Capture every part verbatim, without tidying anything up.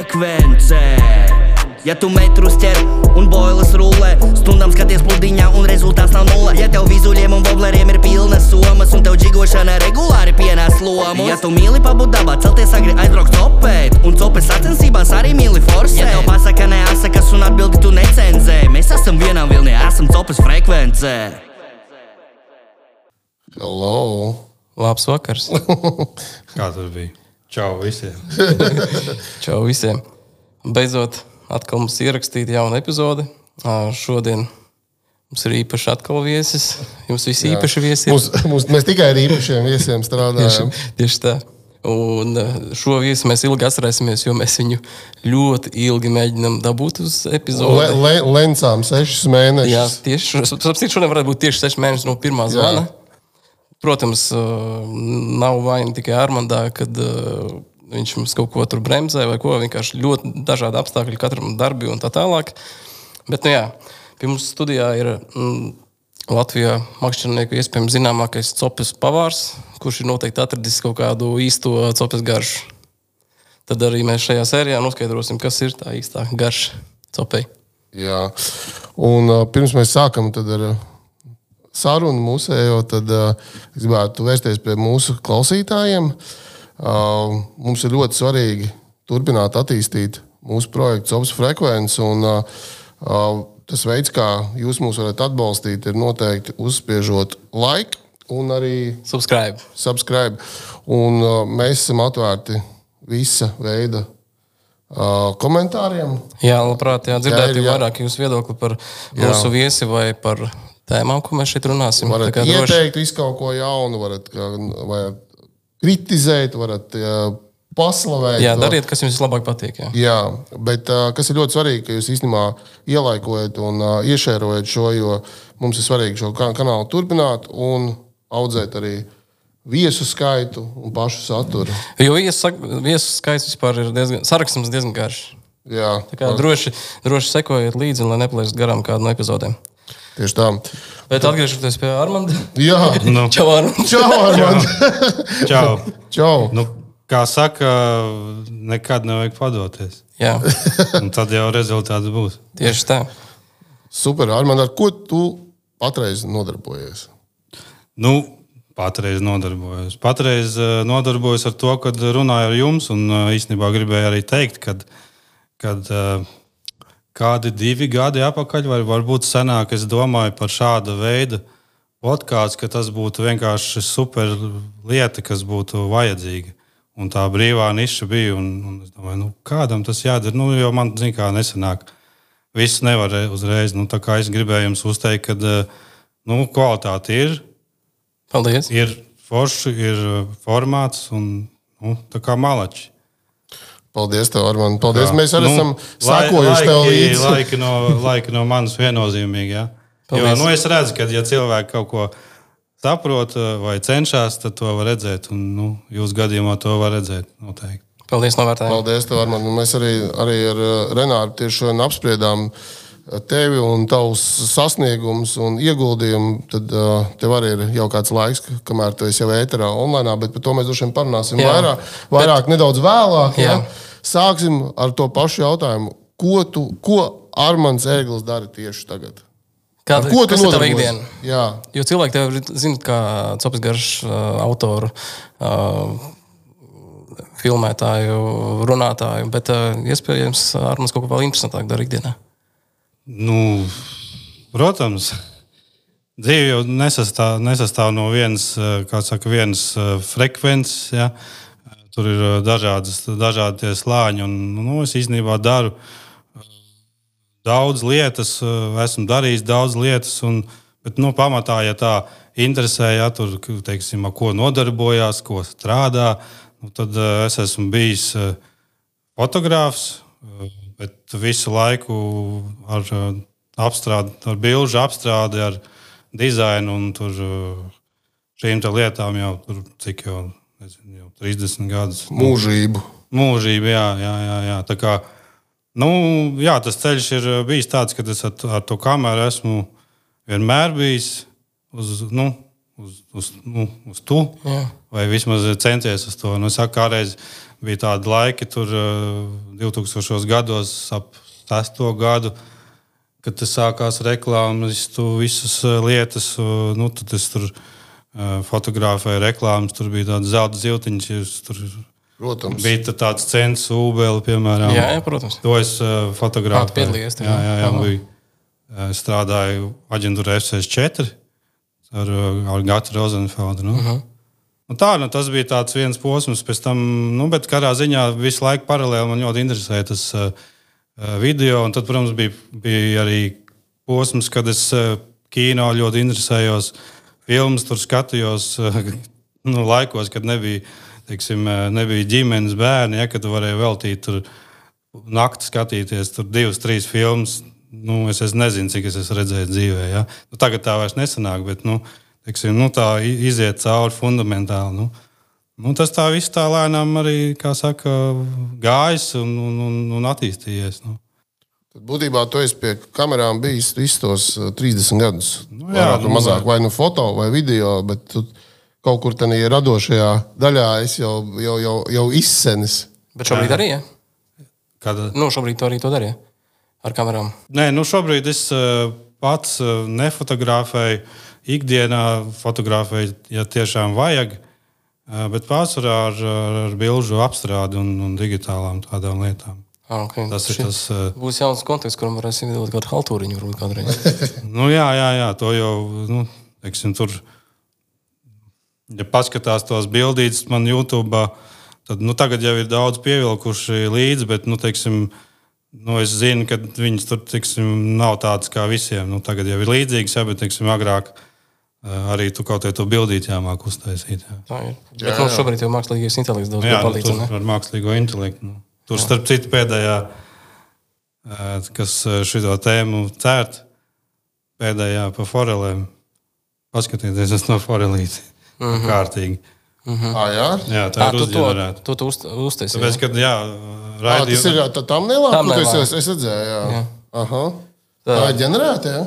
frekvence. Ja tu metrus ķer un boilas rullē, stundām skaties pludiņā un rezultāts nav nulle. Ja tev vizuļiem un vobleriem ir pilnas somas un tev džigošana regulāri pienās lomus. Ja tu mīli pabūt dabā, celties agri aizbraukt copēt un copes sacensībās arī mīli forsēt. Ja tev pasaka neasakas un atbildi tu necenzē, mēs esam vienā vilnī, esam copes frekvence. Hello. Labs vakars. Kā tur bija? Čau visiem. Čau visiem. Beidzot, atkal mums ierakstīt jaunu epizodi. Šodien mums ir īpaši atkal viesis. Jums visi Jā. īpaši viesi ir. Mums, mums, mēs tikai ar īpašiem viesiem strādājam. Tieši, tieši tā. Un šo viesi mēs ilgi atcerēsimies, jo mēs viņu ļoti ilgi mēģinām dabūt uz epizodi. Le, le, lencām sešus mēnešus. Jā, tieši. Šodien varētu būt tieši seši mēneši no pirmā zvana. Jā. Protams, nav vaina tikai Armandā, kad viņš mums kaut ko tur bremzē vai ko. Vienkārši ļoti dažādi apstākļi katram darbi un tā tālāk. Bet, nu jā, pie mums studijā ir mm, Latvijā makšķernieku iespējams zināmākais copes pavārs, kurš ir noteikti atradis kaut kādu īsto copes garšu. Tad arī mēs šajā sērijā noskaidrosim, kas ir tā īstā garša copei. Jā, un uh, pirms mēs sākam tad ar sarunu mūsējo, tad uh, es gribētu vērsties pie mūsu klausītājiem. Uh, mums ir ļoti svarīgi turpināt attīstīt mūsu projektu Copes frekvenci, un uh, uh, tas veids, kā jūs mūs varat atbalstīt, ir noteikti uzspiežot like un arī subscribe. subscribe. Un uh, mēs esam atvērti visa veida uh, komentāriem. Jā, labprāt, jā, dzirdēt jā, jā. vairāk jūsu viedokli par mūsu jā. viesi vai par tēmām, ko mēs šeit runāsim. Varat ieteikt droši... visu kaut ko jaunu, varat, varat kritizēt, varat jā, paslavēt. Jā, dariet, kas jums vislabāk patīk. Jā, jā bet uh, kas ir ļoti svarīgi, ka jūs īstenībā ielaikojat un uh, iešērojat šo, jo mums ir svarīgi šo kanālu turpināt un audzēt arī viesu skaitu un pašu saturu. Jo viesu, viesu skaits vispār ir diezgan, sarakstams diezgan garš. Jā. Tā kā droši, droši sekojiet līdzi, lai neplēst garām kādu no epizodēm. Tieši tā. Bet atgriežoties pie Armanda. Jā. Nu. Čau, Armand. Čau, Armand. Čau. Čau. Nu, kā saka, nekad nevajag padoties. Jā. Un tad jau rezultāts būs. Tieši tā. Super, Armand, ar ko tu patreiz nodarbojies? Nu, patreiz nodarbojos. Patreiz nodarbojos ar to, kad runāju ar jums, un īstenībā gribēju arī teikt, kad, kad kādi divi gadi apakaļ, vai varbūt senāk, es domāju par šāda veida podkāstu, ka tas būtu vienkārši super lieta, kas būtu vajadzīga. Un tā brīvā niša bija, un, un es domāju, nu, kādam tas jādara, nu, jo man, zin kā, nesanāk. Viss nevar uzreiz, nu, tā kā es gribēju jums uzteikt, kad, nu, kvalitāte ir. Paldies. Ir forši, ir formāts, un, nu, tā kā malači. Paldies tev, Armand. Paldies. Mēs arī nu, esam sakojuši tev līdzi. Laiki no, laiki no manas viennozīmīgi, jā. Jo, nu, es redzu, ka, ja cilvēki kaut ko saprot vai cenšas, tad to var redzēt. Un, nu, jūs gadījumā to var redzēt noteikti. Paldies, novērtējumu. Paldies tev, Armand. Mēs arī, arī ar Renāru tieši šodien apspriedām tevi un tavus sasniegumus un ieguldījumu. Tad uh, tev arī ir jau kāds laiks, kamēr tu esi jau ēterā online, bet par to mēs droši vien parunāsim jā, vairāk, vairāk bet... nedaudz vēlāk. Jā. Jā. Sāksim ar to pašu jautājumu. Ko, tu, ko Armands Ēglis dara tieši tagad? Kāda, ko tu kas ir tava ikdiena? Jā. Jo cilvēki tev zina kā Copes garš uh, autoru, uh, filmētāju, runātāju, bet uh, iespējams Armands kaut ko vēl interesantāk dara ikdienā. Nu, protams, dzīve jau nesastāv, nesastāv no vienas, kā saka, vienas frekvences, ja. Tur ir dažādas, dažādi tie slāņi, un nu, es īstenībā daru daudz lietas, esmu darījis daudz lietas, un, bet nu, pamatā, ja tā interesē, ja tur, teiksim, ko nodarbojās, ko strādā, nu, tad es esmu bijis fotogrāfs, bet visu laiku ar apstrādi, ar bilžu apstrādi, ar dizainu, un tur šīm tā lietām jau tur, cik jau, nezinu, jau trīsdesmit gadus. Mūžību. Mūžību, jā, jā, jā, jā. Tā kā, nu, jā, tas ceļš ir bijis tāds, ka es ar, ar to kameru esmu vienmēr bijis uz, nu, uz, uz, nu, uz tu, Jā. vai vismaz centies uz to. Nu, es saku, kādreiz bija tādi laiki, tur divtūkstošos gados, ap sesto gadu, kad tas sākās reklāmas, tu visas lietas, nu, tad es tur fotografēju reklāmas, tur bija tāda zelta ziltiņas, tur Protams. Bija tāds cents, ūbeli, piemēram. Jā, jā, protams. To es uh, fotografēju. Kāds piedalījies? Jā, jā, jā. Bija, uh, strādāju aģentūrā F sešdesmit četri ar, ar Gatu Rozenfeldu. Nu. Uh -huh. Nu, tā, nu, tas bija tāds viens posms. Pēc tam, nu, bet kādā ziņā visu laiku paralēli man ļoti interesēja tas uh, video. Un tad, protams, bija, bija arī posms, kad es uh, kino ļoti interesējos. Filmas tur skatījos uh, nu, laikos, kad nebija Teiksim, nebija ģimenes bērni, ja, kad tu varēji veltīt tur nakti skatīties, tur divas, trīs filmas. Nu, es, es nezinu, cik es esmu redzējis dzīvē. Ja. Nu, tagad tā vairs nesanāk, bet nu, teiksim, nu, tā iziet cauri fundamentāli. Nu. Nu, tas tā viss tā lēnām arī, kā saka, gājis un, un, un, un attīstījies. Nu. Tad būtībā tu esi pie kamerām bijis visus tos trīsdesmit gadus. Nu, jā, nu, mazāk vai nu foto vai video, bet tu kaut kur tādā radošajā daļā es jau, jau, jau, jau izsenis. Bet šobrīd arī, ja? Kad... Nu, šobrīd to arī to darīja ar kamerām. Nē, nu šobrīd es uh, pats uh, nefotografēju. Ikdienā fotografēju, ja tiešām vajag, uh, bet pārsvarā ar, ar bilžu apstrādi un, un digitālām tādām lietām. Ah, okay. Tas ir tas... Uh... Būs jauns konteksts, kuram varēsim iedot kādu haltūriņu varbūt kādreiz. nu jā, jā, jā, to jau, nu, teiksim, tur... Ja paskatās tos bildītes man YouTube, tad nu, tagad jau ir daudz pievilkuši līdzi, bet nu, teiksim, nu, es zinu, ka viņas tur teiksim, nav tādas kā visiem. Nu, tagad jau ir līdzīgas, ja, bet teiksim, agrāk arī tu kaut kādu to bildīti jāmāk uztaisīt. Jā. Tā ir. Jā, bet nu, šobrīd jau mākslīgais intelekts daudz jā, palīdz. Nu, tur ar mākslīgo intelektu. Nu. Tur jā. Starp citu pēdējā, kas šito tēmu cērt, pēdējā pa forelēm. Paskatieties, es no forelīti. Mm-hmm. Kārtīgi. Mm-hmm. Ah, jā? jā, tā à, ir uzģenerēta. Tu to uztaisīji. Tāpēc, kad, jā, raidīju... À, tas ir tā thumbnailā, ko es, es, es redzēju, jā. jā. Aha. Tā, tā ir ģenerēta, jā?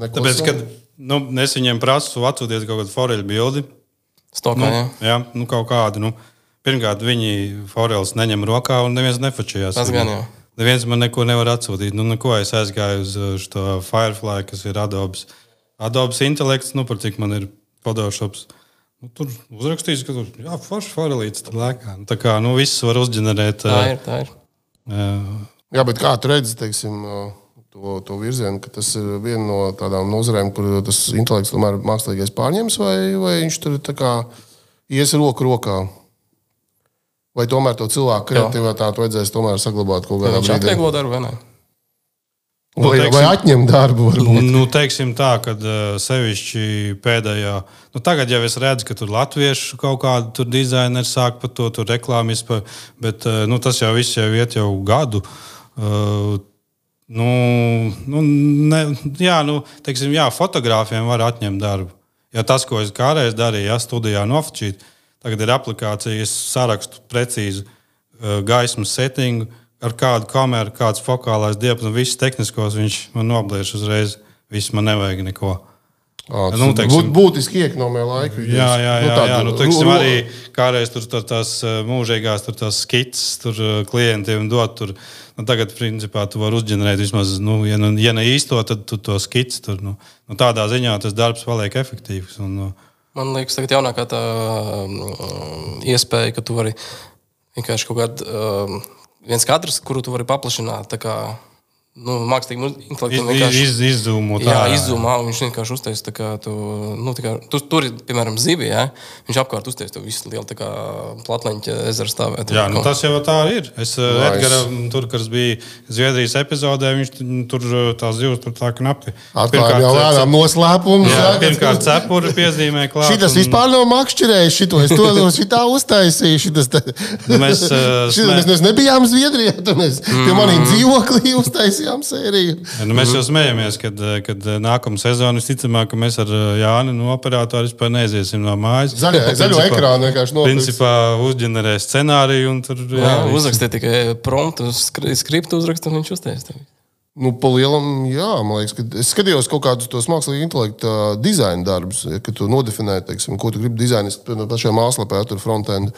Neko Tāpēc, kad nu, es viņiem prasu atsūties kaut kādu foreļu bildi. Stokā, nu, jā. Jā, nu kaut kādu. Nu, pirmkārt, viņi foreļus neņem rokā un neviens nefačījās. Tas gan, jā. Neviens man neko nevar atsūtīt. Nu, neko es aizgāju uz šo Firefly, kas ir Adobes. Adobes intelekts, nu, par cik man ir Photoshops. Nu, tur uzrakstīts, ka tur jā, forši forelīts tur lēkā. Nu, tā kā, nu, viss var uzģenerēt. Tā ir, tā ir. Uh, jā, bet kā tu redzi, teiksim, to, to virzienu, ka tas ir viena no tādām nozarēm, kur tas intelekts tomēr mākslīgais pārņems, vai, vai viņš tur tā kā ies roku rokā? Vai tomēr to cilvēku kreativitāti vajadzēs tomēr saglabāt kaut kādā brīdī? Viņš atvieglo darbu, vai ne? Vai, nu, teiksim, vai atņem darbu? Varbūt. Nu, teiksim tā, ka sevišķi pēdējā, nu tagad jau es redzu, ka tur latviešu kaut kādu tur dizaineri sāk par to, tur reklāmis, bet nu, tas jau viss jau iet jau gadu. Uh, nu, nu, ne, jā, nu, teiksim, jā, fotogrāfiem var atņemt darbu. Ja tas, ko es kādreiz darīju, ja studijā nofočīt, tagad ir aplikācija, es sarakstu precīzi uh, gaismas settingu, ar kādu kameru, kāds fokālais diapazons, visus tehniskos viņš man nobliež uzreiz. Viss man nevajag neko. À, nu, teiksim, būtiski iekonomē laiku. Jā, jā, jā. jā, jā. Nu, teiksim, arī kādreiz tur, tur tās mūžīgās tur tās skits tur klientiem dot. Tur, nu, tagad, principā, tu vari uzģenerēt vismaz, nu, ja, ja ne īsto, tad tu to skits tur. Nu, nu, tādā ziņā tas darbs paliek efektīvs. Un, nu, man liekas, tagad jaunākā tā um, iespēja, ka tu vari vienkārši kaut kādu um, viens kadrs, kuru tu vari paplašināt, tā kā, nu, mākslīgam intelektam vienkārši... Iz, iz, izzūmot. Jā, izzūmā, un viņš vienkārši uztais, tā kā tu, nu, tā kā, tu, tur ir, piemēram, zivi, jā, viņš apkārt uztais to visu lielu, tā kā, platleņķa ezera stāvēt. Jā, nu, tas jau tā ir. Es nice. Edgaram, tur, kas bija Zviedrijas epizodē, viņš tur tās zivs tur tā knapi. Atklājām jau lēnām noslēpumus. Jā, pirmkārt cepuri piezīmē klāt. Šitas un... vispār nav makšķirējis, šito es to šitā uztaisīju. Šitas, tā... nu, mēs, šitas, mēs, mēs nebijām Zviedrijā, tad mēs mm. pie manīm dzīvoklī uztaisījām sēriju. Ja, nu, mēs jau smējamies, kad, kad nākamā sezona visticamāk, ka mēs ar Jāni no operātoru vispār neiziesim no mājas. Zaļo, zaļo ekrānu vienkārši nopirks. Principā uzģenerē scenāriju un tur... Jā, jā uzrakstē tikai promptu, skriptu uzrakstu un viņš uztais tevi. Nu, pa lielam, jā, man liekas, ka es skatījos kaut kādus tos mākslīgi intelekta dizaina darbus, ja, kad tu nodefinē, teiksim, ko tu gribi dizainist, no pašajā mājaslapē, tur frontend.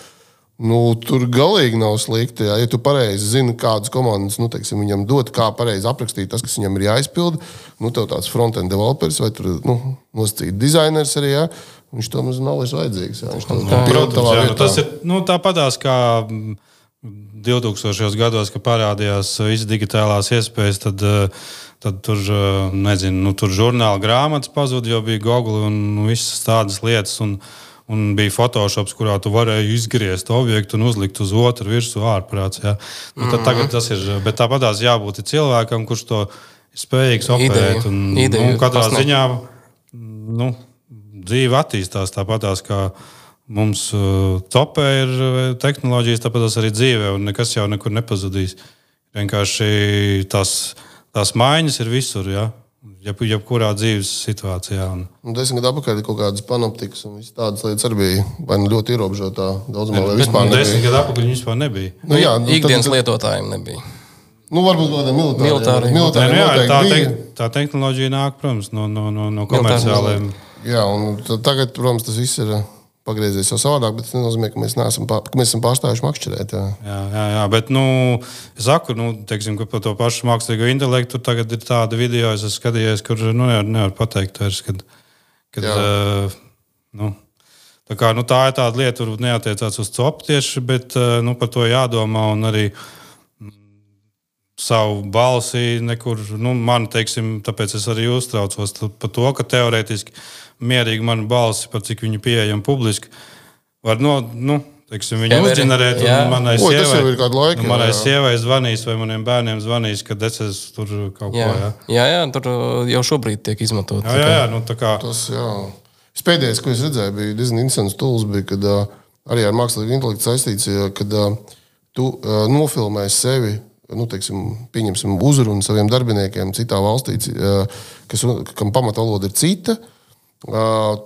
Nu, tur galīgi nav slikti, ja, ja tu pareizi zini, kādas komandas, nu, teiksim, viņam dot, kā pareizi aprakstīt tas, kas viņam ir jāizpilda. Nu, tev tāds frontend developers vai tur, nu, nosacīt dizainers arī, ja, viņš to mums nav vairs vajadzīgs. Ja, viņš to Protams, jā, nu, tas ir, nu, tāpatās kā divtūkstošajos gados, kad parādījās visas digitālās iespējas, tad, tad tur, nezinu, nu, tur žurnāla grāmatas pazuda, jo bija Google un visas tādas lietas, un, un bija Photoshops, kurā tu varēji izgriezt objektu un uzlikt uz otru virsmu ārprāts. Ja. Nu, tad tagad tas ir, bet tāpatās jābūt cilvēkam, kurš to ir spējīgs operēt. Un, Ideju, nu, katrā pasnāk. ziņā nu, dzīve attīstās tāpatās, kā mums uh, topē ir tehnoloģijas, tāpēc arī dzīvē, un nekas jau nekur nepazudīs. Vienkārši tās, tās maiņas ir visur, ja? Jeb, jebkurā dzīves situācijā. Un... Desmit gadu atpakaļ kaut kādas panoptikas un visas tādas lietas arī bija vai nu ļoti ierobežotā daudzumā, vai vispār nebija. Desmit gadu atpakaļ viņi vispār nebija. Nu, jā, nu, Ikdienas tad, lietotājiem nebija. Nu, varbūt kaut kādā militāri. Militāri. militāri Ne, nu, jā, tā, bija. te, tā tehnoloģija nāk, protams, no, no, no, no komerciāliem. Jā, un tagad, protams, tas viss ir pagriezies jau savādāk, bet tas nenozīmē, ka mēs, neesam, pār, ka mēs esam pārstājuši makšķerēt. Jā. Jā, jā, jā, bet, nu, es saku, nu, teiksim, ka par to pašu mākslīgo intelektu tagad ir tāda video, es esmu skatījies, kur, nu, nevar, nevar pateikt vairs, kad, kad uh, nu, tā kā, nu, tā ir tāda lieta, tur neatiecās uz copu tieši, bet, uh, nu, par to jādomā un arī savu balsi nekur, nu, man, teiksim, tāpēc es arī uztraucos par to, ka teorētiski mierīgi manu balsi, par cik viņu pieejam publiski, var, no, nu, teiksim, viņu Kemeri, uzģenerēt jā. un manai Oi, tas jau ir sievai, kādu laiku. nu, manai jā, jā. sievai zvanīs vai maniem bērniem zvanīs, kad es esmu tur kaut Jā. ko, jā. jā, jā, tur jau šobrīd tiek izmantot. Jā, jā, jā, nu, tā kā, Tas, jā. Pēdējais, ko es redzēju, bija diezgan interesants tools, bija, kad uh, arī ar mākslīgu intelektu saistīts, ja, kad uh, tu uh, nofilmē sevi, nu, teiksim, pieņemsim uzrunu saviem darbiniekiem citā valstī, uh, kas, kam pamatvaloda ir cita, uh,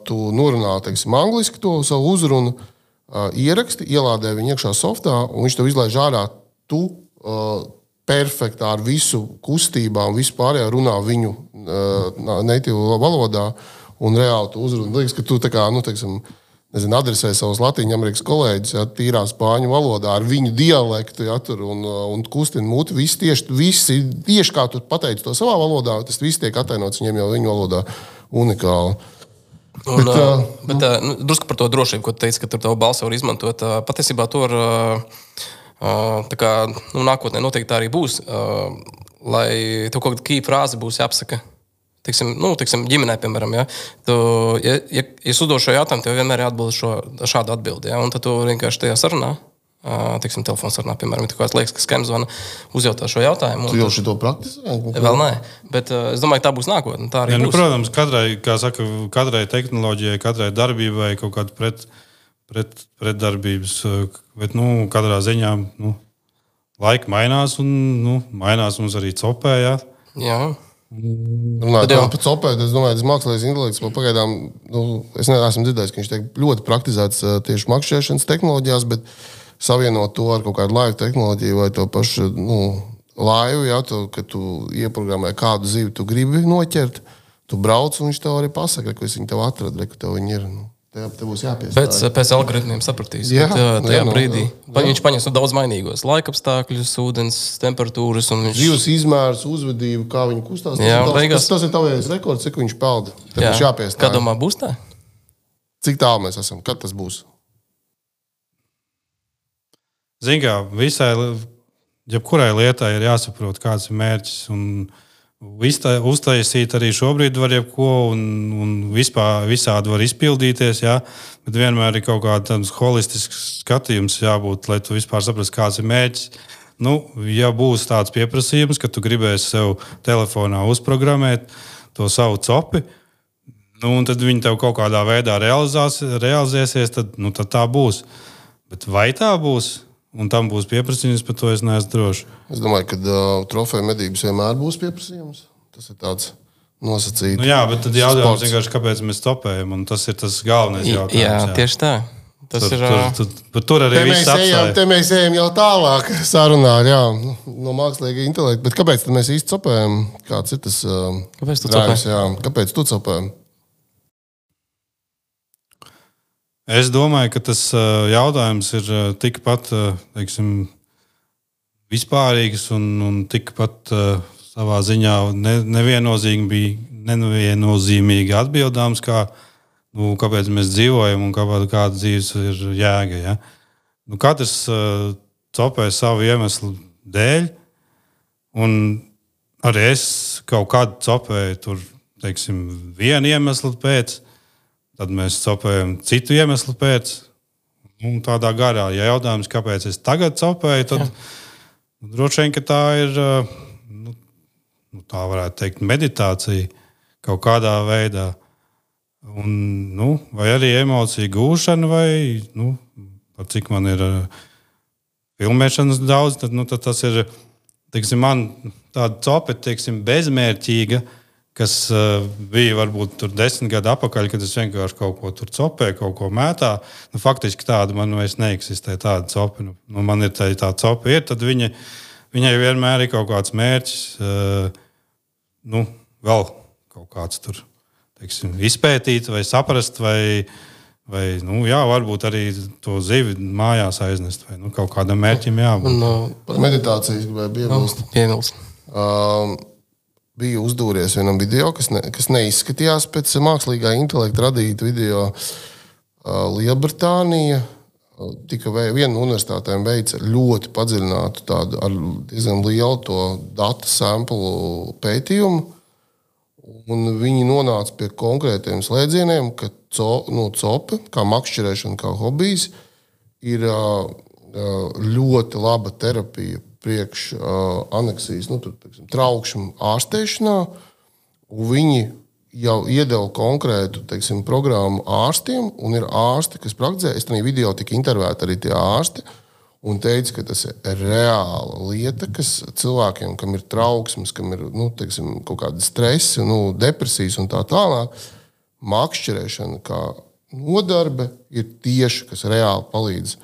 tu norunā, teiksim, angliski to savu uzrunu, uh, ieraksti, ielādē viņu iekšā softā, un viņš tev izlaiž ārā, tu uh, perfektā ar visu kustībām, visu pārējā runā viņu uh, natīvu valodā, un reāli tu uzruni. Liekas, ka tu tā kā, nu, teiksim, nezinu, adresē savus Latvijas Amerikas kolēģus, ja, tīrā spāņu valodā, ar viņu dialektu, ja, tur, un, un kustina muti. Visi tieši, visi, tieši kā tu pateici to savā valodā, tas viss tiek atainots viņiem jau viņu valodā unikāli. Un, bet, uh, bet uh, nu, drusku par to drošību, ko tu teici, ka tur tavu balsi var izmantot. Uh, patiesībā tur uh, uh, tā kā, nu, nākotnē noteikti tā arī būs, uh, lai tev kaut kāda key frāze būs jāapsaka. Tiksim, nu, tiksim, ģimenē, piemēram, ja, tu, ja, ja, ja es uzdošu šo jautājumu, tev vienmēr ir atbild šo, šādu atbildi. Ja, un tad tu vienkārši tajā sarunā, tiksim, telefons sarunā, piemēram, ja tu kāds liekas, ka skams zvana, uzjautā šo jautājumu. Tu jau šito praktizē? Vēl nē, bet uh, es domāju, ka tā būs nākotne. Tā arī ja, nu, būs. protams, katrai, kā saka, katrai tehnoloģijai, katrai darbībai kaut kāda pret, pret, pretdarbības, bet, nu, katrā ziņā, nu, laika mainās un, nu, mainās mums arī copē, jā. Jā. Runājot par copēt, es domāju, tas mākslīgais intelekts pagaidām, nu, es neesmu dzirdējis, ka viņš tiek ļoti praktizēts tieši makšķerēšanas tehnoloģijās, bet savienot to ar kaut kādu laivu tehnoloģiju vai to pašu, nu, laivu, ja, tu, kad tu ieprogrammē kādu zivi, tu gribi noķert, tu brauc un viņš tev arī pasaka, ka viņš tev atrada, ka tev viņi ir. Nu. Tev, tev būs jāpiestāj. Pēc, pēc algoritmiem sapratīs. Jā, bet, tajā jā, nu, brīdī jā. viņš paņems nu, daudz mainīgos laikapstākļus, ūdens temperatūras. Viņš... Dzīves izmērs, uzvedību, kā viņi kustās. Tas, Jā, ir, tavs, beigās... tas, tas ir tavējais rekords, cik viņš pelda. Tev būs jāpiestāj. Kā domā, būs tā? Cik tālu mēs esam? Kad tas būs? Zini, kā visai, jebkurai lietai ir jāsaprot, kāds ir mērķis. Un uztaisīt arī šobrīd var jebko, un, un vispār, visādi var izpildīties, jā, bet vienmēr ir kaut kāds holistisks skatījums jābūt, lai tu vispār saprastu, kāds ir mērķis. Nu, ja būs tāds pieprasījums, ka tu gribēsi sev telefonā uzprogrammēt to savu copi, nu, un tad viņi tev kaut kādā veidā realizēsies, tad, nu, tad tā būs. Bet vai tā būs? Un tam būs pieprasījums, par to es neesmu drošs. Es domāju, ka uh, trofeju medības vienmēr būs pieprasījums. Tas ir tāds nosacīts. Nu jā, bet tad jautājums vienkārši, kāpēc mēs topējam, un tas ir tas galvenais jautājums. Jā, jā. tieši tā. Tas tur, ir... Tur, tur, tur arī te viss mēs, ejam, apstāja. te mēs ejam jau tālāk sarunā, jā, no mākslīga intelekta. Bet kāpēc tad mēs īsti copējam? Kāds ir tas uh, Kāpēc tu drājums, copē? jā? Kāpēc tu copējam? Es domāju, ka tas uh, jautājums ir uh, tikpat, uh, teiksim, vispārīgs un, un tikpat uh, savā ziņā ne, neviennozīmīgi, neviennozīmīgi atbildāms, kā, nu, kāpēc mēs dzīvojam un kāda, kāda dzīves ir jēga. Ja? Nu, katrs uh, copē savu iemeslu dēļ, un arī es kaut kādu copēju tur, teiksim, vienu iemeslu pēc, tad mēs copējam citu iemeslu pēc. Un tādā garā, ja jautājums, kāpēc es tagad copēju, tad nu, droši vien, ka tā ir, nu, tā varētu teikt, meditācija kaut kādā veidā. Un, nu, vai arī emocija gūšana, vai, nu, par cik man ir filmēšanas daudz, tad, nu, tad tas ir, teiksim, man tāda cope, teiksim, bezmērķīga, kas uh, bija varbūt tur desmit gadu atpakaļ, kad es vienkārši kaut ko tur copēju, kaut ko mētā. Nu, faktiski tāda man vairs neeksistē, tāda cope. Nu, nu, man ir tā, tā cope, ir, tad viņa, viņai vienmēr ir kaut kāds mērķis, uh, nu, vēl kaut kāds tur, teiksim, izpētīt vai saprast, vai, vai nu, jā, varbūt arī to zivi mājās aiznest, vai nu, kaut kādam mērķim jābūt. Un, uh, Par meditācijas gribēju piebilst. Piebilst. Um, Bija uzdūries vienam video, kas, ne, kas neizskatījās pēc mākslīgā intelekta radīta video. Uh, Lielbritānija uh, tika vei, viena no universitātēm veica ļoti padziļinātu tādu ar diezgan lielu to datu samplu pētījumu. Un viņi nonāca pie konkrētiem slēdzieniem, ka co, nu, cope, kā makšķerēšana, kā hobijs, ir uh, ļoti laba terapija priekš uh, aneksijas, nu, tur, teiksim, traukšņu ārstēšanā, un viņi jau iedeva konkrētu, teiksim, programmu ārstiem, un ir ārsti, kas praktizē. Es tajā video tika intervēti arī tie ārsti, un teica, ka tas ir reāla lieta, kas cilvēkiem, kam ir trauksmes, kam ir, nu, teiksim, kaut kādi stresi, nu, depresijas un tā tālāk, makšķerēšana kā nodarbe ir tieši, kas reāli palīdz.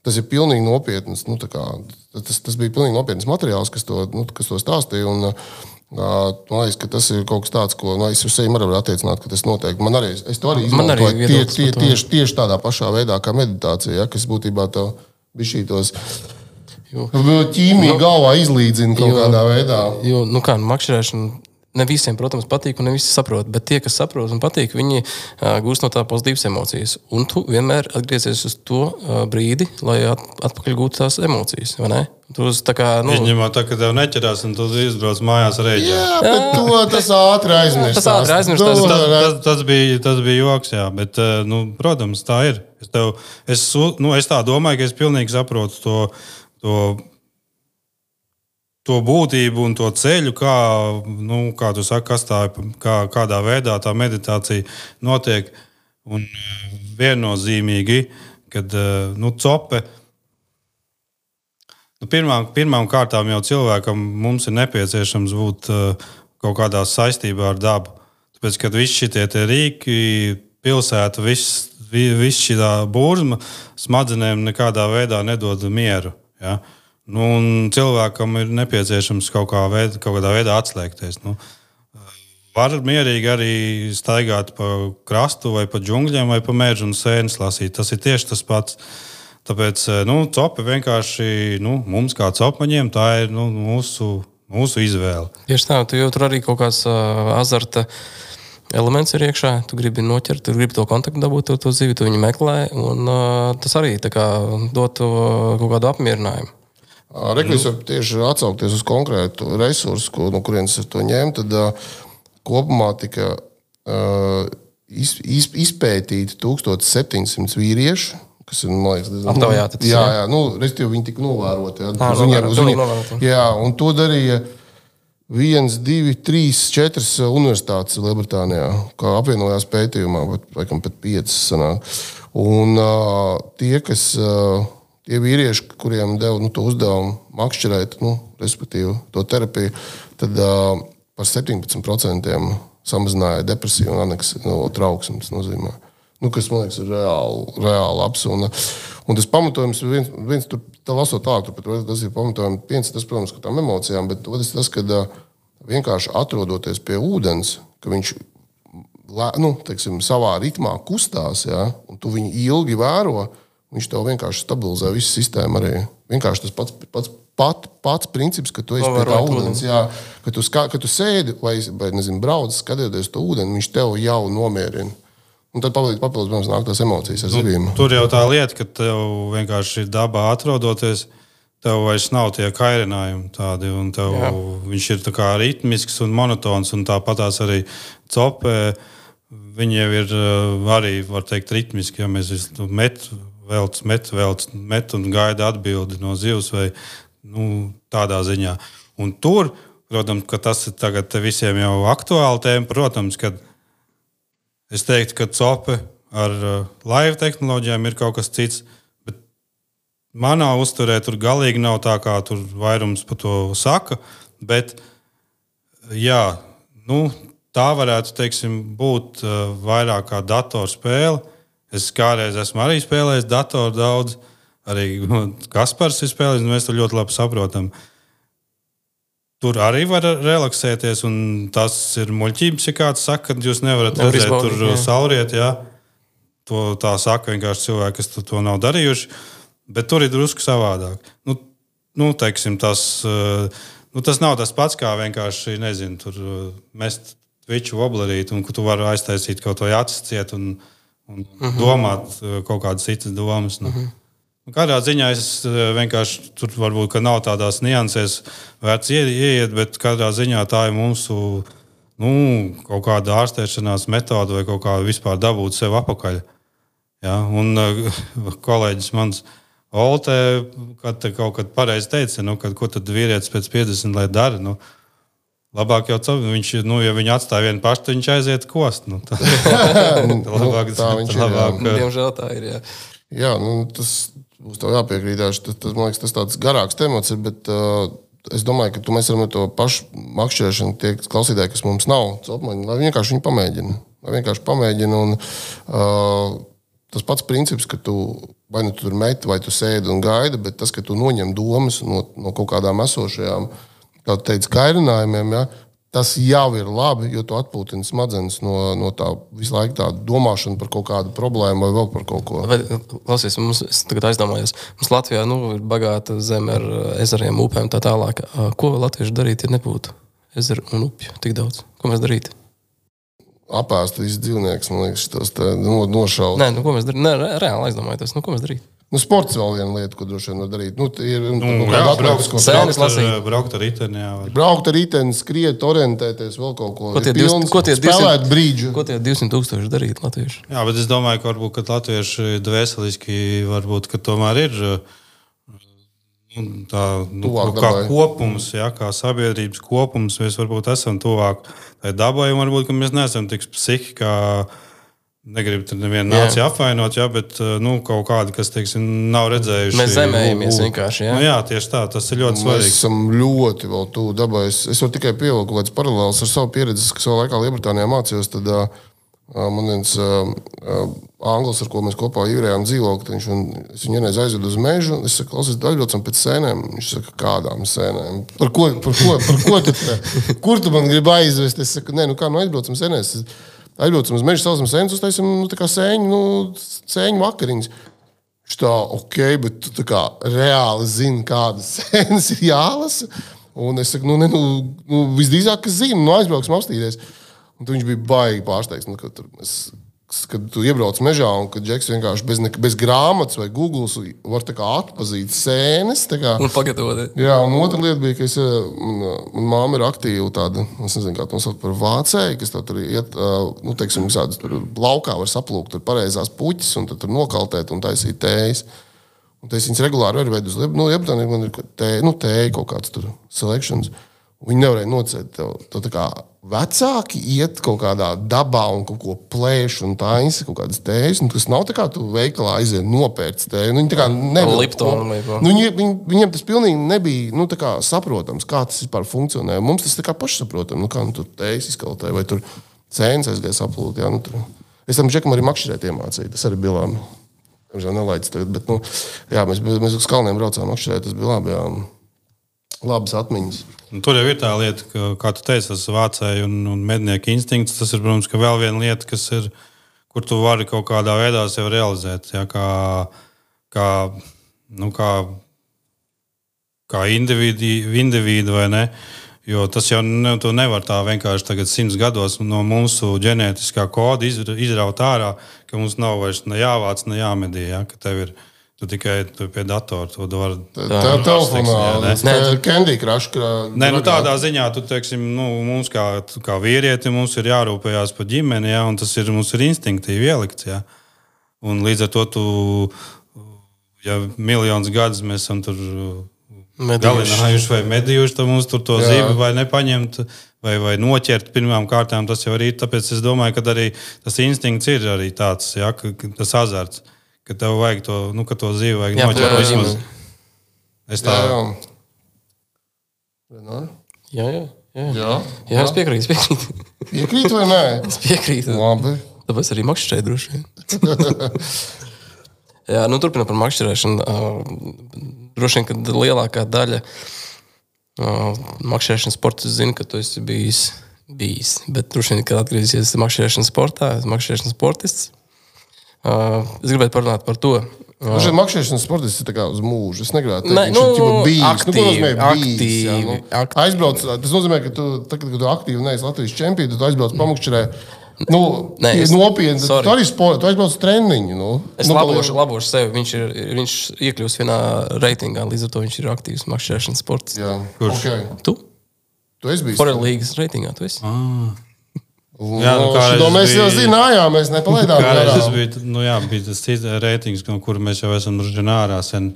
Tas ir pilnīgi nopietns, nu, tā kā, tas, tas bija pilnīgi nopietns materiāls, kas to, nu, kas to stāstīja. Un, uh, man liekas, ka tas ir kaut kas tāds, ko nu, es uz sevi varu attiecināt, ka tas notiek. Man arī, es to arī izmantoju tie, tie, tieši, tieši tādā pašā veidā kā meditācija, ja, kas būtībā tev bišķītos ķīmiju galvā izlīdzina kaut jo, kādā veidā. Jo, nu kā, makšķerēšana ne visiem, protams, patīk un ne visi saprot, bet tie, kas saprot un patīk, viņi uh, gūst no tā pozitīvas emocijas. Un tu vienmēr atgriezies uz to uh, brīdi, lai at, atpakaļ gūtu tās emocijas, vai ne? Tu uz, tā kā, nu... Izņemot tā, ka tev neķerās un tu izbrauc mājās rēģē. Jā, bet to tas ātri aizmirstās. Tas ātri aizmirstās. Tas, tas, tas, bija, tas bija joks, jā, bet, nu, protams, tā ir. Es, tev, es, nu, es tā domāju, ka es pilnīgi saprotu to, to to būtību un to ceļu, kā, nu, kā tu saki, kas tā, kā, kādā veidā tā meditācija notiek. Un viennozīmīgi, kad nu, cope, nu, pirmām, pirmām kārtām jau cilvēkam mums ir nepieciešams būt kaut kādā saistībā ar dabu. Tāpēc, kad visi šitie tie rīki, pilsēta, viss, viss šī burzma smadzenēm nekādā veidā nedod mieru. Ja? Nu, un cilvēkam ir nepieciešams kaut, kā veid, kaut kādā veidā atslēgties. Nu, var mierīgi arī staigāt pa krastu vai pa džungļiem vai pa mežu un sēnes lasīt. Tas ir tieši tas pats. Tāpēc nu, cope vienkārši nu, mums kā copmaņiem tā ir nu, mūsu, mūsu izvēle. Tieši tā, tu jau tur arī kaut kāds uh, azarta elements ir iekšā. Tu gribi noķert, tu gribi to kontaktu dabūt, to, to zivi, tu viņu meklē. Un uh, tas arī tā kā dot to kaut kādu apmierinājumu. Reklis var tieši atsaukties uz konkrētu resursu, ko, no kurienes es to ņēmu, tad uh, kopumā tika uh, iz, iz, izpētīti tūkstoš septiņsimt vīrieši, kas ir, man liekas, diezgan... Aptaujāti tas, jā, jā, nu, respektīvi viņi tika novēroti. Jā, Ā, uz viņiem, uz viņiem, novēroti. jā, un to darīja viens, divi, trīs, četras universitātes Lielbritānijā, kā apvienojās pētījumā, bet, laikam, pat piecas sanāk. Un uh, tie, kas... Uh, Tie vīrieši, kuriem deva nu, to uzdevumu makšķerēt, nu, respektīvi to terapiju, tad uh, par septiņpadsmit procentiem samazināja depresiju un aneksiju, no trauksmes nozīmē. Nu, kas, man liekas, ir reāli, reāli labs. Un, un tas pamatojums ir viens, viens tur, tā lasot tālāk, tur, tas ir pamatojums, viens, tas, protams, ka tām emocijām, bet otrs tas, ka vienkārši atrodoties pie ūdens, ka viņš, nu, teiksim, savā ritmā kustās, ja, un tu viņu ilgi vēro, viņš tev vienkārši stabilizē visu sistēmu arī. Vienkārši tas pats, pats, pat, pats princips, ka tu esi pie tā ūdens, jā, ka tu, ska, ka tu sēdi vai, vai nezinu, brauc, skatieties to ūdeni, viņš tev jau nomierina. Un tad papildus, protams, nāk tās emocijas ar zivīm. Nu, tur jau tā lieta, ka tev vienkārši dabā atrodoties, tev vairs nav tie kairinājumi tādi, un tev Jā. viņš ir tā kā ritmisks un monotons, un tāpatās arī copē, viņi jau ir arī, var teikt, ritmiski, ja mēs met, velc, met, velc, met un gaida atbildi no zivs vai nu, tādā ziņā. Un tur, protams, ka tas ir tagad visiem jau aktuāli tēma, protams, kad es teiktu, ka cope ar uh, laivu tehnoloģijām ir kaut kas cits, bet manā uzturē tur galīgi nav tā, kā tur vairums par to saka, bet jā, nu, tā varētu, teiksim, būt uh, vairāk kā datorspēle. Es kādreiz esmu arī spēlējis datoru daudz, arī Kaspars ir spēlējis, un mēs to ļoti labi saprotam. Tur arī var relaksēties, un tas ir muļķības, ja kāds saka, ka jūs nevarat Nevar redzēt izbaudīt, tur jā. sauriet, jā. To tā saka vienkārši cilvēki, kas to, to nav darījuši, bet tur ir drusku savādāk. Nu, nu teiksim, tas, nu, tas nav tas pats, kā vienkārši, nezinu, tur mest viču voblerīt, un ka tu vari aiztaisīt kaut vai acis ciet un, un uh-huh. domāt kaut kādas citas domas. Nu. Uh-huh. Kādā ziņā es vienkārši tur varbūt, ka nav tādās niansēs vērts ieiet, bet kādā ziņā tā ir mūsu nu, kaut kāda ārstēšanās metode vai kaut kā vispār dabūt sev apakaļ. Ja? Un kolēģis mans Olte, kad te kaut kad pareizi teica, nu, kad, ko tad vīrietis pēc piecdesmit lai dara, nu, labāk jau viņš, nu, ja viņi atstāja vienu pašu, tad viņš aiziet kost. Nu, tā, labāk, tā viņš ir, labāk, jā. Diemžēl tā ir, jā. Jā, nu, tas būs tev jāpiekrītās. Tas, tas, man liekas, tas tāds garāks temats ir, bet uh, es domāju, ka tu mēs varam ar to pašu makšķerēšanu tie klausītāji, kas mums nav, copmaņi, lai vienkārši viņi pamēģina. Lai vienkārši pamēģina un uh, tas pats princips, ka tu vai nu tu tur meti, vai tu sēdi un gaidi, bet tas, ka tu noņem domas no, no kaut kādām esošajām, kā tu teici, kairinājumiem, ja, tas jau ir labi, jo tu atpūtini smadzenes no, no tā visu laiku tā domāšana par kaut kādu problēmu vai vēl par kaut ko. Vai, klausies, mums, es tagad aizdomājos, mums Latvijā nu, ir bagāta zeme ar ezeriem, upēm tā tālāk. Ko latvieši darīt, ja nebūtu ezeru un upju tik daudz? Ko mēs darītu? Apēst visu dzīvniekus, man liekas, tas tā no, nošaut. Nē, nu ko mēs darītu? Nē, re, reāli aizdomājos, nu ko mēs darītu? Nu, sports vēl viena lieta, ko droši vien var darīt. Nu, ir, nu, Nu, jā, jā, braukt, braukt, Sēnes braukt, lasīt. ar, braukt ar riteni, jā. Var. braukt ar riteni, skriet, orientēties, vēl kaut ko. Ko tie, Ir pilns, divsimt, ko tie spēlēt brīdžu. Ko tie divsimt tūkstoši darīt latvieši? Jā, bet es domāju, ka varbūt, ka latvieši dvēseliski varbūt, ka tomēr ir nu, tā, nu, Tuvāk kā dabai. kopums, jā, kā sabiedrības kopums, mēs varbūt esam tuvāk tai dabai, un varbūt, ka mēs neesam tik psihi, kā negribu tur nevienu nāciju apvainot, jā, bet nu, kaut kādi, kas, teiksim, nav redzējuši. Mēs zemējamies vienkārši, jā. Nu, jā, tieši tā, tas ir ļoti Mēs svarīgi. esam ļoti vēl tuvu dabai. Es, es varu tikai pievilkt kaut kādas paralēlas ar savu pieredzi, kas savā laikā Lielbritānijā mācījos. Tad uh, man viens uh, uh, anglis, ar ko mēs kopā īrējām dzīvokli, viņš un es viņu vienreiz aizvedu uz mežu. Es saku, klausies, aizbraucam pēc sēnēm. Viņš saka, kādām sēnēm? Par ko, par ko, par ko tu te? Kur tu man gribi aizvest? Es saku, nē, nu kā, nu aizbraucam sēnēs. Aizbraucam uz mežu, saucam sēnes, uztaisim nu, tā kā sēņu, nu, sēņu vakariņas. Viņš tā, ok, bet tu tā kā reāli zini, kādas sēnes ir jālasa. Un es saku, nu, ne, nu, nu visdrīzāk, ka zinu, nu, aizbrauksim apstīties. Un tu viņš bija baigi pārsteigts, nu, kad, tur, es, kad tu iebrauc mežā un kad Džeks vienkārši bez, ne, bez grāmatas vai Googles var tā kā atpazīt sēnes. Tā kā, Un pagatavot. jā, un otra lieta bija, ka es, man, man māma ir aktīva tāda, es nezinu, kā to sauc par vācēju, kas tā tur iet, nu, teiksim, visādas tur laukā var saplūkt tur pareizās puķis un tad tur nokaltēt un taisīt tējas. Un tas viņas regulāri var veid uz Lieb, nu, Liebtānī man ir tēja, nu, tēja kaut kāds tur selections. Viņi nevarēja nocēt tev. Tev tā kā vecāki iet kaut kādā dabā un kaut ko plēš un taisa kaut kādas tējas. Un tas nav tā kā tu veikalā aiziet nopērts tēju. Nu, viņi tā kā nevar. Liptonu vai ko. Nu, viņi, viņi, viņiem tas pilnīgi nebija nu, tā kā saprotams, kā tas vispār funkcionē. Mums tas tā kā pašsaprotam. Nu, kā nu, tur tējas izkaltē vai tur cēnas aizgāja saplūt. Jā, nu, tur. Es tam džekam arī makšķerēt iemācīju, tas arī bija labi. Tamžēl nelaids tagad, bet, nu, jā, mēs, mēs uz kalniem braucām makšķerēt, tas bija labi, jā. Labas atmiņas. Un tur jau ir tā lieta, ka, kā tu teici, tas vācēji un, un mednieku instinkts, tas ir, protams, ka vēl viena lieta, kas ir, kur tu vari kaut kādā veidā sev realizēt, jā, kā, kā, nu, kā, kā individu, individu vai ne. Jo tas jau ne, tu nevar tā vienkārši tagad simts gados no mūsu ģenētiskā koda izraut ārā, ka mums nav vairs ne jāvāc, ne jāmedī, ja? Ka tev ir tu tikai tu pie datora. Tu var, tā tā telefonā, tā ir Candy Crush. Nē, nu tādā ziņā, tu teiksim, nu, mums kā, kā vīrieti, mums ir jārūpējās par ģimeni, ja? Un tas ir, mums ir instinktīvi ielikts. Ja? Un līdz ar to tu, ja miljonus gadus mēs esam tur galinājuši vai medījuši, tad mums tur to jā. Zivi vai nepaņemt, vai, vai noķert pirmām kārtām, tas jau arī, tāpēc es domāju, ka arī tas instinkts ir arī tāds, ja, ka, tas azarts, ka tev vajag to, nu, ka to zivi vajag jā, noķert vismaz. Es tā... Jā, jā. Jā, jā. Jā, jā. jā es piekrītu, es piekrītu. Piekrītu vai nē? Es piekrītu. Labi. Tāpēc arī makšķerēju droši vien. Jā, nu turpinot par makšķerēšanu. Uh, droši vien, ka lielākā daļa uh, makšķerēšanas sporta zina, ka tu esi bijis, bijis. Bet droši vien, kad atgriezīsies makšķerēšanas sportā, esi makšķerēšanas sportists. Uh, es gribētu parunāt par to. Uh, Šeit makšķerēšanas sportists ir tā kā uz mūžu. Es negribētu teikt, ka viņš nu, ir bijis. Aktīvi, nu, ko nozīmē bijis? aktīvi, Jā, nu, aktīvi. Aizbrauc, tas nozīmē, ka tu, tagad, kad tu aktīvi neesi Latvijas čempioni, tu aizbrauc pamakšķerē. Nu, Nē, es, nopietni, tu arī sport, tu aizbrauc treniņu. Nu. Es nu, labošu, labošu sevi. Viņš ir viņš iekļūst vienā reitingā, līdz ar to viņš ir aktīvs makšķerēšanas sports. Jā, kurš? Okay. Tu? Tu esi bijis? Forel līgas reitingā, tu esi? Ah. Nu, jā, nu, šo mēs jau zinājām, mēs nepalaidām. Tas bija, nu jā, bija tas cits reitings, no kura mēs jau esam druži ārā sen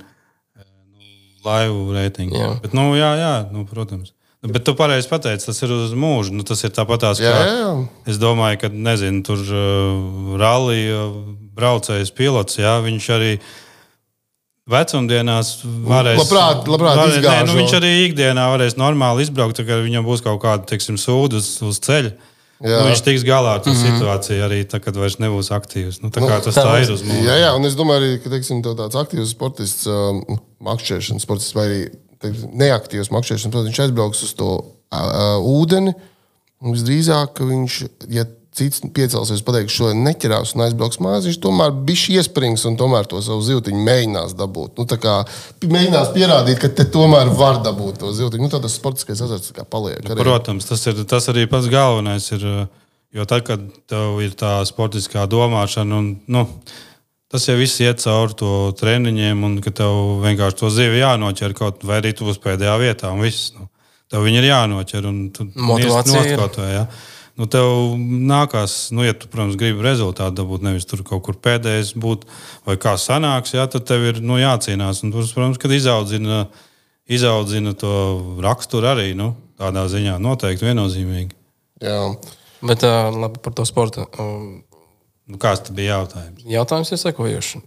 laivu reitings. Jā. Bet, nu jā, jā, nu, protams. Bet tu pareizi pateici, tas ir uz mūžu. Nu, tas ir tāpatās, jā, kā jā. Es domāju, ka, nezinu, tur uh, rallija braucējs pilots, jā, viņš arī vecumdienās varēs... Labprāt, labprāt varēs, izgāžo. Nē, nu, viņš arī ikdienā varēs normāli izbraukt, ka viņam būs kaut kāda, teiksim, sūda uz, uz ceļa. Nu, viņš tiks galā ar to mm-hmm. situāciju arī tā, kad vairs nebūs aktīvs. Nu, tā kā tas tā, tā ir uz mūžu. Jā, jā, un es domāju arī, ka, teiksim, tāds aktīvs sportists, um, makšķerēšanas sportists vai arī neaktīvs makšķerēšanas, protams, viņš aizbrauks uz to uh, ūdeni, un visdrīzāk, ka viņš, ja cits piecelsies, pateiks, šo neķerās un aizbrauks mājās, viņš tomēr bišķi iesprings un tomēr to savu zivtiņu mēģinās dabūt. Nu, tā kā mēģinās pierādīt, ka te tomēr var dabūt to zivtiņu. Nu, tā tas sportiskais azarts kā paliek. Arī. Protams, tas, ir, tas arī pats galvenais ir, jo tad, kad tev ir tā sportiskā domāšana un, nu, tas jau viss iet cauri to treniņiem, un ka tev vienkārši to zivi jānoķer kaut vai arī tu būs pēdējā vietā, un viss. Nu, tev viņi ir jānoķer, un tu motivācija ir. Kaut vai, ja. Nu, tev nākās, nu, ja tu, protams, gribi rezultātu dabūt, nevis tur kaut kur pēdējais būt, vai kā sanāks, ja, tad tev ir, nu, jācīnās. Un, protams, kad izaudzina, izaudzina to raksturu arī, nu, tādā ziņā noteikti viennozīmīgi. Jā. Bet uh, labi par to sportu. Um, Nu, kāds tad bija jautājums? Jautājums ir sekojošs.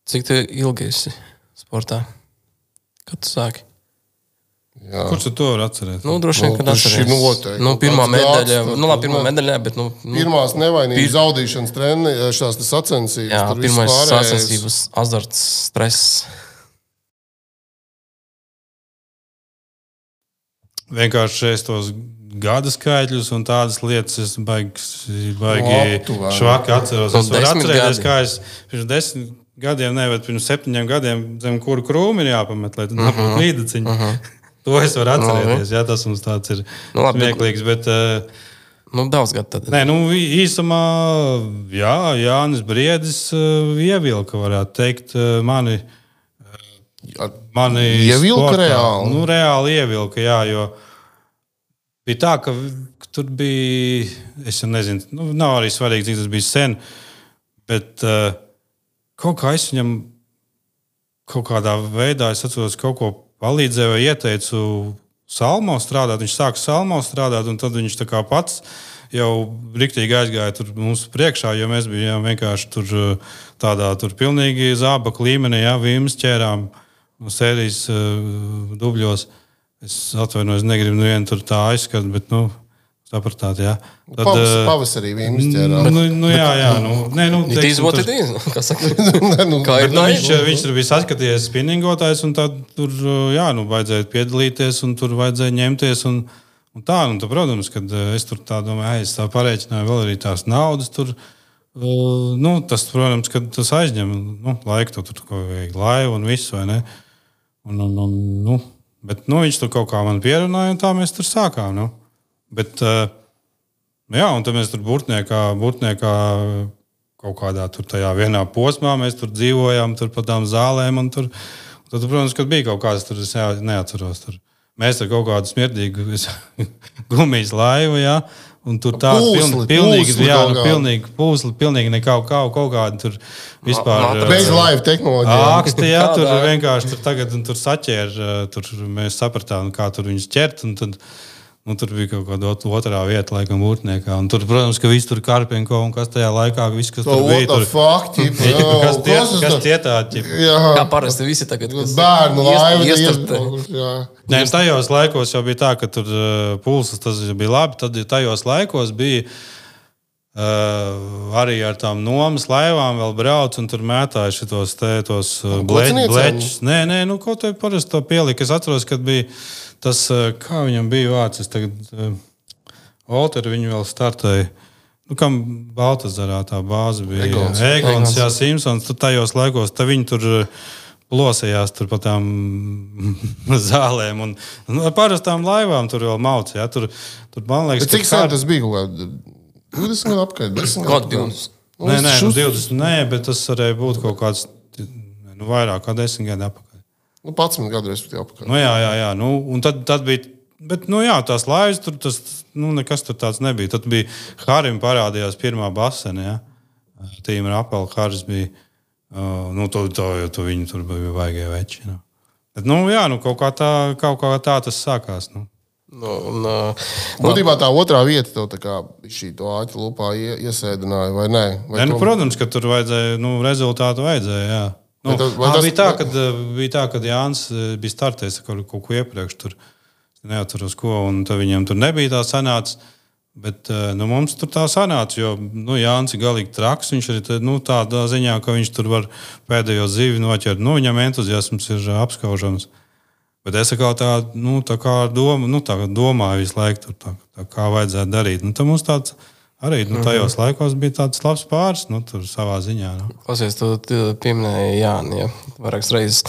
Cik tu ilgi esi sportā? Kad tu sāki? Jā. Kurš tu to var atcerēt? Nu, droši vien, kad atceries. Noteikti. Nu, pirmā medaļa, gads, nu, labi, pirmā medaļā, bet, nu... nu pirmās nevainības pir... zaudīšanas treni, šās tas sacensības. Jā, pirmais sacensības, azarts, stress. Vienkārši es tos gada skaitļus un tādas lietas es baigi, baigi švaki atceros. Es varu atcerēties, kā es pirms desmit gadiem, ne, bet pirms septiņiem gadiem zem kuru krūmi ir jāpamet, lai tad uh-huh. nebūtu līdaciņi. Uh-huh. To es varu atcerēties, jā, tas mums tāds ir nu, labi, smieklīgs, bet... Uh, nu, daudz gadu tad. Nē, nu, īsumā, jā, Jānis Briedis uh, ievilka, varētu teikt, uh, mani... mani ievilka sportā. Reāli? Nu, reāli ievilka, jā, jo... Bija tā, ka tur bija, es nezinu, nu, nav arī svarīgi, cik tas bija sen, bet uh, kaut kā es viņam kaut kādā veidā, es atceros, kaut ko palīdzēju vai ieteicu salmo strādāt. Viņš sāka salmo strādāt, un tad viņš tā kā pats jau riktīgi aizgāja tur mums priekšā, jo mēs bijām vienkārši tur tādā tur pilnīgi zābaku līmenī, jā, vīmas ķērām sērijas uh, dubļos. Es atvainojos, negribu nevienu tur tā aizskat, bet, nu, Sapratāt, jā. Tad, Pavas, pavasarī viņi izķērās. Nu, nu, jā, jā. Nu, nē, nu, It is what it is. Kā saka? Kā ir nu, tā? viņš, viņš tur bija saskatījies spinningotājs, un tad tur, jā, nu, vajadzēja piedalīties, un tur vajadzēja ņemties. Un, un tā, un tā, protams, kad es tur tā domāju, es tā pareiķināju vēl arī tās naudas tur. Uh, nu, tas, protams, kad tas aizņem nu, laiku, tu tur kaut vajag laivu un visu, vai ne? Un, un, un, nu, bet, nu, viņš tur kaut kā man pierunāja, un tā mēs tur sākām, nu. Bet, uh, jā, un tad mēs tur burtniekā, burtniekā kaut kādā tur tajā vienā posmā mēs tur dzīvojām, tur pa tām zālēm, un tur, un tad, protams, kad bija kaut kāds, tur es jā, neatceros, tur mēs ar kaut kādu smirdīgu gumijas laivu, jā, un tur tā Pūsli, pilnīgi, pūsli jā, kaut nu, kādu. pilnīgi pūsli, pilnīgi nekau, kaut, kaut kādu tur vispār. Bez laiva tehnoloģijām. Āksti, jā, tur Kādā? vienkārši tur tagad, un tur saķēra, tur mēs sapratām, kā tur viņus ķert, un tad, nu, tur bija kaut kāda otrā vieta, laikam, būtniekā. Un tur, protams, ka viss tur Karpenko un kas tajā laikā, viss, kas tur bija. Tur fakti. Kas tie, kas tie tādi? Kā parasti visi tagad, kas Bērnu laiva. iestartē. Nē, tajos laikos jau bija tā, ka tur uh, pulsas tas bija labi. Tad tajos laikos bija uh, arī ar tām nomas laivām vēl brauc un tur mētāja šitos te, tos uh, Kociniecēm? bleķus. Nē, nē, nu, ko te parasti to pielika. Es atceros, kad bija tas, kā viņam bija vārds, es tagad uh, Olteru viņu vēl startēju. Nu, kam Baltazarā tā bāze bija? Egons. Egons, jā, Simpsons. Tur tajos laikos, tā viņi tur plosējās tur pa tām zālēm. Un, un ar parastām laivām tur vēl mauc. Jā, tur, tur, man liekas, Bet cik sen tas bija? Kaut kā divdesmit gadu apkārt? desmit Kaut gadu? divdesmit. Nē, nē, nu, šus- divdesmit, nē, bet tas varēja būt kaut kāds nu, vairāk kā desmit gadu apakaļ. Nu, padsmit gadu respektīvi apkārt. Nu, jā, jā, jā. Nu, un tad, tad bija. Bet, nu, jā, tās laivas tur tas, nu, nekas tur tāds nebija. Tad bija Harim parādījās pirmā basene. Ja? Tīma Rapela Haris bija. Uh, nu, to, to, to viņi tur bija vaigie veči. Nu. Bet, nu, jā, nu, kaut kā tā, kaut kā tā tas sākās. Nu. Nu, un, uh, Būtībā tā otrā vieta tev tā kā šī to āķi lupā ie- iesēdināja, vai nē? Vai Ne, nu, tom- protams, ka tur vajadzēja, nu, rezultātu vajadzēja. Jā. Nu, Bet tas- vai ā, tas- bija, tā, kad, bija tā, ka Jānis bija startējis kaut, kaut ko iepriekš. Tur neatceros, ko. Un tad viņam tur nebija tā sanāca. Bet nu, mums tur tā sanāca, jo nu, Jānis ir galīgi traks. Viņš ir nu, tādā ziņā, ka viņš tur var pēdējo zivi noķert. Nu, viņam entuziasms ir apskaužams. Bet es kā tā, nu, tā kā doma, nu, tā domāju visu laiku, tur, tā, tā kā vajadzētu darīt. Nu, tad mums tāds arī nu, tajos laikos bija tāds labs pāris, nu, tur savā ziņā. Nu. Klausies, tu tu pieminēji Jāni, ja vairākas reizes.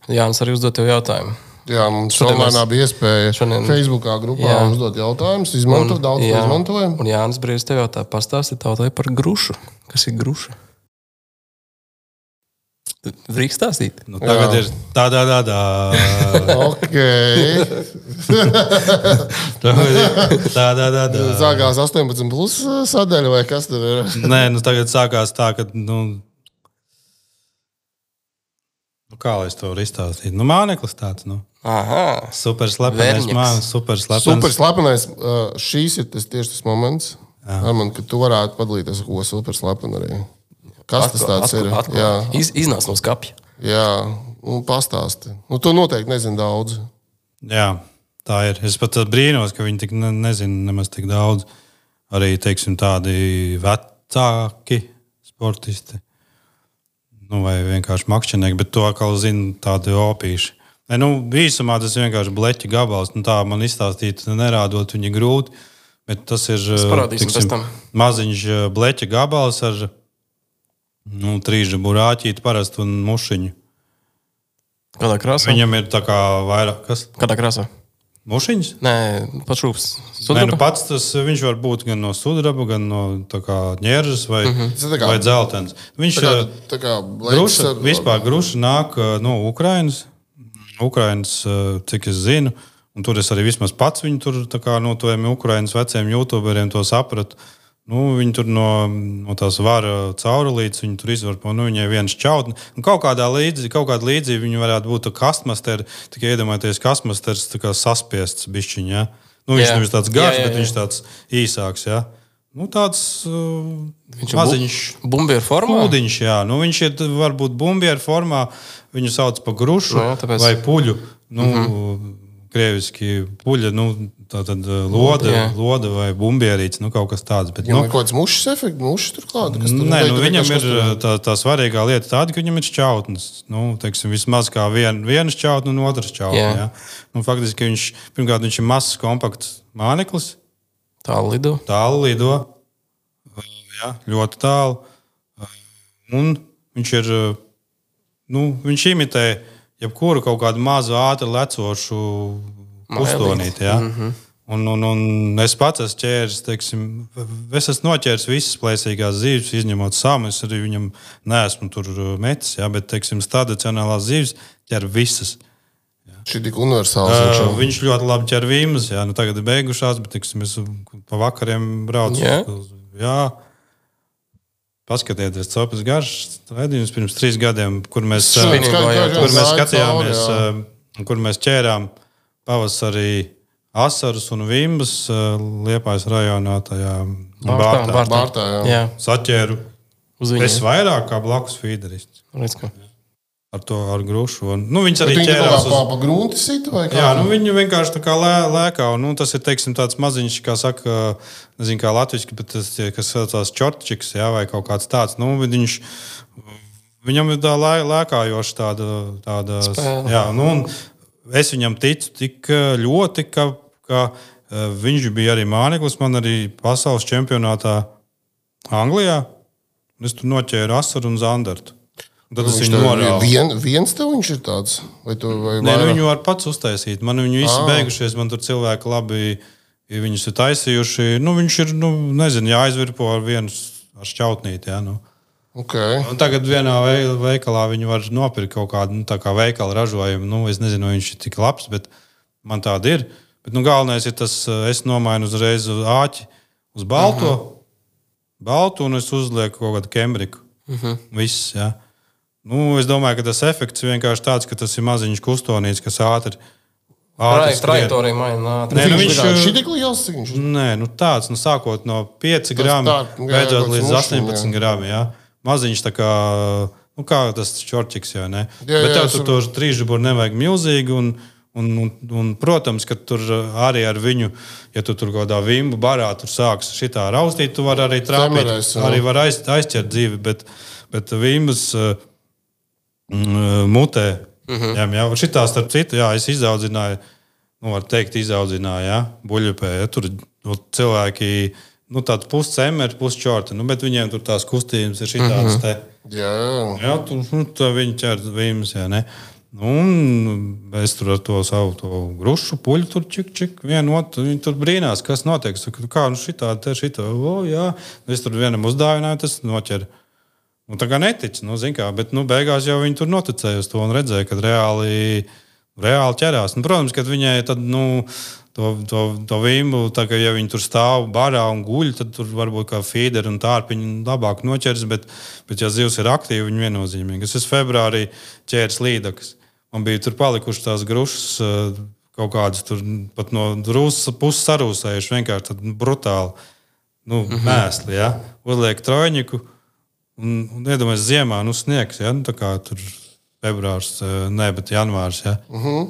Jānis arī uzdot tev jautājumu. Jā, mums Šodien online mēs- bija iespēja šodien- Facebookā grupā Jā. uzdot jautājumus. Izmantot daudz, ko jā, izmantojam. un Jānis Brīsīs tev jautā, pastāsti tautai par grušu. Kas ir gruša? Drīkst stāstīt? Nu, tagad Jā. ir tādā, tādā. Ok. tādā, tādā. Sākās astoņpadsmit plus sadaļa, vai kas tur ir? Nē, nu, tagad sākās tā, ka. Nu, nu, kā lai es to varu izstāstīt? Nu, māneklis tāds. Nu. Aha, Super slepenais Verņaks. mākslinieks, super slepenais. Super slepenais. uh, Šīs ir tas, tieši tas moments, man, ka tu varētu padalīties ar ko super slepenu arī. Kas tas tāds ir? Jā, Iz, iznāc no skapja. jā. Un pastāsti. Nu, tu noteikti nezini daudz. Jā, tā ir. Es pat brīnos, ka viņi tik ne, nezina nemaz tik daudz. Arī teiksim, tādi vecāki sportisti. Nu, vai vienkārši makšķernieki, bet to atkal zina tādi opīši. Ne, nu, īsumā tas ir vienkārši bleķa gabals. Nu, tā man izstāstīt, nerādot viņa grūti. Bet tas ir parādīsim pēc tam. maziņš eh, bleķa gabals ar nu, trīsža burāķīti parastu un mušiņu. Kādā krāsā? Viņam ir tā kā vairāk. Kas? Kādā krāsā? Mušiņas? Nē, pats šūps. Nē, nu pats tas viņš var būt gan no sudraba, gan no ņēržas vai, mm -hmm. Tas tā kā- vai dzeltens. Viņš Tā kā, eh, tā kā gruša, ar- vispār gruša nāk eh, no Ukrainas. Ukrainas, eh, cik es zinu, un tur es arī vismaz pats viņu tur tā kā no tiem Ukrainas veciem youtuberiem to sapratu. Nu, viņi tur no, no tās vara caurulītes, viņi tur izvarpo, nu, viņai viens čautni. Un kaut kādā līdzi, kaut kādā līdzi viņi varētu būt kastmasteri, tikai iedomājieties, kastmasters tā kā saspiests bišķiņ, ja? Nu, viņš Jā. nevis tāds Jā, garš, jā, bet jā. viņš tāds īsāks, ja? Nu, tāds uh, Viņš ir maziņš. Bumbieru formā. Pūdiņš, jā. Nu, viņš ir varbūt bumbieru formā, viņu sauc par grušu Nu, jā, tāpēc- vai puļu. Nu, mm -hmm. Krieviski puļa, nu, tā tad loda, loda vai bumbierīts, nu kaut kas tāds. Bet, Viņam nu, ir kaut kāds mušas efekts, mušas turklāt. Nē, nu, viņam ir tā, tā svarīgā lieta tāda, ka viņam ir šķautnes. Nu, teiksim, vismaz kā vien, viena šķautne un otrs šķautne. Jā. Ja? Nu, faktiski viņš, pirmkārt, viņš ir mazs, kompakts māneklis. Tālu lido. Tālu lido. Ja, ļoti tālu. Un viņš ir, nu, viņš imitē jebkuru kaut kādu mazu ātri lecošu pustonīti. Ja? Mm-hmm. Un, un, un es pats esmu ķēris, teiksim, es esmu noķēris visas plēsīgās zīves, izņemot samu. Es arī viņam neesmu tur metis, ja? Bet, teiksim, tradicionālās zīves ķer visas. Šī tik universāls. Uh, viņš ļoti labi ķer vīmas, ja? Nu, tagad ir beigušās, bet, teiksim, es pa vakariem braucu. Yeah. Jā. Paskatieties, copas garš, raidījums pirms trīs gadiem, kur mēs, uh, kur mēs skatījāmies, uh, kur mēs ķērām pavasarī asarus un vimbas uh, Liepājas rajonā tajā Bārtā. Bārtā, Bārtā jā. Jā. Saķēru. Es vairāk kā blakus fīderists. Redz, ka. Ar to, ar grušu. Un, nu, viņas arī Bet ķērās uz... Pa, pa grunti sita vai kā? Jā, nu, viņi vienkārši tā kā lē, lēkā. Un, nu, tas ir, teiksim, tāds maziņš, kā saka, nezinu, kā latviski, bet tas, kas saucās čortčiks, jā, vai kaut kāds tāds. Nu, viņš, viņam ir tā lē, lēkājoša tāda, tāda Spēle. Jā, nu, un es viņam ticu tik ļoti, ka, ka viņš bija arī māneklis man arī pasaules čempionātā Anglijā. Es tur noķēru asaru un zandartu. Tad es viņu norāvu. Vien, viens tev viņš ir tāds? Vai tu, vai Nē, nu, viņu var pats uztaisīt. Man viņi visi Ah. beigušies, man tur cilvēki labi ja viņus ir taisījuši. Nu, viņš ir, nu, nezinu, jāizvirpo ar vienu ar šķautnīti. Jā, nu. Okay. Un tagad vienā veikalā viņi var nopirkt kaut kādu nu, tā kā veikala ražojumu. Nu, es nezinu, vai viņš ir tik labs, bet man tāda ir. Bet nu, galvenais ir tas, es nomainu uzreiz uz āķi, uz balto, uh-huh. baltu, un es uzlieku kaut kādu kembriku. Uh-huh. Viss, jā. Nu, es domāju, ka tas efekts vienkārši tāds, ka tas ir maziņš kustonīts, kas ātri Trai, trajektorija maina. Nē, nu, viņš ir šī tik liels, cik viņš ir? Nē, nu tāds, nu, sākot no pieci grami, beidzot līdz astoņpadsmit grami, jā. Maziņš tā kā, nu, kā tas čorčiks, jā, ne? Jā, Bet jā, tev tur to trīsžuburu nevajag milzīgi, un, un, un, un, protams, ka tur arī ar viņu, ja tu tur kaut kādā vimbu barā tur sāks šitā raustīt, tu vari arī trāpīt, Temerēs, jā. arī var aiz, aizķert dzīvi, bet, bet vimbas uh, mutē, uh-huh. jā, jā, šitā starp citu, jā, es izaudzināju, nu, var teikt, izaudzināju, jā, buļļupē, ja, tur nu, cilvēki, nu, tāds puscemeri, pusčorti, nu, bet viņiem tur tās kustības ir šitādas te. Jā, jā. Jā, tur, nu, tā viņi ķer vīmas, jā, ne. Nu, un es tur ar to savu to grušu puļu tur čik, čik, vienu otru, viņi tur brīnās, kas notiek. Saku, kā, nu, šitā, te, šitā, o, jā. Es tur vienam uzdāvināju, tas noķer. Un tā kā netic, nu, zin kā, bet, nu, beigās jau viņi tur noticēja uz to un redzēja, kad reāli, reāli ķerās. Nu, protams, kad viņai tad, nu, to, to, to vimbu, tā kā, ja viņi tur stāv barā un guļ, tad tur varbūt kā feederi un tārpiņi labāk noķers, bet, bet ja zivs ir aktīvi, viņi viennozīmīgi. Es esmu februārī ķēris līdakas. Man bija tur palikuši tās grušas kaut kādas tur pat no drūsas puses sarūsējuši, vienkārši tad brutāli, nu, mm-hmm. mēsli, ja. Uzliek trojņiku. Un, un iedomājies, ziemā, nu, sniegs, ja? Nu, tā kā tur februārs, ne, bet janvārs, ja? Uh-huh.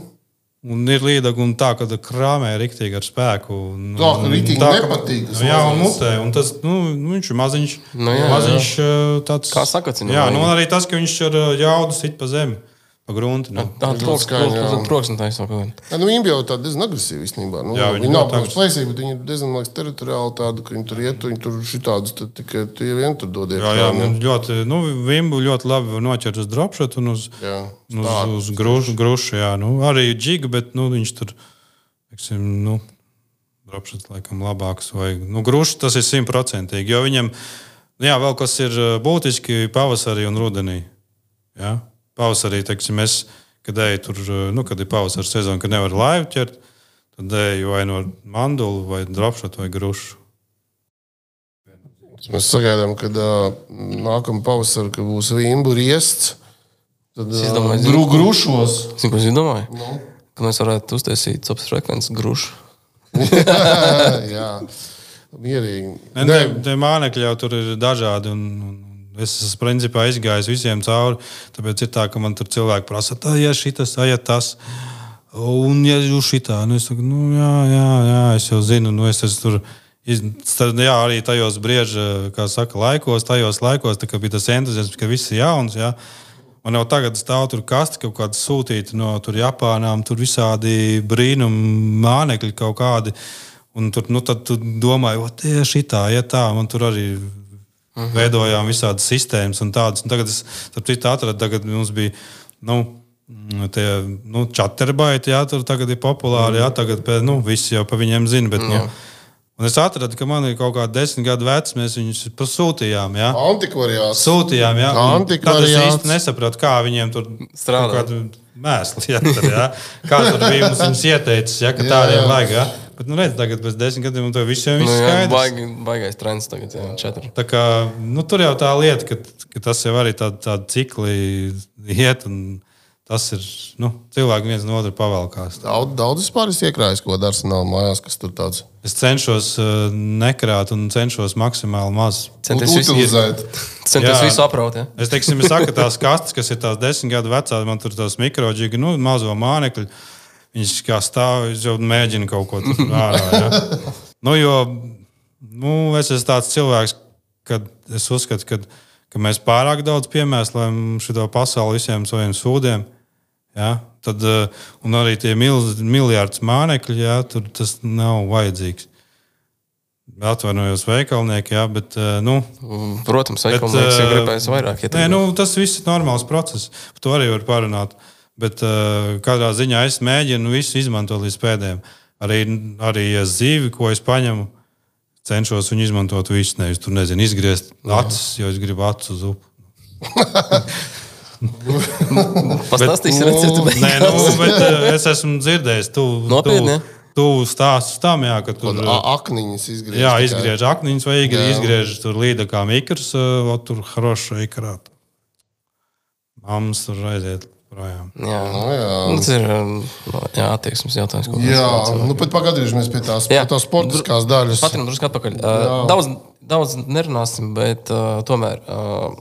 Un ir līdaga un tā, ka krāmē riktīgi ar spēku. Un, Tā, ka riktīgi tā, nepatīk. ka, jā, un mutē, un tas, nu, viņš ir maziņš, Nu, jā, maziņš tāds. Kā sakacina, Jā, vai- nu, un arī tas, ka viņš ar jaudu sit pa zemi, pa grunti. Nu. Tā Ļoti troks, skaļi, jā. troks, troks un taisa kaut kā. Ja, nu, viņi jau tādi diezgan agresīvi īstenībā. Nu, Jā, viņi viņi nav ļoti protams plēsīgi, bet viņi ir diezgan liekas, teritoriāli tādi, ka viņi tur iet, viņi tur šitādus tad tikai tie vien tur dod Jā, jā, nu, ļoti, nu, vimbu ļoti labi var noķert uz dropshot un uz, Jā, uz, uz grušu, grušu, jā. Nu, arī džiga, bet, nu, viņš tur, teiksim, nu, dropshot laikam labāks vai, nu, grušu tas ir simtprocentīgi, jo viņam, jā, vēl kas ir būtiski pavasarī un rudenī, jā. Pavasarī, teiksim, es, kad eju tur, nu, kad ir pavasara sezona, kad nevar laivu ķert, tad eju vai no mandulu, vai dropshot, vai grušu. Mēs sagaidām, kad uh, nākamā pavasara, kad būs vimbu riests, tad Es uh, domāju, gru, grušos. Zinu, ko es domāju? Nu. Ka mēs varētu uztaisīt copas frekvences grušu. Jā, mierīgi. Ne, Nē, te, te mānekļi jau tur ir dažādi, un, un es esmu principā izgājis visiem cauri, tāpēc ir tā, ka man tur cilvēki prasa, tā, ja šitas, ja tas, Un, ja jūs šitā, nu, es saku, nu, jā, jā, jā, es jau zinu, nu, es esmu tur, jā, arī tajos brieža, kā saka, laikos, tajos laikos, tā kā bija tas entuziasms, ka viss ir jauns, jā. Man jau tagad stāv tur kasti kaut kādi sūtīti no tur Japānām, tur visādi brīnumi, mānekļi kaut kādi, un tur, nu, tad tu domāji, o, tie šitā, ja tā, man tur arī uh-huh. veidojām visādas sistēmas un tādas, un tagad es, tur citu atradu, tagad mums bija, nu, tie, nu, chatterbaiti, jā, tur tagad ir populāri, jā, tagad, nu, visi jau pa viņiem zina, bet, nu, un es atradu, ka man ir kaut kādi desmit gadu vecs, mēs viņus pasūtījām, jā. Antikvariāts. Sūtījām, jā. Antikvariāts. Tad es īsti nesapratu, kā viņiem tur strādā. Kādu mēsli, jā, tur, jā. Kā tur bija mums viņus ieteicis, jā, ka tādiem vajag, jā. Bet, nu, redz, tagad pēc desmit gadiem un to visiem viss nu, jā, skaidrs. Baig, baigais trends tagad, jā, četri. Tā kā, nu, tur jau tā lieta, ka, ka tas jau arī tādi tā cikli iet un tas ir, nu, cilvēki viens no otru pavalkās. Daudz, daudz vispār es iekrāju, ko dara Arsenāla mājās, kas tur tāds. Es cenšos uh, nekrāt un cenšos maksimāli maz. Centies visu utilizēt. Centies visu apraut, jā. Es, teiksim, es saku, tās kastes, kas ir tās desmit gadu vecās, man tur tās mikroģīgi, nu, mazo mānekļu, viņš kā stāv, es jau mēģinu kaut ko tur ārā, jā. Nu, jo, nu, es esmu tāds cilvēks, kad es uzskatu, kad ka mēs pārāk daudz piemēslējam šito pasauli visiem saviem sūdiem. Ja? Tad, un arī tie milz, miljārds mānekļi, ja? Tur tas nav vajadzīgs. Atvainojos veikalnieki, ja? Bet, nu... Protams, veikalnieks jau gribēs vairāk. Nē, nu, tas viss ir normāls process. Par to arī var parunāt. Bet kādā ziņā es mēģinu visu izmantot līdz pēdējiem. Arī, arī zīvi, ko es paņemu, cenšos viņu izmantot visu, nevis tur, nezinu, izgriezt acis, jo es gribu acis uz upu. Pastāstīsi recepti. Nē, nu, bet es esmu dzirdējis, tu, Nopietni, tu, tu stāstus tam, jā, ka tur... Akniņas izgriež. Jā, izgriež akniņas vai izgriež tur līda kā mikrs, o tur hroša ikarāt. Mammas tur aiziet. Projām. Jā, no, jā. Nu, tas ir jā, attieksmes jautājums. Jā, nu pat pagadījušies pie tās, pie tās sportiskās daļas. Patrinam drusku atpakaļ. Uh, daudz, daudz nerunāsim, bet uh, tomēr... Uh,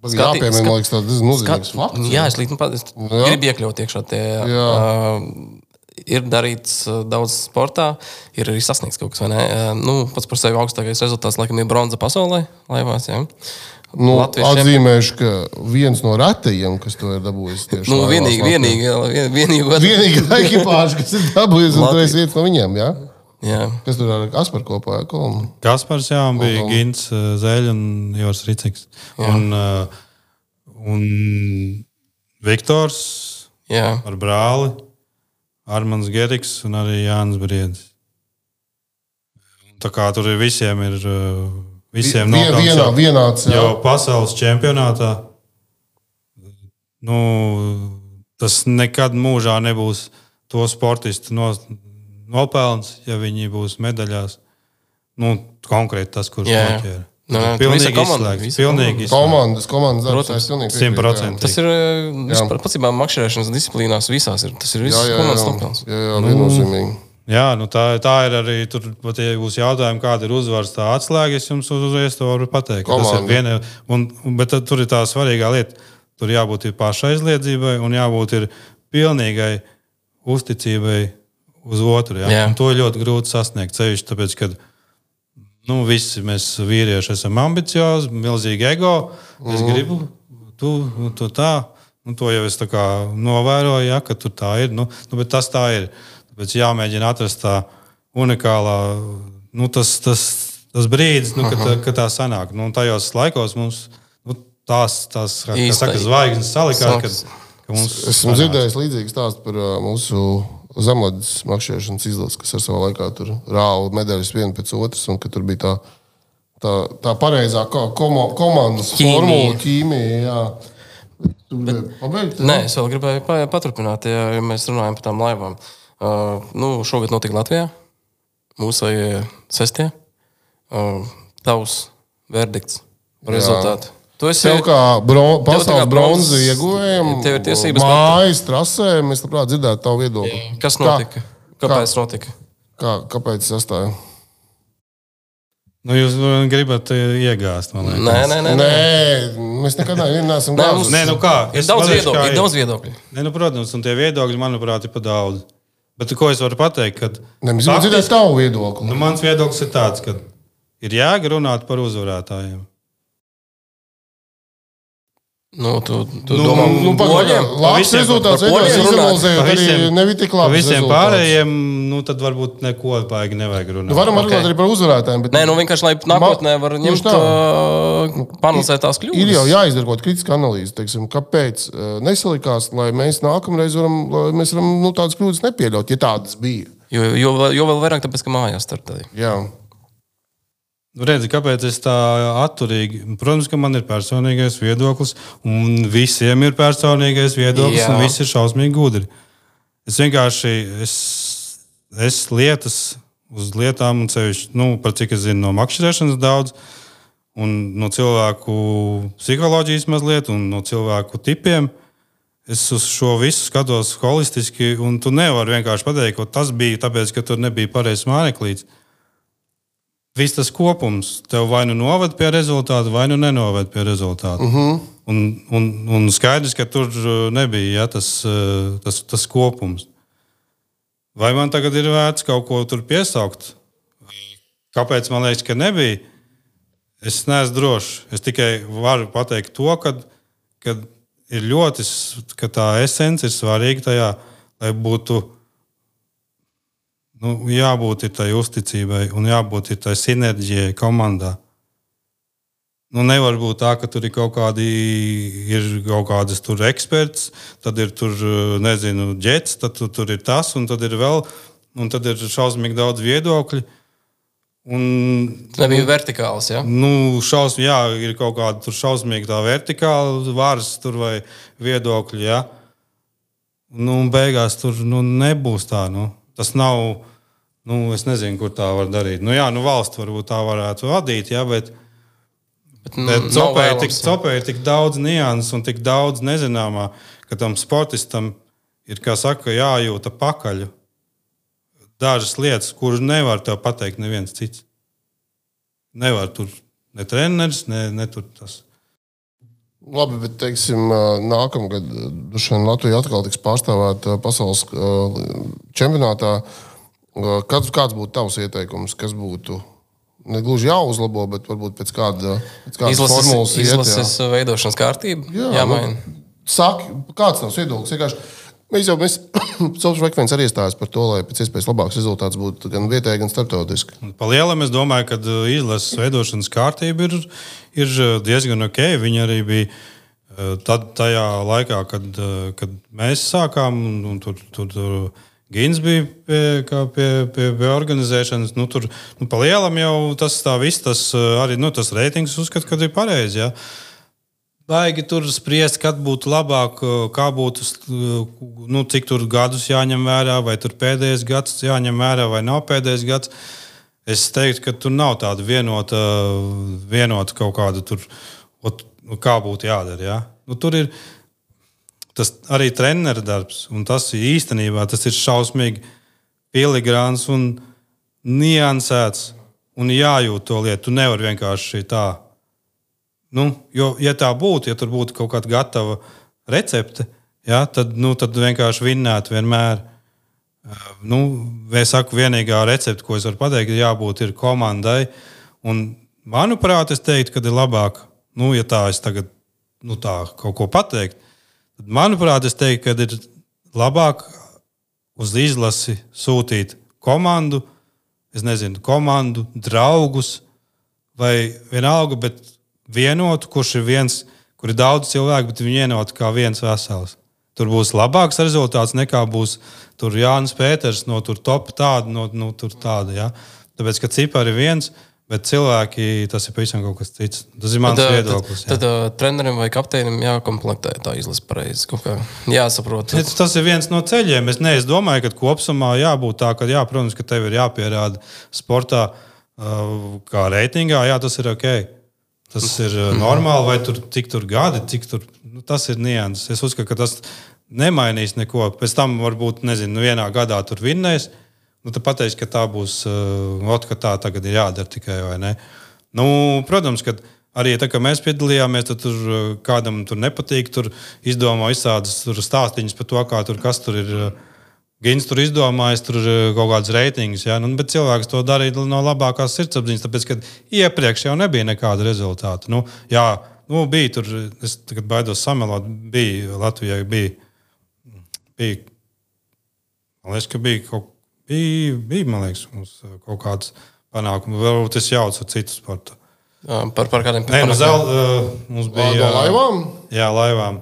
skati, jāpiemēr, man liekas, tāds nozīmīgs fakts. Jā, es līdzi, es gribu iekļaut iekšā tie... Uh, ir darīts uh, daudz sportā, ir arī sasniegts kaut kas, vai ne? Uh, nu, pats par sevi augstākais rezultāts, laikam, ir bronza pasaulē, laivās, jā. Nu, atzīmēšu, ka viens no retajiem, kas to ir dabūjis tieši nu, vienīgi, vienīgi, vienīgi, vienīgā ekipāža, kas ir dabūjis, un tu esi viens no viņiem, jā? Jā. Kas tur ar Kasparu kopā? Kolmu? Kaspars, jā, un bija un, Gints Zeļ un Jors Riciks. Un, un Viktors jā. Ar brāli, Armands Geriks un arī Jānis Briedis. Tā kā tur ir visiem ir... Visiem Vien, vienā, vienāds, jau pasaules čempionātā. Nu, tas nekad mūžā nebūs to sportistu no, nopelns, ja viņi būs medaļās. Nu, konkrēti tas, kurš noķēra. No, pilnīgi izslēgts. Pilnīgi izslēgts. Komandas, komandas darbs, es pilnīgi simt procenti. Tas ir vispār, pacībā makšķerēšanas disciplīnās visās ir. Tas ir viss komandas nopelns. Jā, jā, viennozīmīgi. Jā, nu tā, tā ir arī. Tur, pat, ja būs jautājumi, kāda ir uzvaras tā atslēga, es jums uzreiz to varu pateikt. Tas ir viena, un, un, bet tur ir tā svarīgā lieta. Tur jābūt ir pašaizliedzībai un jābūt ir pilnīgai uzticībai uz otru. Jā? Jā. Un to ir ļoti grūti sasniegt. Sevišķi tāpēc, ka nu, visi mēs vīrieši esam ambiciozi, milzīgi ego. Es mm. gribu, tu, tu tā. Nu, to jau es tā kā novēroju, ja, ka tur tā ir. Nu, nu, bet tas tā ir. Tāpēc jāmēģina atrast tā unikālā, nu, tas, tas, tas brīdis, nu, kad, kad tā sanāk. Nu, tajos laikos mums nu, tās, tās kā saka, zvaigznes salikās, kad, ka mums esmu dzirdējis līdzīgu stāstu par uh, mūsu zemlades makšķerēšanas izlases, kas ar savā laikā tur rāva medaļas vienu pēc otras, un ka tur bija tā, tā, tā pareizā komo, komandas formula, ķīmija, jā. Bet, pabeigt, nē, es vēl gribēju paturpināt, ja, ja mēs runājam par tām laivām. Uh, nu, šogad notika Latvijā, mūsu sestie. Uh, tavs verdikts par rezultātu. Tu esi tev kā bron, pasaules bronzi ieguvējam, tev ir tiesības mājas trasē, mēs labprāt dzirdētu tavu viedokli. Kas notika? Kā? Kāpēc kā? notika? Kā, kāpēc sastāja? Nu, jūs gribat iegāzt, man liekas. Nē, nē, nē. Nē, mēs nekad neesam gājuši. Nē, nu kā? Ir daudz viedokļu. Ir daudz viedokļu. Nē, nu, protams, un tie viedokļi, manuprāt, ir pa daudz. Bet ko es varu pateikt? Kad ne, mēs gribam dzirdēt tavu viedokli. Nu, mans viedoklis ir tāds, ka ir jēga runāt par uzvarētājiem. Nu, tu, tu nu, domā, nu, poļiem? Labs rezultāts, izanalizējot, arī nebija tik labs visiem rezultāts. Pārējiem, nu, tad varbūt neko baigi nevajag runāt. Nu, varam okay. runāt arī par uzvarētājiem. Bet... Nē, nu vienkārši, lai nākotnē var ņemt uh, panalizēt tās kļūdas. Ir jau jāizdara kaut kritiska analīze, teiksim, kāpēc uh, nesalikās, lai mēs nākamreiz varam, lai mēs varam nu, tādas kļūdas nepieļaut, ja tādas bija. Jo, jo, jo vēl vairāk tāpēc, ka mājās startēja. Jā. Redzi, kāpēc es tā atturīgi? Protams, ka man ir personīgais viedoklis, un visiem ir personīgais viedoklis, Jā. Un visi ir šausmīgi gudri. Es vienkārši, es, es lietas uz lietām, un sevišķi, nu, par cik es zinu no makšķerēšanas daudz, un no cilvēku psiholoģijas mazliet, un no cilvēku tipiem, es uz šo visu skatos holistiski, un tu nevari vienkārši pateikt, ka tas bija tāpēc, ka tur nebija pareizs māneklīts. Viss tas kopums tev vai nu noved pie rezultātu, vai nu nenoved pie rezultātu. Uh-huh. Un, un, un skaidrs, ka tur nebija ja, tas, tas, tas kopums. Vai man tagad ir vērts kaut ko tur piesaukt? Kāpēc man liekas, ka nebija? Es neesmu drošs. Es tikai varu pateikt to, ka, ka ir ļoti, ka tā esence ir svarīga tajā, lai būtu Nu, jābūt ir tai uzticībai un jābūt ir tai sinerģijai komandā. Nu, nevar būt tā, ka tur ir kaut kādi, ir kaut kādas tur eksperts, tad ir tur, nezinu, ģets, tad tur, tur ir tas, un tad ir vēl, un tad ir šausmīgi daudz viedokļu. Un, nebija vertikāls, ja? Nu, šaus, jā, ir kaut kāda tur šausmīgi tā vertikāla vārs tur vai viedokļi, jā. Nu, beigās tur nu, nebūs tā, nu. Tas nav, nu, es nezinu, kur tā var darīt. Nu, jā, nu, valsts varbūt tā varētu vadīt, jā, bet, bet, bet copē ir, tik, copē ir tik daudz nianses un tik daudz nezināmā, ka tam sportistam ir, kā saka, jājūta pakaļu. Dažas lietas, kuras nevar tev pateikt neviens cits. Nevar tur ne treneris, ne, ne tur tas. Labi, bet, teiksim, nākamgad Latvija atkal tiks pārstāvēta pasaules čempionātā. Kāds, kāds būtu tavs ieteikums, kas būtu ne gluži jāuzlabo, bet varbūt pēc kāda pēc kādas izlases, formulas iet? Izlases jā. Veidošanas kārtība? Jā, jāmaina. Nu, saki, kāds tavs viedoklis? Vienkārši mēs jau, mēs, Saules Rekvens arī iestājas par to, lai pēc iespējas labāks rezultāts būtu gan vietēji, gan starptautiski. Pa lielam es domāju, ka izlases veidošanas kārtība ir, ir diezgan ok. Viņi arī bija tad, tajā laikā, kad, kad mēs sākām, un, un tur, tur, tur Gins bija pie, pie, pie, pie organizēšanas. Nu, tur, nu, pa lielam jau tas tā viss, tas arī nu, tas reitings uzskat, kad ir pareizi, jā. Baigi tur spriest, kad būtu labāk, kā būtu, nu, cik tur gadus jāņem vērā, vai tur pēdējais gads jāņem vērā, vai nav pēdējais gads. Es teiktu, ka tur nav tāda vienota, vienota kaut kāda tur, kā būtu jādara. Ja? Nu, tur ir tas arī trenera darbs, un tas īstenībā tas ir šausmīgi filigrāns un niansēts, un jājūt to lietu. Tu nevar vienkārši tā. Nu, jo, ja tā būtu, ja tur būtu kaut kāda gatava recepte, ja, tad, nu, tad vienkārši vinnētu vienmēr. Nu, es saku, vienīgā recepte, ko es varu pateikt, ir jābūt ir komandai. Un, manuprāt, es teiktu, ka ir labāk, nu, ja tā es tagad nu, tā kaut ko pateikt, tad, manuprāt, es teiktu, ka ir labāk uz izlasi sūtīt komandu, es nezinu, komandu, draugus vai vienalga, bet vienotu, kurš ir viens, kur ir daudz cilvēku, bet viņi vienotu kā viens vesels. Tur būs labāks rezultāts nekā būs tur Jānis Pēters no tur top tāda, no, no tur tāda, ja. Tāpēc, ka cipari ir viens, bet cilvēki, tas ir pavisam kaut kas cits. Tas ir mans tad, viedoklis. Tad, tad uh, trenerim vai kapteinim jākomplektē tā izlase pareizi, kaut kā jāsaprot. Tas, tas ir viens no ceļiem. Es, ne, es domāju, ka kopsumā jābūt tā, ka jā, protams, ka tev ir jāpierāda sportā uh, kā reitingā, jā, tas ir ok. Tas ir normāli, vai tur cik tur gadi, cik tur, nu, tas ir nianses. Es uzskatu, ka tas nemainīs neko. Pēc tam varbūt, nezinu, vienā gadā tur vinnēs, nu, tad pateiks, ka tā būs, uh, ot, ka tā tagad ir jādara tikai, vai ne? Nu, protams, ka arī tā, ka mēs piedalījāmies, tad tur kādam tur nepatīk, tur izdomā izsādas tur stāstiņas par to, kā tur, kas tur ir. Gins tur izdomājis, tur kaut kādas reitingus, ja? Nu, bet cilvēks to darīja no labākās sirdsapziņas, tāpēc, ka iepriekš jau nebija nekāda rezultāta. Nu, jā, nu, bija tur, es tagad baidos samelot, bija Latvijai, bija, bija, man liekas, ka bija kaut, bija, bija, man liekas, mums kaut kāds panākumi, varbūt es jaucu ar citu sportu. Par, par kādiem Nē, no zel, uh, mums bija... No laivām? Jā, laivām.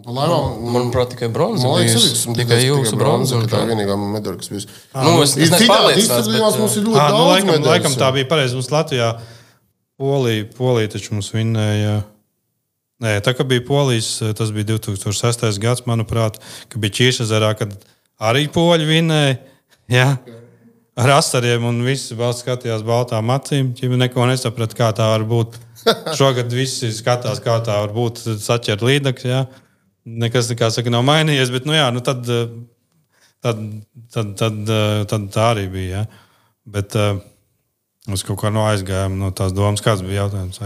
Laivām, manuprāt, tikai bronza. Man liekas, tikai, tikai jūsu bronza. Tā ir vienīgā medaļa, kas bijusi. Nu, es, es neesmu pārliecināts, bet... Mums ir ļoti à, daudz nu, laikam, medaļas. Laikam tā bija pareizi. Mums Latvijā Polija, Polija taču mums vinnēja. Nē, tā kā bija Polijas, tas bija divi tūkstoši sestais gads, manuprāt, ka bija Čīšezerā, kad arī poļi vinnēja. Jā. Ar asariem un visi valsts skatījās baltām acīm. Viņi neko nesaprat, kā tā var būt. Šogad visi skatās, kā tā var būt saķert līdzekļus. Ja? Nekas, kā saka, nav mainījies, bet nu, jā, nu, tad, tad, tad, tad, tad tā arī bija. Ja? Bet uh, mēs kaut kā no aizgājām no tās domas, kāds bija jautājums.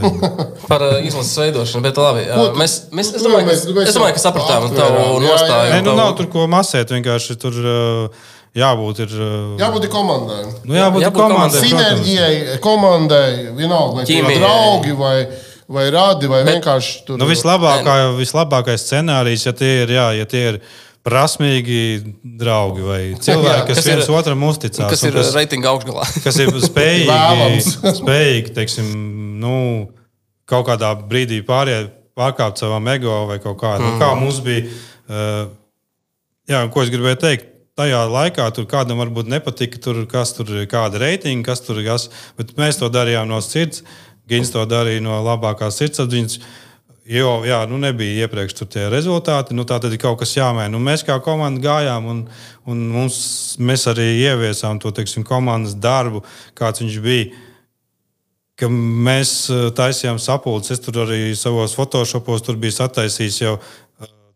Par uh, izlases veidošanu, bet labi. Uh, Ko, mēs, mēs, es, tu, domāju, mēs, ka, es domāju, ka sapratām tavu nostāju. Nē, nu nav tur ko masēt, vienkārši tur... Uh, Jābūt ir, jābūt ir komandai. Nu, jābūt jābūt komandai. Sinerģijai, komandai, vienalga, vai tur ir draugi, vai, vai radi, vai bet, vienkārši tur. Nu, vislabākā, vislabākais scenārijs, ja tie ir, jā, ja tie ir prasmīgi draugi vai cilvēki, kas, kas viens ir, otram uzticās. Kas ir kas, reitinga augšgalā. Kas ir spējīgi, spējīgi, teiksim, nu, kaut kādā brīdī pāriet, pārkāpt savam ego vai kaut kādu. Mm. Nu, kā mums bija, uh, jā, ko es gribēju teikt, tajā laikā tur kādam varbūt nepatika, tur, kas tur ir kāda reitinga, kas tur ir kas, bet mēs to darījām no sirds, Gins to darīja no labākās sirdsapziņas, jo, jā, nu nebija iepriekš tur tie rezultāti, nu tā tad ir kaut kas jāmaina. Nu, mēs kā komanda gājām un, un mums, mēs arī ieviesām to, teiksim, komandas darbu, kāds viņš bija, ka mēs taisījām sapulces, es tur arī savos photoshopos tur biju sataisījis jau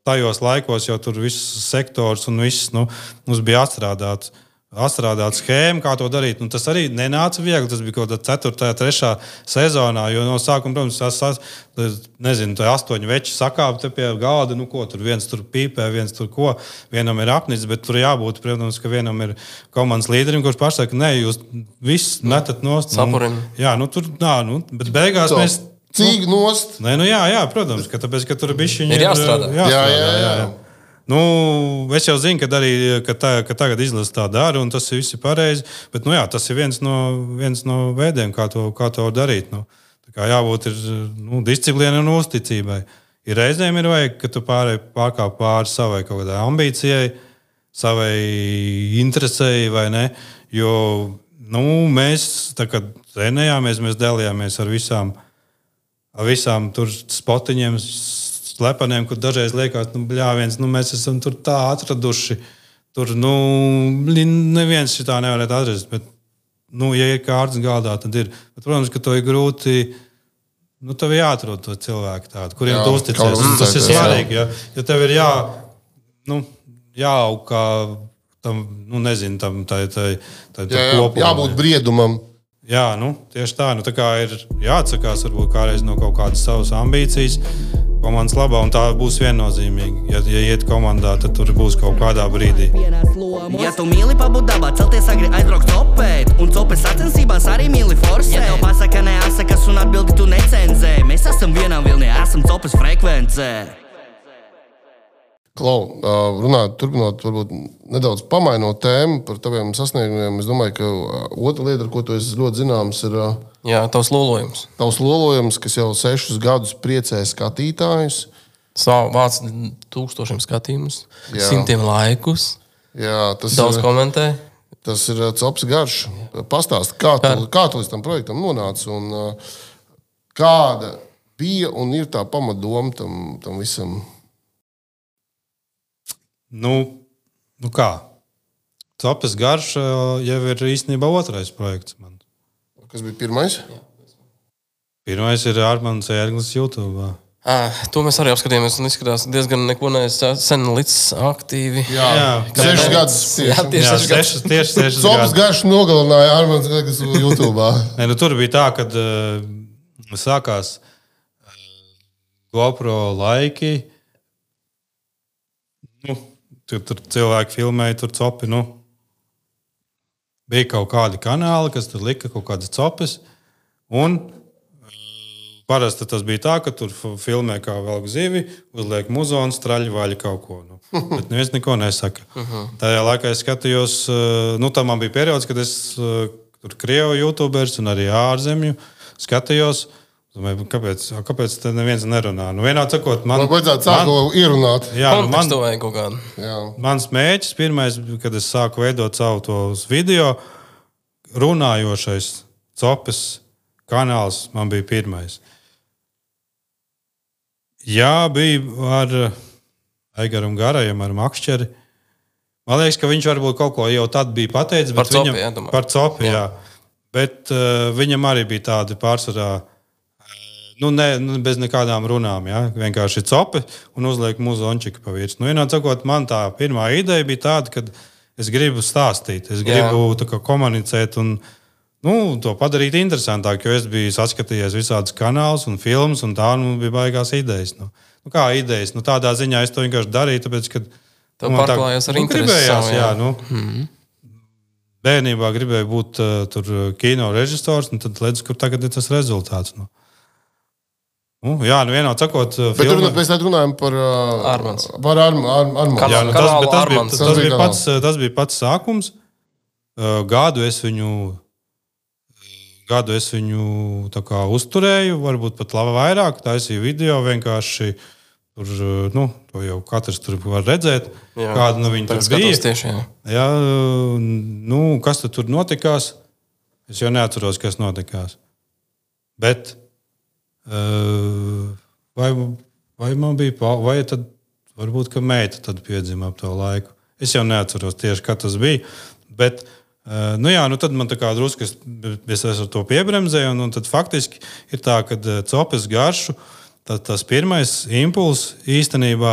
tajos laikos jau tur viss sektors un viss, nu, mums bija atstrādāts, atstrādāts schēma, kā to darīt. Un tas arī nenāca viegli, tas bija kaut kādā ceturtajā, trešā sezonā, jo no sākuma, protams, tas, nezinu, tā astoņi veči sakāp te pie galda, nu ko, tur viens tur pīpē, viens tur ko, vienam ir apnicis, bet tur jābūt, protams, ka vienam ir komandas līderim, kurš pašsaka, nē, jūs viss metat nost. Sapurim. Jā, nu tur, nā, nu, bet beigās so. mēs... Cīgi nost. Nē, nu jā, jā, protams, ka tāpēc, ka tur bišķiņi ir jāstrādā. jāstrādā. Jā, jā, jā. jā. Nu, es jau zinu, ka, arī, ka, tā, ka tagad izlase tā dara, un tas viss ir pareizi, bet nu, jā, tas ir viens no, viens no veidiem, kā to, kā to darīt. Nu, tā kā jābūt ir, nu, disciplīnai un uzticībai. Ir reizēm ir vajag, ka tu pārēj pārkāp pāri savai kaut kādai ambīcijai, savai interesei vai ne, jo nu, mēs, tā kā trenējāmies, mēs dalījāmies ar visām ar visām tur spotiņiem, slepeniem, kur dažreiz liekas, nu, bļāviens, nu, mēs esam tur tā atraduši. Tur, nu, neviens šitā nevarētu atrast, bet, nu, ja ir kārtas galdā, tad ir. Bet, protams, ka to ir grūti, nu, tev ir jāatrod to cilvēku tādu, kuriem jā, tu uzticies. Tas ir svarīgi, ja, ja tev ir jā, nu, jāaug kā tam, nu, nezinu, tam, tai, tai, tai, tai jā, kopumam. Jābūt briedumam. Jā, nu, tieši tā. Nu, tā kā ir jāatsakās varbūt kādreiz no kaut kādas savas ambīcijas komandas labā, un tā būs viennozīmīgi. Ja, ja iet komandā, tad tur būs kaut kādā brīdī. Ja tu mīli pabūt dabā, celties agri aizbraukt copēt, un copes sacensībās arī mīli forsēt. Ja tev pasaka neasakas un atbildi tu necenzē, mēs esam vienā vilnī, esam copes frekvencē. Klau, runāt, turpinot, varbūt nedaudz pamainot tēmu par taviem sasniegumiem, es domāju, ka otra lieta, ar ko tu esi ļoti zināms, ir jā, tavs lolojums. Tavs lolojums, kas jau sešus gadus priecē skatītājus. Savu vāc tūkstošiem skatījumus, jā. Simtiem laikus, jā, tas daudz ir, komentē. Tas ir cops garš. Pastāst, kā tu, kā tu līdz tam projektam nonāci un kāda bija un ir tā pamatdoma tam, tam visam? Nu, nu kā? Copes garš jau ir īstenībā otrais projekts man. Kas bija pirmais? Pirmais ir Armands Ērglis YouTube. À, to mēs arī apskatījāmies. Un izskatās diezgan neko neesmu sen līdz aktīvi. Jā, jā. Sešas gadus. Jā, tieši sešas gadus. Tieši sešas gadus. Sopas garš nogalināja Armands Glegas YouTube. Ne, nu, tur bija tā, kad uh, sākās uh, GoPro laiki. Nu, tur, tur cilvēki filmēja, tur copi. Nu. Bija kaut kādi kanāli, kas tur lika kaut kādas copes. Un parasti tas bija tā, ka tur filmē kā velk zivi, uzliek muzonu, straļu vaļu kaut ko. Nu. Bet neviens neko nesaka. Uh-huh. Tajā laikā es skatījos, nu tā man bija periods, kad es tur Krievu YouTubers un arī ārzemju skatījos. Domāju, kāpēc, kāpēc te neviens nerunā? Nu, vienā sakot, man... Man vajadzētu sākt man, ierunāt. Jā, nu, man, kaut kādu. Jā. Mans mēģis, pirmais, kad es sāku veidot savu tos video, runājošais copes kanāls man bija pirmais. Jā, bija ar Aigaram Garajam, ar Makšķeri. Man liekas, ka viņš varbūt kaut ko jau tad bija pateicis. Par copi, viņam, jā, domāju. Par copi, jā. jā. Bet uh, viņam arī bija tādi pārsvarā, nu, ne, bez nekādām runām, jā. Vienkārši copi un uzliek muzončiku pa virs. Nu, vienā sakot, man tā pirmā ideja bija tāda, ka es gribu stāstīt, es gribu tā kā komunicēt un nu, to padarīt interesantāk, jo es biju saskatījies visādus kanālus un filmas, un tā nu, bija baigās idejas. Nu, nu, kā idejas? Nu, tādā ziņā es to vienkārši darīju, tāpēc, ka... Tev pārklājās ar nu, interesi gribējās, savu, jā. jā. Nu, mm-hmm. Bērnībā gribēju būt uh, tur kino režisors, un tad redzu, kur tagad ir tas rezultāts. Nu. Nu, jā, nu vienā sakot... Uh, bet filma... tur mēs tad runājam par... Uh, Armands. Par Arm, Arm, Armands. Jā, nu, tas, tas, bija, Armands. tas, tas, bija pats, tas bija pats sākums. Uh, gadu es viņu... Gadu es viņu tā kā uzturēju, varbūt pat labi vairāk, taisīju video vienkārši. Tur, nu, to jau katrs tur var redzēt, jā, kāda nu viņa tur bija. Tieši, jā. Jā, nu, kas tur notikās? Es jau neatceros, kas notikās. Bet vai, vai man bija, vai tad varbūt, ka meita tad piedzima ap to laiku. Es jau neatceros tieši, kā tas bija, bet Uh, nu jā, nu tad man tā kā drusku es, es ar to piebremzēju, un, un tad faktiski ir tā, ka copes garšu, tā, tas pirmais impulss īstenībā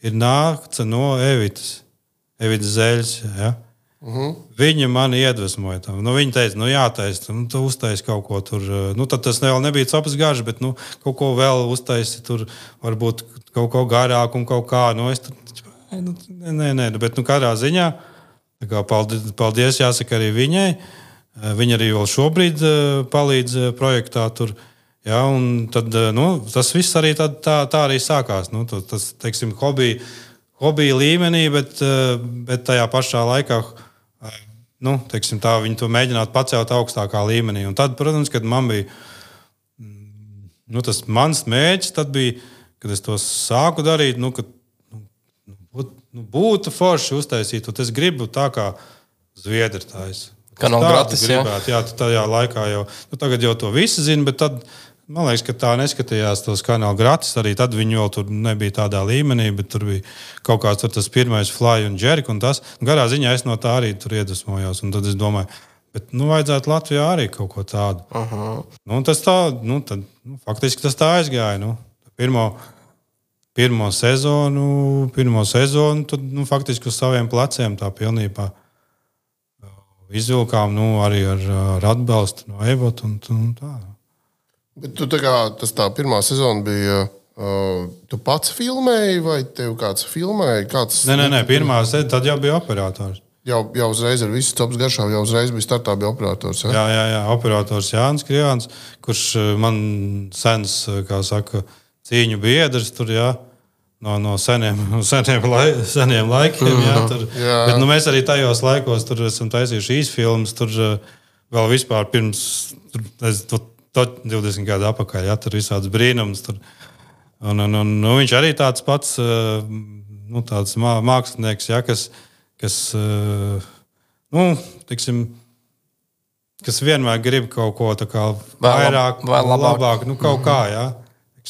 ir nākts no Evitas, Evitas Zeļas, ja? Uh-huh. Viņa mani iedvesmoja tam. Nu, viņa teica, nu jātaisa, nu, tu uztaisi kaut ko tur, nu tad tas vēl nebija copes garš, bet nu, kaut ko vēl uztaisi tur, varbūt kaut ko garāk un kaut kā, nu es tur, nu, nē, nē, bet nu kādā ziņā, Paldies, paldies, jāsaka arī viņai. Viņa arī vēl šobrīd palīdz projektā tur. Ja, un tad, nu, tas viss arī tā, tā, tā arī sākās. Nu, tas, teiksim, hobija, hobija līmenī, bet, bet tajā pašā laikā, nu, teiksim, tā viņi to mēģinātu pacelt augstākā līmenī. Un tad, protams, kad man bija, nu, tas mans mēģis, tad bija, kad es to sāku darīt, nu, kad Nu, būtu forši uztaisīt, un es gribu tā kā Zviedri taisa. Kā nav gratis, jā. Jā, tajā laikā jau, nu tagad jau to visi zina, bet tad, man liekas, ka tā neskatījās tos kanāli gratis, arī tad viņi vēl tur nebija tādā līmenī, bet tur bija kaut kāds tur tas pirmais Fly un Jerk, un tas, garā ziņā es no tā arī tur iedvesmojos, un tad es domāju, bet, nu, vajadzētu Latvijā arī kaut ko tādu. Uh-huh. Nu, un tas tā, nu, tad, nu, faktiski tas tā aizgāja, nu, pirmo... Pirmo sezonu, pirmo sezonu, tad nu, faktiski uz saviem pleciem tā pilnībā izvilkām, nu, arī ar, ar atbalstu no Evota un, un tā. Bet tu tā kā, tas tā pirmā sezona bija, uh, tu pats filmēji vai tev kāds filmēja? Kāds... Nē, nē, nē, pirmā sezona, tad jau bija operators. Jau, jau uzreiz ar visu copas garšām, jau uzreiz bija startā bija operators, ja? Jā, jā, jā, operators Jānis Kriāns, kurš man sens, kā saka, cīņu biedrs tur, jā, no, no seniem, seniem, lai, seniem laikiem, jā, tur. Jā. Bet nu, mēs arī tajos laikos tur esam taisījuši īsfilmas, tur vēl vispār pirms, tur, es, to, to divdesmit gadu apakaļ, jā, tur visāds brīnums, tur. Un, un, un nu, viņš arī tāds pats, nu, tāds mākslinieks, jā, kas, kas, nu, tiksim, kas vienmēr grib kaut ko tā kā vairāk, vai labāk, labāk nu, kaut kā, jā.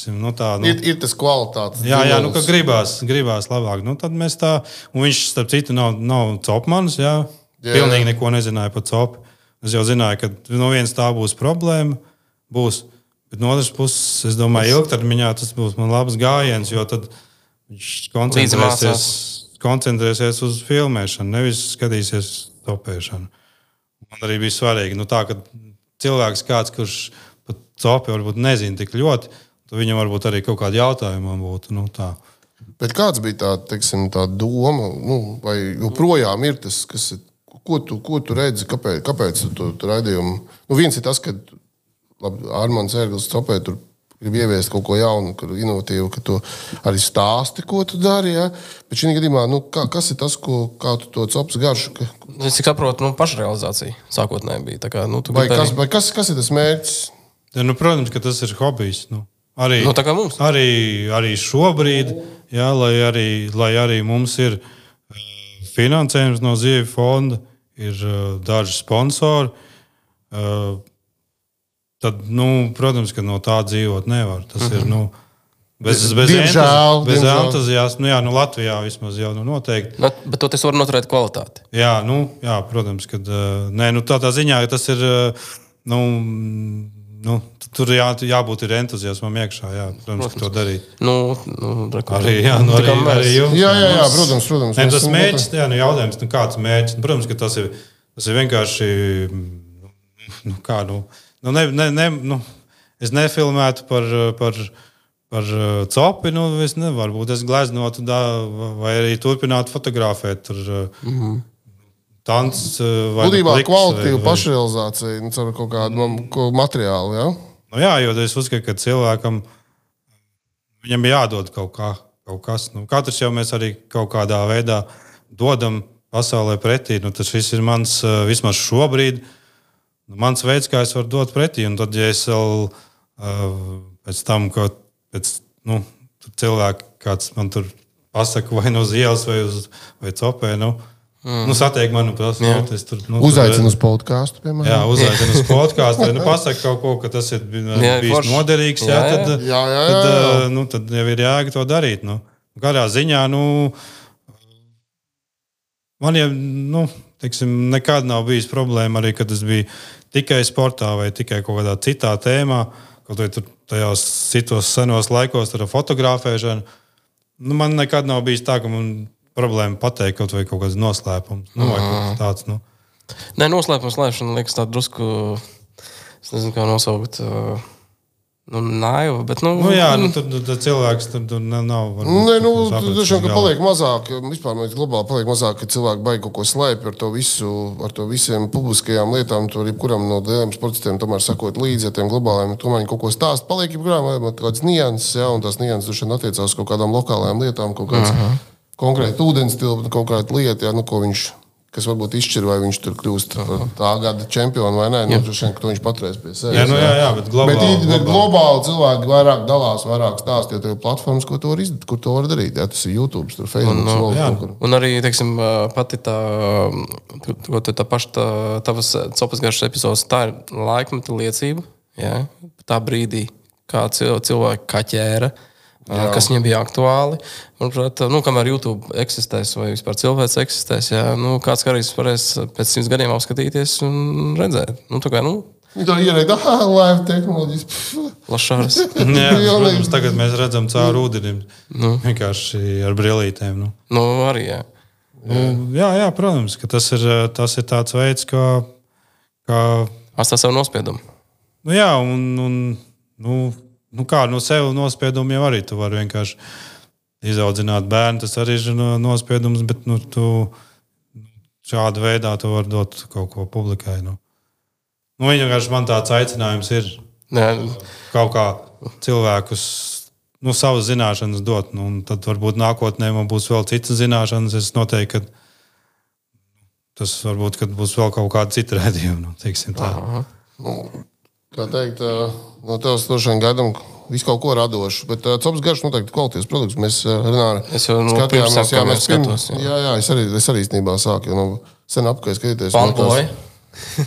Nu, tā, nu, ir, ir tas kvalitātes. Jā, jā, nu, ka gribās, gribās labāk. Nu, tad mēs tā, un viņš, starp citu, nav, nav copmanis, jā. jā. Pilnīgi neko nezināja par copu. Es jau zināju, ka no viens tā būs problēma, būs, Bet no otras puses, es domāju, ilgtermiņā tas būs man labs gājiens, jo tad viņš koncentrēsies, koncentrēsies uz filmēšanu, nevis skatīsies topēšanu. Man arī bija svarīgi, nu tā, ka cilvēks kāds, kurš pat topi varbūt nezina tik ļoti, tad viņam varbūt arī kaut kādi jautājumi būtu, nu tā. Bet kāds bija tā, teiksim, tā doma, nu, vai joprojām ir tas, kas ir, ko tu, ko tu redzi, kāpēc, kāpēc tu to, to raidījumu? Nu, viens ir tas, ka labi, Armands Ērglis topē, tur grib ieviest kaut ko jaunu, inovatīvu, ka tu arī stāsti, ko tu dari, ja? Bet šī gadījumā, nu, kā, kas ir tas, ko, kā tu to copas garšu? Ka... Es cik saprotu, nu, pašrealizācija sākotnēji bija. Tā kā, nu, vai kas, vai kas, kas ir tas mērķis? Ja, nu, protams, ka tas ir hobijs. Nu. Arī, nu, tā kā mums. Arī, arī šobrīd, jā, lai, arī, lai arī mums ir finansējums no Zivju fonda, ir daži sponsori, tad, nu, protams, ka no tā dzīvot nevar. Tas mm-hmm. ir, nu, bez, bez, diemžēl, entuz, bez entuziasma, nu, jā, nu, Latvijā vismaz jau, nu, noteikti. Bet, bet to tas var noturēt kvalitāti. Jā, nu, jā, protams, kad, nē, nu, tādā ziņā, ka tas ir, nu, nu tur jā, jābūt ir entuziasmam iekšā, jā, protams, to darīt. Nu, nu, arī, jā, nu, arī, arī jums. Jā, jā, jā, protams, protams. Ne, tas mērķis, jā, nu, jautājums, nu, kāds mērķis, nu, protams, ka tas ir, tas ir vienkārši, nu, kā, nu, nu, ne, ne, ne, nu, es nefilmētu par, par, par copi, nu, es nevaru būt, es gleznotu, da, vai arī turpinātu fotografēt tur mm-hmm. tants vai Būtībā pliks, kvalitīva vai, pašrealizācija, nu, caur kaut kādu materiālu, jā? Nu, jā, jo es uzskatu, ka cilvēkam viņam jādod kaut, kā, kaut kas. Nu, katrs jau mēs arī kaut kādā veidā dodam pasaulē pretī. Nu, tas viss ir mans, vismaz šobrīd, mans veids, kā es varu dot pretī. Un tad, ja es vēl pēc tam, ka pēc, nu, cilvēki kāds man tur pasaka vai no uz ielas vai uz vai copē, nu, Mm. Nu, satiek mani, protams, es tur... Nu, uzaicinu uz podkāstu, piemēram. Jā, uzaicinu uz podkāstu, vai nu pasaka kaut ko, ka tas ir bijis noderīgs, jā, jā, tad, jā, jā, jā. Tad, nu, tad jau ir jēga to darīt. Nu. Kādā ziņā, nu, man jau, nu, teiksim, nekad nav bijis problēma arī, kad es biju tikai sportā vai tikai kaut kādā citā tēmā, kaut vai tur tajos citos senos laikos ar fotografēšanu. Nu, man nekad nav bijis tā, ka man problēma pateikt kaut vai kaut kāds noslēpums. Nu, vai kaut tāds, nu. Nē, noslēpums slēpšana liekas tā drusku, es nezinu, kā nosaukt, nu, naiva, bet, nu... Nu, jā, nu, tad, tad cilvēks tur, tur nav... Varbūt, Nē, nu, dažām, ka paliek mazāk, vispār mēs globāli paliek mazāk, ka cilvēki baigi kaut ko slēpj ar to visu, ar to visiem publiskajām lietām, tur jebkuram no lieliem sportistiem tomēr sakot līdzi ar tiem globāliem, tomēr viņi kaut ko stāst, paliek jebkuram, vai kāds nianses, jā, un tās nianses dušan attiecās kaut kādām lokālajām lietām, kaut kāds... Uh-huh. Konkrēti ūdens tilpa, kaut kāda lieta, jā, nu, ko viņš, kas varbūt izšķir, vai viņš tur kļūst par tā gada čempionu vai nē, nu, šeit, to viņš paturēs pie sevis. Jā, nu, jā, jā, bet globāli. Bet, bet globāli cilvēki vairāk dalās, vairāk stāst, jo tev ir platformas, ko to var izdarīt, kur to var darīt. Jā, tas ir YouTube, tur Facebook. Un, un, jā, un arī, teiksim, pati tā, tā paša tā, tavas copas garšas epizodes, tā ir laikmeta liecība, jā, tā brīdī, kā cilvēki kaķēra, jā. Kas viņiem bija aktuāli. Un, nu, kamēr YouTube eksistēs vai vispār cilvēks eksistēs, jā, nu, kāds karīs varēs pēc simts gadiem apskatīties un redzēt. Nu, tā kā, nu... Tā ierēd, ah, live tehnoloģijas. Lašāras. Jā, protams, tagad mēs redzam caur ūdenim. Nu. Vienkārši ar brillītēm. Nu. Nu, arī, jā. Jā, jā, jā, protams, ka tas ir, tas ir tāds veids, kā... kā... Atstāt savu nospiedumu. Nu, jā, un... un nu, Nu kā, no sev nospiedumu jau arī tu vari vienkārši izaudzināt bērnu, tas arī ir nospiedums, bet nu, tu šāda veidā tu vari dot kaut ko publikai. Nu. Nu, vienkārši man tāds aicinājums ir Nē. Kaut kā cilvēkus, nu, savas zināšanas dot, nu, un tad varbūt nākotnē man būs vēl citas zināšanas, es noteikti, ka tas varbūt, kad būs vēl kaut kāda cita redzījuma, nu, teiksim tā. Nu, kā teikt, no tevs došana gaidam visu kaut ko radošu, bet uh, copas garš noteikti kvalitīvs produkts. Mēs uh, Renāri skatījāmies, jā, mēs pirms, jā. jā, jā, es arī, es arī īstenībā sāku, jo no sen apkai skatīties. Pankoja.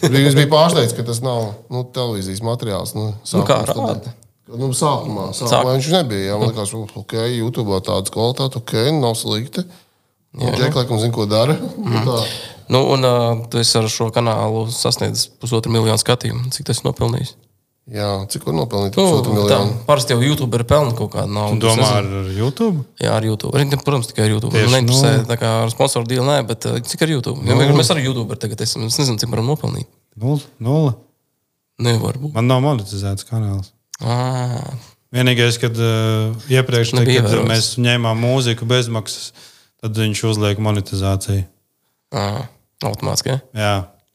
Es biju pārsteigts, ka tas nav, nu, televīzijas materiāls. Nu, nu kā rāda? Nu, sākumā, sākumā viņš nebija, jā, man likās, ok, YouTube tādas kvalitātes, ok, nav slikti. Džek, laikam, zina, ko dara. Mm. Nu, un uh, tu esi ar šo kanālu sasniedzis pusotru miljonu skatījumu. Cik tas ir nopelnījis? Jā, cik var nopelnīt? Nu, Pusotru miljonu. Parasti jau YouTuberi pelna kaut kādu naudu. Tu domā ar YouTube? Jā, ar YouTube. Arī, protams, tikai ar YouTube. Tieši, Man neinteresē nu... tā kā ar sponsoru dealu, nē, bet uh, cik ar YouTube? Nu. Ja mēs arī YouTuberi tagad esam, es nezinu, cik varam nopelnīt. Nulle. Nulle. Nevar būt. Man nav monetizēts kanāls. Ah. Vienīgais, kad uh, iepriekš, te, kad ievēros. mēs ņēmām mūziku bezmaksas, tad viņš uzliek monetizāciju. Ah. Automātiski, jā? Jā,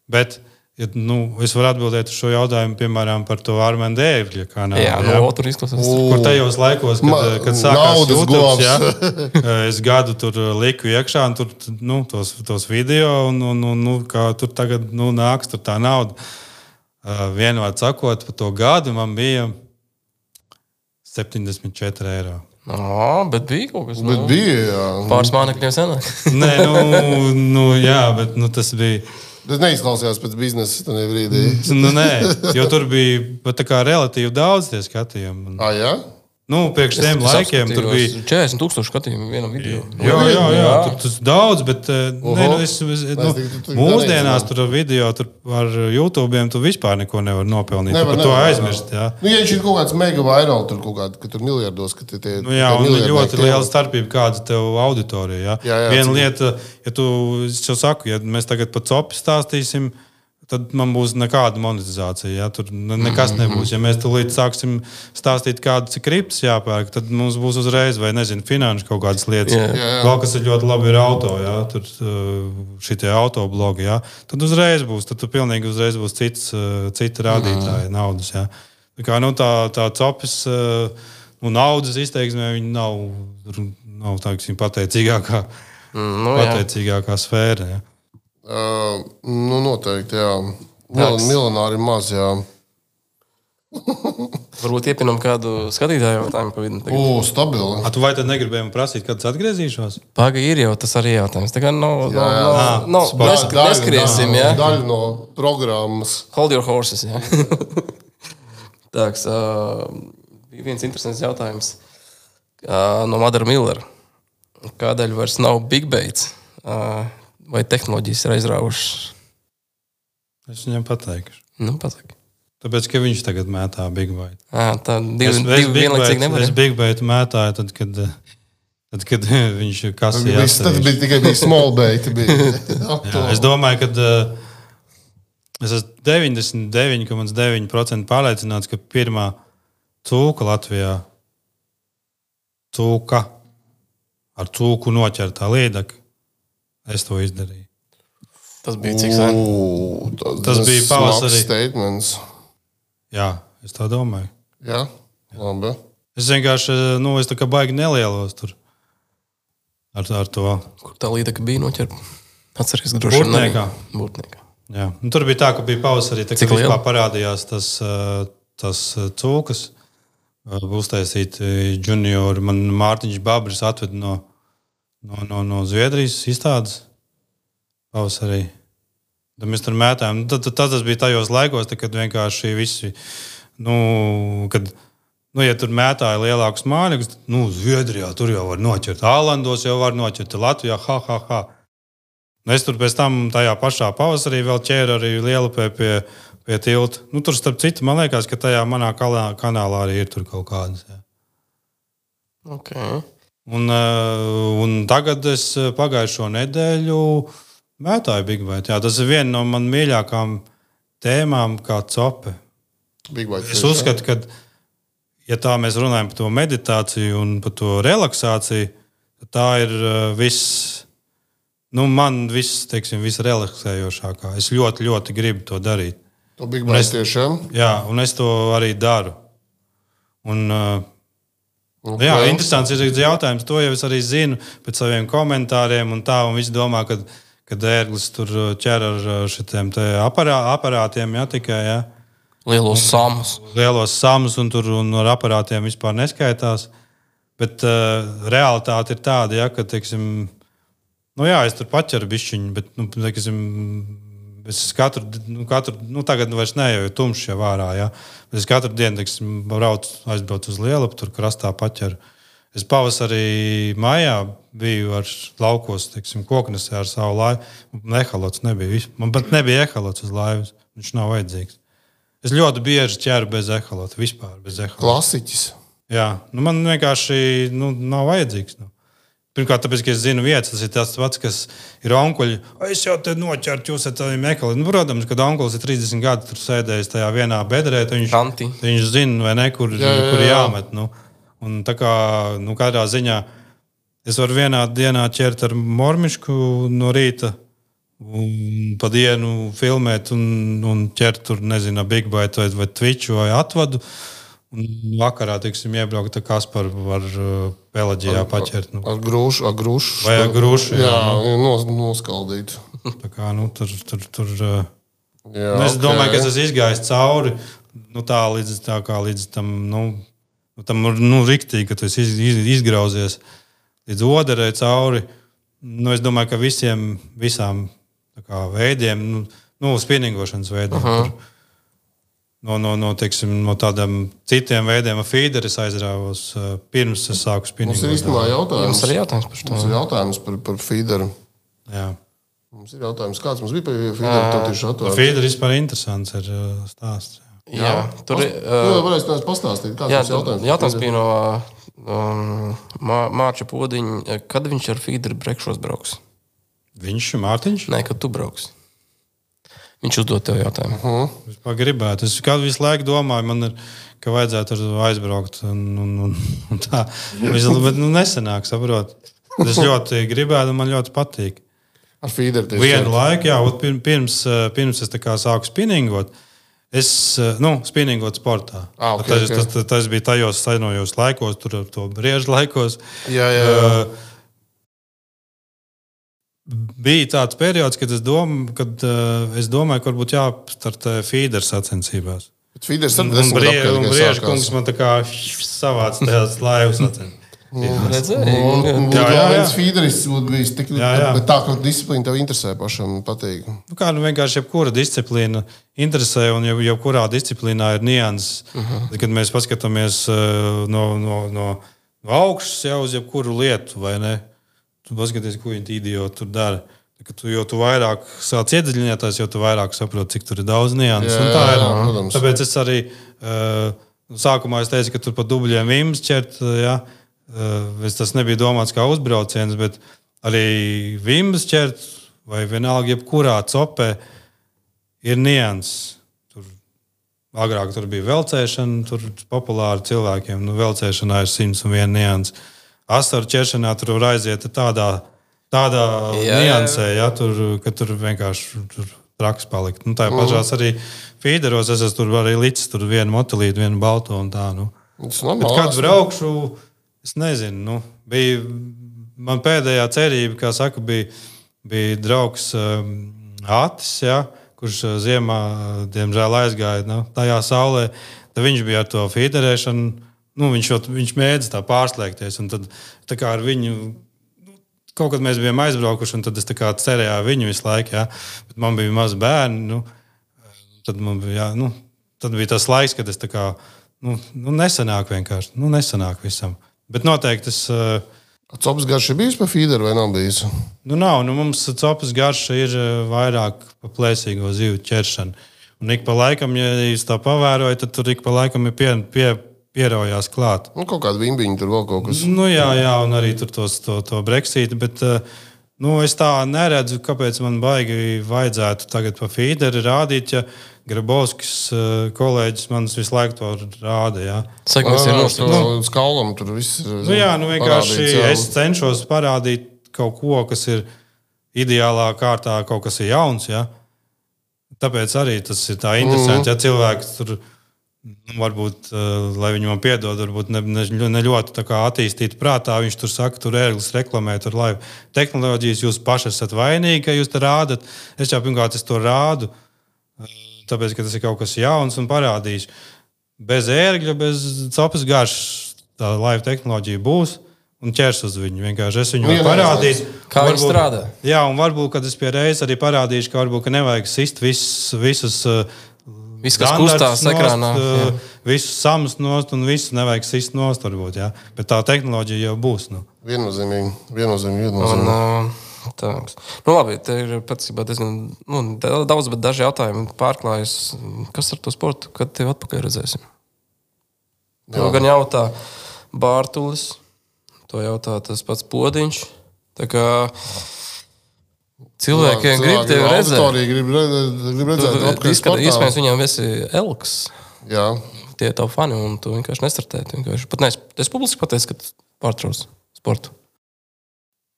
bet... Ja, nu, es varu atbildēt uz šo jautājumu, piemēram, par to Armēnu Dēvļa kanālu. Jā, jā. No, tur izklausās. Kur tajos laikos, kad, Ma, kad sākās YouTube, jā, govs. es gadu tur liku iekšā, un tur nu, tos, tos video, un, un, un nu, kā tur tagad nu, nāks tur tā nauda. Uh, vienvārds sakot, par to gadu man bija septiņdesmit četri eiro. No, bet bija kaut kas. Bet nu, bija, jā. Pāris mānekļiem senāk. Nē, nu, nu, jā, bet nu, tas bija... Tas neizklausījās pēc biznesa tajā brīdī. Nu, nē, jo tur bija pat tā kā relatīvi daudz tie skatījumi. Ah, jā? Nu, priekš tiem laikiem tur bija četrdesmit tūkstoši skatījumu vienam video. Jā, jā, jā, tur tas daudz, bet ne, nu, es, es, nu, mūsdienās tur ar video, tur ar YouTube'iem tu vispār neko nevar nopelnīt. Nevar, tu par to nevar, aizmirst, jā. Nu, ja viņš ir kaut kāds mega vairāk, tur kaut kāds, ka tur miljardos, ka tie, tie Nu, jā, un ļoti liela starpība, kāda tev auditorija. Jā. Jā, jā, Viena cik... lieta, ja tu, es jau saku, ja mēs tagad par copi stāstīsim, tad man būs nekāda monetizācija. Ja? Tur nekas nebūs. Ja mēs tulīt sāksim stāstīt, kādas ir kriptas jāpērk, tad mums būs uzreiz, vai nezinu, finanšu kaut kādas lietas. Jā, jā. Vēl kas ir ļoti labi ir auto, ja? Tur šitie autoblogi. Ja? Tad uzreiz būs, tad tu pilnīgi uzreiz būs cits, cita rādītāja naudas. Ja? Tā kā nu, tā, tā copis, nu, naudas izteiksmē, viņi nav, nav tā, kas viņa pateicīgākā, Mm, nu, pateicīgākā sfēra. Ja? Uh, nu, noteikti, jā. Mil, miljonāri maz, jā. Varbūt iepinam kādu skatītāju jautājumu pa vidu. O, stabili. A, tu vai tad negribēji man prasīt, kad es atgriezīšos? Paga ir jau tas arī jautājums. Tā kā nav, Jā, jā. nav, nav, nav, Daļa- nesk daļa- neskriesim, daļa- jā. Daļa no programmas. Hold your horses, jā. Tāks, uh, bija viens interesants jautājums uh, no Madara Millera. Kādēļ vairs nav big baits? Uh, vai tehnoloģijas ir aizrāvušas? Es viņam pateikšu. Nu, pasaki. Tāpēc, ka viņš tagad mētā big bait. À, tā divi, Es, divi es big vienlaicīgi bait- nevar. es big bait mētāju, tad, kad, tad, kad viņš kasīja. Viss tad bija tikai bija small bait. Bija. Jā, es domāju, ka uh, es esmu deviņdesmit deviņi komats deviņi procenti pārliecināts, ka pirmā cūka Latvijā, cūka ar cūku noķertā līdaka, es to izdarīju. Tas bija cik sen? U, tas, Tas bija pavasarī. Statements. Jā, es tā domāju. Jā, labi. Es vienkārši, nu, es tā kā baigi nelielos tur ar, ar to. Kur tā līdaka bija noķerta? Atceries, ka droši vien Burtniekā. nebija. Burtniekā. Jā. Nu, tur bija tā, ka bija pavasarī, tā, Cik kad liela? vispār parādījās tas, uh, tas uh, cūkas. Uh, Uztaisīt juniori. Man Mārtiņš Babris atved no, no, no, no Zviedrijas izstādes pavasarī. Tad mēs tur mētājām. Tad, tad, tad tas bija tajos laikos, tad, kad vienkārši visi, nu, kad, nu, ja tur mētāja lielākus māļus, nu, Zviedrijā tur jau var noķert, Ālandos jau var noķert, Latvijā, ha, ha, ha. Nu, es tur pēc tam tajā pašā pavasarī vēl ķēru arī Lielupē pie, pie tilta. Nu, tur starp citu, man liekas, ka tajā manā kalā, kanālā arī ir tur kaut kādas. Jā. Okay. Un, uh, un tagad es pagājušo nedēļu mētāju Big Bait. Jā, tas ir viena no man mīļākām tēmām kā cope. Big Bait. Es uzskatu, ka, ja tā mēs runājam par to meditāciju un par to relaksāciju, tad tā ir uh, viss, nu, man viss, teiksim, visrelaksējošākā. Es ļoti, ļoti gribu to darīt. To Big Bait es, tiešām. jā, un es to arī daru. Un, uh, Okay. jā, interesants ir jautājums. To jau es arī zinu pēc saviem komentāriem un tā, un visi domā, ka kad ērglis tur ķer ar šitiem te aparā, aparātiem, jā, tikai, jā. Lielos samus. Lielos samus un tur un ar aparātiem vispār neskaitās. Bet uh, realitāte ir tāda, jā, ka, teiksim, nu jā, es tur paķeru bišķiņu, bet, nu, teiksim, es katru, nu, katru, nu, tagad vairs ne, jo tumšs jau ārā, jā. Bet es katru dienu, teiksim, braucu, aizbraucu uz Lielupu, tur krastā paķeru. Es pavasarī maijā biju ar laukos, teiksim, koknesē ar savu laivu. Ehalots nebija. Man pat nebija ehalots uz laivas. Viņš nav vajadzīgs. Es ļoti bieži ķeru bez eholota, vispār bez eholota. Klasiķis. Jā, nu man vienkārši nu, nav vajadzīgs. Nu. Pirmkārt, tāpēc, ka es zinu vietas, tas ir tas pats, kas ir onkuļi. Es jau te noķertu, jūs esat tādiem ekologiem. Nu, protams, kad onkulis ir trīsdesmit gadi tur sēdējis tajā vienā bedrē, viņš, viņš zina, vai ne, kur, jā, jā, jā. kur jāmet. Nu. Un tā kā, nu, kādā ziņā es varu vienā dienā ķert ar mormišku no rīta un pa dienu filmēt un, un ķert tur, nezinu, Big Bite vai, vai Twitch vai atvadu. Un vakarā, teiksim, iebraukt ar Kasparu var uh, Pelaģijā paķert. Nu. Ar grūšu, ar grūšu. Vai ar grūšu, jā. Jā, nu. nos, noskaldīt. Tā kā, nu, tur, tur, tur uh, jā, nu, es okay. domāju, ka es esmu izgājis cauri, nu, tā līdz, tā kā līdz tam, nu, tam, nu, riktīgi, ka tu esi iz, iz, izgrauzies līdz oderē cauri. Nu, es domāju, ka visiem, visām tā kā veidiem, nu, nu spinningošanas veidiem, uh-huh. tur, No, no, no, teiksim, no tādiem citiem veidiem ar feederu es aizrāvos uh, pirms es sāku spinningot. Mums ir īstenībā jautājums. Mums ir jautājums par to. Mums ir jautājums par, par feederu. Jā. Mums ir jautājums, kāds mums bija par feederu, tad tieši atvērts. Feederu vispār interesants ir uh, stāsts. Jā, jā tur ir... Uh, nu, varēs tās pastāstīt, kāds jā, mums jautājums. Jautājums bija no um, Mārča Podiņa. Kad viņš ar feederu brekšos brauks? Viņš ir Mārtiņš? Nē, kad tu brauks. Viņš uzdod tev jautājumu. Uh-huh. Es gribētu. Es kādu visu laiku domāju, man ir, ka vajadzētu aizbraukt. Un, un, un, un tā. Bet nu, nesenāk, saprot. Es ļoti gribētu, un man ļoti patīk. Ar feederu tieši. Vienu laiku, jā, pirms, pirms es tā kā sāku spinningot, es, nu, spinningot sportā. Ah, okay, tas, okay. tas, tas, tas bija tajos sainojos laikos, tur to briežu laikos. Jā, jā, jā. Uh, Bija tāds periods, kad es, dom, kad, uh, es domāju, ka varbūt jāstartē feederu sacensībās. Bet feederu Un, un, brie, un briežu kungs man tā kā savāc tajās laivu sacensībās. Redzēju. Jā, jā, jā. Feederis būtu bijis tik, jā, jā. Bet tā, ka disciplīna tev interesē pašam patīk. Nu kā, nu vienkārši jebkura disciplīna interesē, un jau, jebkurā disciplīnā ir nianses. Uh-huh. Kad mēs paskatāmies uh, no, no, no augšas jau uz jebkuru lietu, vai ne? Tu paskaties, ko viņi idioti tur dara. Tu, jo tu vairāk sāc iedziļināties, jo tu vairāk saproti, cik tur ir daudz nianses. Jā, tā ir. Jā, protams. Tāpēc es arī uh, sākumā es teicu, ka tur pa dubļiem vimbas ķert. Ja? Uh, tas nebija domāts kā uzbrauciens, bet arī vimbas ķert vai vienalga jebkurā copē ir nianses. Tur, agrāk tur bija velcēšana, tur populāri cilvēkiem. Nu, velcēšanā ir simts un viena nianses. Asaru ķeršanā tur var aiziet tādā, tādā jā, niansē, ja, tur, ka tur vienkārši tur traks palikt. Nu, tā ir pašās arī feederos, es esmu tur arī licis tur vienu motilītu, vienu balto un tā. Nu. Bet kad braukšu, es nezinu, nu, bija man pēdējā cerība, kā saka, bija, bija draugs um, Atis, ja, kurš ziemā, diemžēl, aizgāja nu, tajā saulē. Tad viņš bija ar to feederēšanu. Nu, viņš, viņš mēdz tā pārslēgties, un tad tā kā ar viņu, kaut kad mēs bijām aizbraukuši, un tad es tā kā cerēju viņu visu laiku, jā, bet man bija mazi bērni, nu, tad man bija, jā, nu, tad bija tas laiks, kad es tā kā, nu, nu nesanāk vienkārši, nu, nesanāk visam. Bet noteikti es... Uh, Copas garša ir bijis pa feederu vai nav bijis? Nu, nav, nu, mums copas garša ir vairāk pa plēsīgo zivju ķeršanu. Un ik pa laikam, ja jūs tā pavērojat, tad tur ik pa laikam ir pie... pie pierojās klāt. Nu, kaut kāda vimbiņa tur vēl kaut kas. Nu, jā, jā, un arī tur tos, to, to Brexit, bet nu, es tā neredzu, kāpēc man baigi vajadzētu tagad pa feederi rādīt, ja Grabovskis kolēģis man visu laiku to rāda, jā. Saka, mēs ir nostājums. Nu, skaulam tur viss ir nu, jā, nu vienkārši es cenšos parādīt kaut ko, kas ir ideālā kārtā, kaut kas ir jauns, jā. Tāpēc arī tas ir tā interesanti, mm. ja cilvēks tur varbūt, lai viņi man piedod, varbūt ne, ne, ne ļoti tā kā attīstīti prātā, viņš tur saka, tur ērglis reklamē, tur laivu tehnoloģijas, jūs paši esat vainīgi, ka jūs te rādat. Es jau pirmkārt, es to rādu, tāpēc, ka tas ir kaut kas jauns un parādīšu. Bez ērgļa, bez copas garšas tā laivu tehnoloģija būs un ķers uz viņu. Vienkārši es viņu parādīšu. Kā viņi strādā? Jā, un varbūt, kad es pie reizes arī parādīšu, ka varbūt, ka nevajag sist visus, visus Viss, kas kustās ekrānā. Visus samus nost un visu nevajag sist nost, varbūt, jā. Bet tā tehnoloģija jau būs. Nu. Viennozīmīgi, viennozīmīgi, viennozīmīgi. Un, uh, Tā. Nu, labi, te ir patiesībā diezgan nu, daudz, bet daži jautājumi pārklājas. Kas ar to sportu? Kad tev atpakaļ redzēsim? To gan jautā Bārtulis, to jautā tas pats Podiņš. Tā kā cilvēkiem grib tevi redzēt. Grib, grib redzēt atpakaļ sportā. Iespējams, viņam esi Elks. Jā. Tie ir tavi fani, un tu vienkārši nestartēji. Vienkārši. Pat neesi, es publiski pateicu, ka pārtrauc sportu.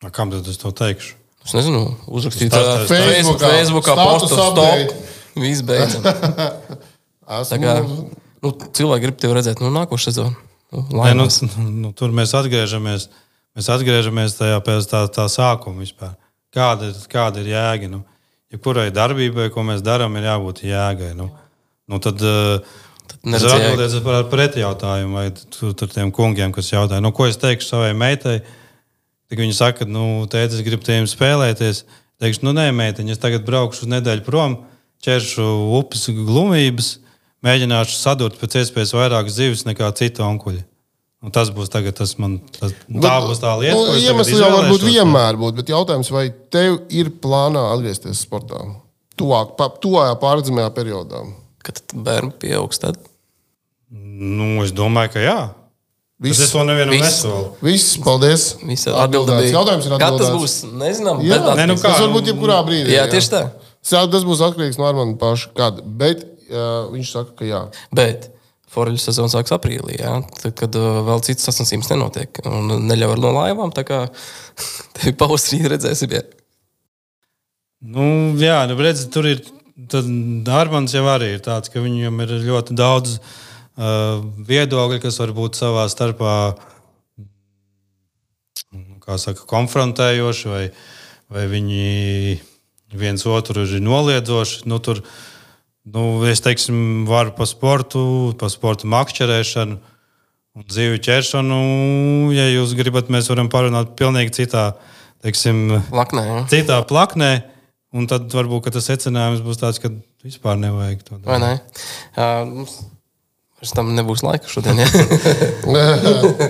A, kam tad es to teikšu? Es nezinu, uzrakstīt Facebookā, Facebookā, Facebookā postu update. stop. Viss beidzam. Tā kā, nu, cilvēki grib tevi redzēt, nu, nākošu sezonu. Nu, ne, nu, nu, tur mēs atgriežamies, mēs atgriežamies tajā pēc tā, tā sākuma vispār. Kāda, kāda ir jēga? Nu, ja kurai darbībai, ko mēs darām, ir jābūt jēgai. Nu, nu, tad tad es varu atbildēt par pretjautājumu vai tur, tur tiem kungiem, kas jautāja, nu, ko es teikšu savai meitai. Tad viņi saka, nu, tēti, es gribu tiem spēlēties. Teikšu, nu, nē, meitiņ, es tagad braukšu uz nedēļu prom, ķeršu upes glumības, mēģināšu sadurt pēc iespējas vairāk zivis nekā citu onkuļi. Un tas būs tagad, tas man, tas, bet, tā būs tā lieta, nu, ko es iemesli jau varbūt vienmēr būt, bet jautājums, vai tev ir plānā atgriezties sportā? Tuvāk, pa, tuvājā pārredzamajā periodā. Kad bērni pieaugs tad? Nu, es domāju, ka jā. Viss, es to nevienam nesolu. Viss, paldies. Viss atbildēts. Jautājums ir atbildēts. Kad tas būs? Nezinām. Jā, bet ne, nu kā, tas varbūt jebkurā brīdī. Jā, tieši tā. Jā. Tas būs atkarīgs no Armanda paša. Kad? Bet uh, viņš saka, ka jā. Bet foreļu sezona sāks aprīlī, jā. Tad, kad uh, vēl citas sasniegums nenotiek. Un neļauj no laivām, tā kā tevi pavasarī redzēsim, jā. Nu, jā, nu, redzi, tur ir, tad Armands jau arī ir tāds, ka viņam ir ļoti daudz uh, viedokļi, kas var būt savā starpā, kā saka, konfrontējoši, vai, vai viņi viens otru ir noliedzoši. Nu, tur, nu, es teiksim, varu pa sportu, pa sportu makšķerēšanu un dzīvi ķeršanu. Ja jūs gribat, mēs varam parunāt pilnīgi citā, teiksim, Plaknē, jā. citā plaknē. Un tad varbūt tas secinājums būs tāds, ka vispār nevajag to darīt. Vai ne? Uh, mums vairs tam nebūs laika šodien, jā.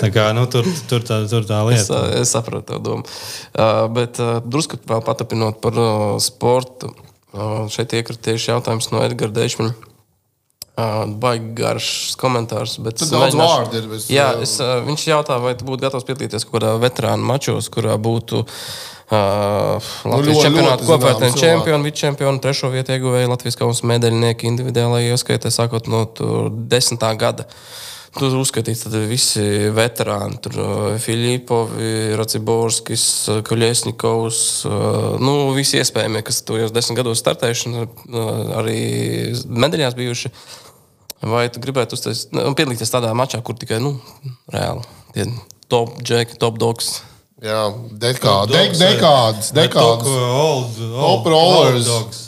Tā kā, nu, tur, tur, tā, tur tā lieta. Es, es saprotu tev domu. Uh, bet uh, drusku vēl patapinot par uh, sportu. Uh, šeit iekritieši jautājums no Edgara Deišmaņa. Uh, baigi garš komentārs. Bet Tad daudz vārdu ir. Bet... Jā, es, uh, viņš jautā, vai tu būtu gatavs piedalīties kaut kādā veterānu mačos, kurā būtu Uh, Latvijas ļoti, čempionāta ļoti kopvērtējumu zināms čempionu, vicečempionu, trešo vietu ieguvēja Latvijas kausa medaļnieki individuālajā ieskaitē, sākot no desmitā gada. Tur uzskatīts visi veterāni, tur Filipovi, Raciborskis, Kuļesņikovs, nu, visi iespējamie, kas tojos desmit gados startējuši, arī medaļās bijuši. Vai tu gribētu uztais, piedalīties tādā mačā, kur tikai, nu, reāli, tie top džeki, top dogs? Jā, dekādi, dek, dekādas, dekādas. Old, old, old dogs.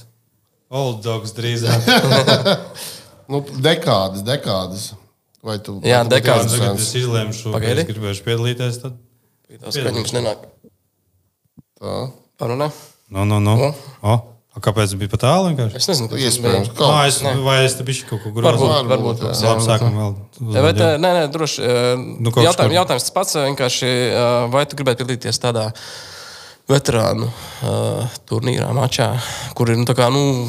Old dogs drīzāk. nu, dekādas, dekādas. Vai tu? Jā, vai tu dekādas. Tagad es izlēmšu, ka es gribēšu piedalīties, tad... Tas skaņums nenāk. Tā. Parunē? No, no, no. O? O? A kāpēc bija pa tālu vienkārši? Es nezinu, kas Iespējams. tas bija. Ā, es, vai es te bišķi kaut ko grozu? Varbūt, varbūt. jā. jā. Labi, sākam vēl. Bet, nē, nē, droši. Nu, kaut Jautājums, kur- jautājums tas pats vienkārši, vai tu gribētu piedalīties tādā veterānu uh, turnīrā, mačā, kur ir, nu, tā kā, nu,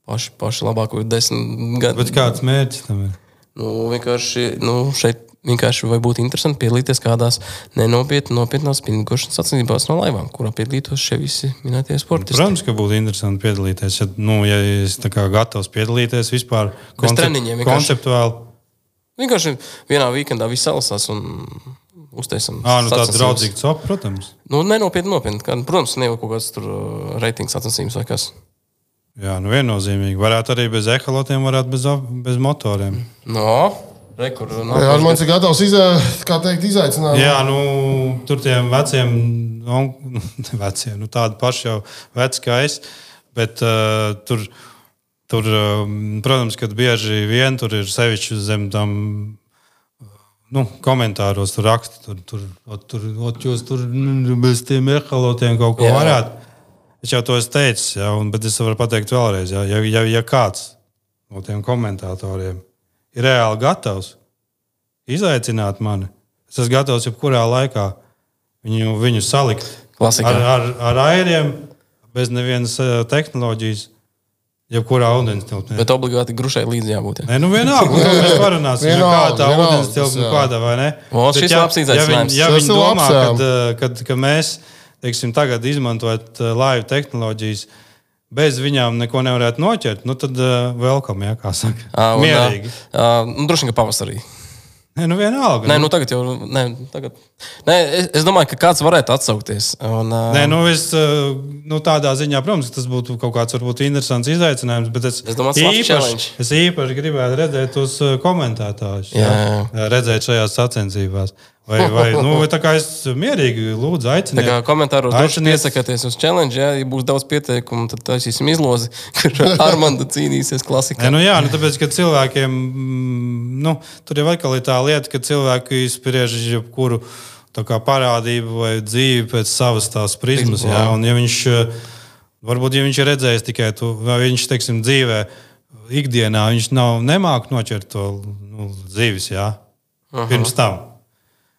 paši, paši labāko desmit gadu. Bet kāds mērķis tam ir? Nu, vienkārši, nu, šeit vienkārši vai būtu interesanti piedalīties kādās nenopietnās, nopietnās spinningošanas sacensībās no laivām, kurā piedalītos šie visi minētie sportisti. Protams, ka būtu interesanti piedalīties. Ja, nu, ja es tā kā gatavs piedalīties vispār treniņiem vienkārši. konceptuāli. Vienkārši vienā weekendā viss salasās un uztaisam. Ā, nu tāds sacensības. draudzīgs op, protams. Nu, nenopietni, nopietni. Kā, protams, ne jau kaut kāds tur uh, reitings sacensības vai kas. Jā, nu viennozīmīgi. Varētu arī bez ehalotiem, varētu bez, bez motoriem. No, re, kur Jā, Armands ir gatavs izā, kā teikt, izaicināt. Jā, nu, tur tiem veciem, nu, veciem, nu, tādi paši jau veci kā es, bet uh, tur, tur uh, protams, kad bieži vien tur ir sevišķi zem tam, nu, komentāros tur raksta, tur, tur, ot, tur, ot, jūs tur nu, bez tiem ehalotiem kaut ko Jā. varētu. Es jau to esmu teicis, ja, un, bet es varu pateikt vēlreiz, ja, ja, ja, ja kāds no tiem komentatoriem ir reāli gatavs izaicināt mani, es esmu gatavs jebkurā laikā viņu, viņu salikt Klasika. Ar, ar, ar airiem, bez nevienas tehnoloģijas, jebkurā ūdens tilpnē. Bet obligāti grušai līdzi jābūt. Ja? Nē, nu vienalga, to mēs parunāsim, ja kādā ūdens tilpnē, kādā vai ne. O, šis ja, labs ja, izaicinājums. viņi, ja viņi domā, labs, kad, kad, kad mēs, teiksim, tagad izmantojot live tehnoloģijas, bez viņām neko nevarētu noķert, nu tad uh, welcome, jā, kā saka. Uh, Mierīgi. Uh, nu, droši vien, ka pavasarī. Nē, nu vienalga. Nē, nu tagad jau. Nē, tagad. Nē, es, es domāju, ka kāds varētu atsaukties. Un, uh, Nē, nu es nu, tādā ziņā, protams, tas būtu kaut kāds varbūt interesants izaicinājums, bet es, Es domāju, tas īpaši, labs es īpaši gribētu redzēt tos komentētājus, Jā, jā, redzēt šajās sacensībās. Vai, vai, nu, vai tā kā es mierīgi lūdzu Tā aicinu. kā komentāros droši Aiciniet- piesakāties uz challenge, ja, ja būs daudz pieteikumu, tad taisīsim izlozi, kur Armanda cīnīsies klasikā. Nē, nu jā, nu tāpēc, ka cilvēkiem, mm, nu, tur jau atkal ir tā lieta, ka cilvēki spriež jebkuru tā kā parādību vai dzīvi pēc savas tās prizmas, jā, un ja viņš, varbūt, ja viņš ir redzējis tikai to, vai viņš, teiksim, dzīvē, ikdienā, viņš nav, nemāk noķert to nu, dzīves, jā, pirms tam.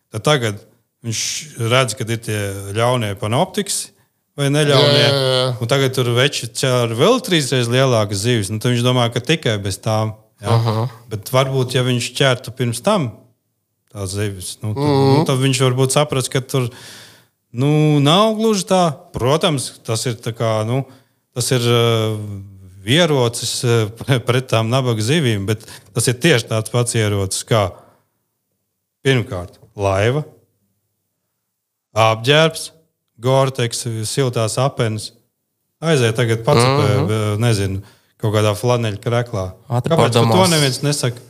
Tad tagad viņš redz, ka ir tie ļaunie panoptikas vai neļaunie. Jā, jā, jā. Un tagad tur veči ar vēl trīsreiz lielākas zivis. Nu, tad viņš domā, ka tikai bez tām. Jā. Bet varbūt, ja viņš ķertu pirms tam tās zivis, nu, tad, mm. nu, tad viņš varbūt saprast, ka tur nu, nav gluži tā. Protams, tas ir, tā kā, nu, tas ir uh, ierocis uh, pret tām nabaga zivīm, bet tas ir tieši tāds pats ierocis kā pirmkārt. Laiva, apģērbs, Gore-Tex, siltās apenes. Aiziet tagad pats, mm -hmm. nezinu, kaut kādā flaneļa kreklā. Kāpēc to neviens nesaka?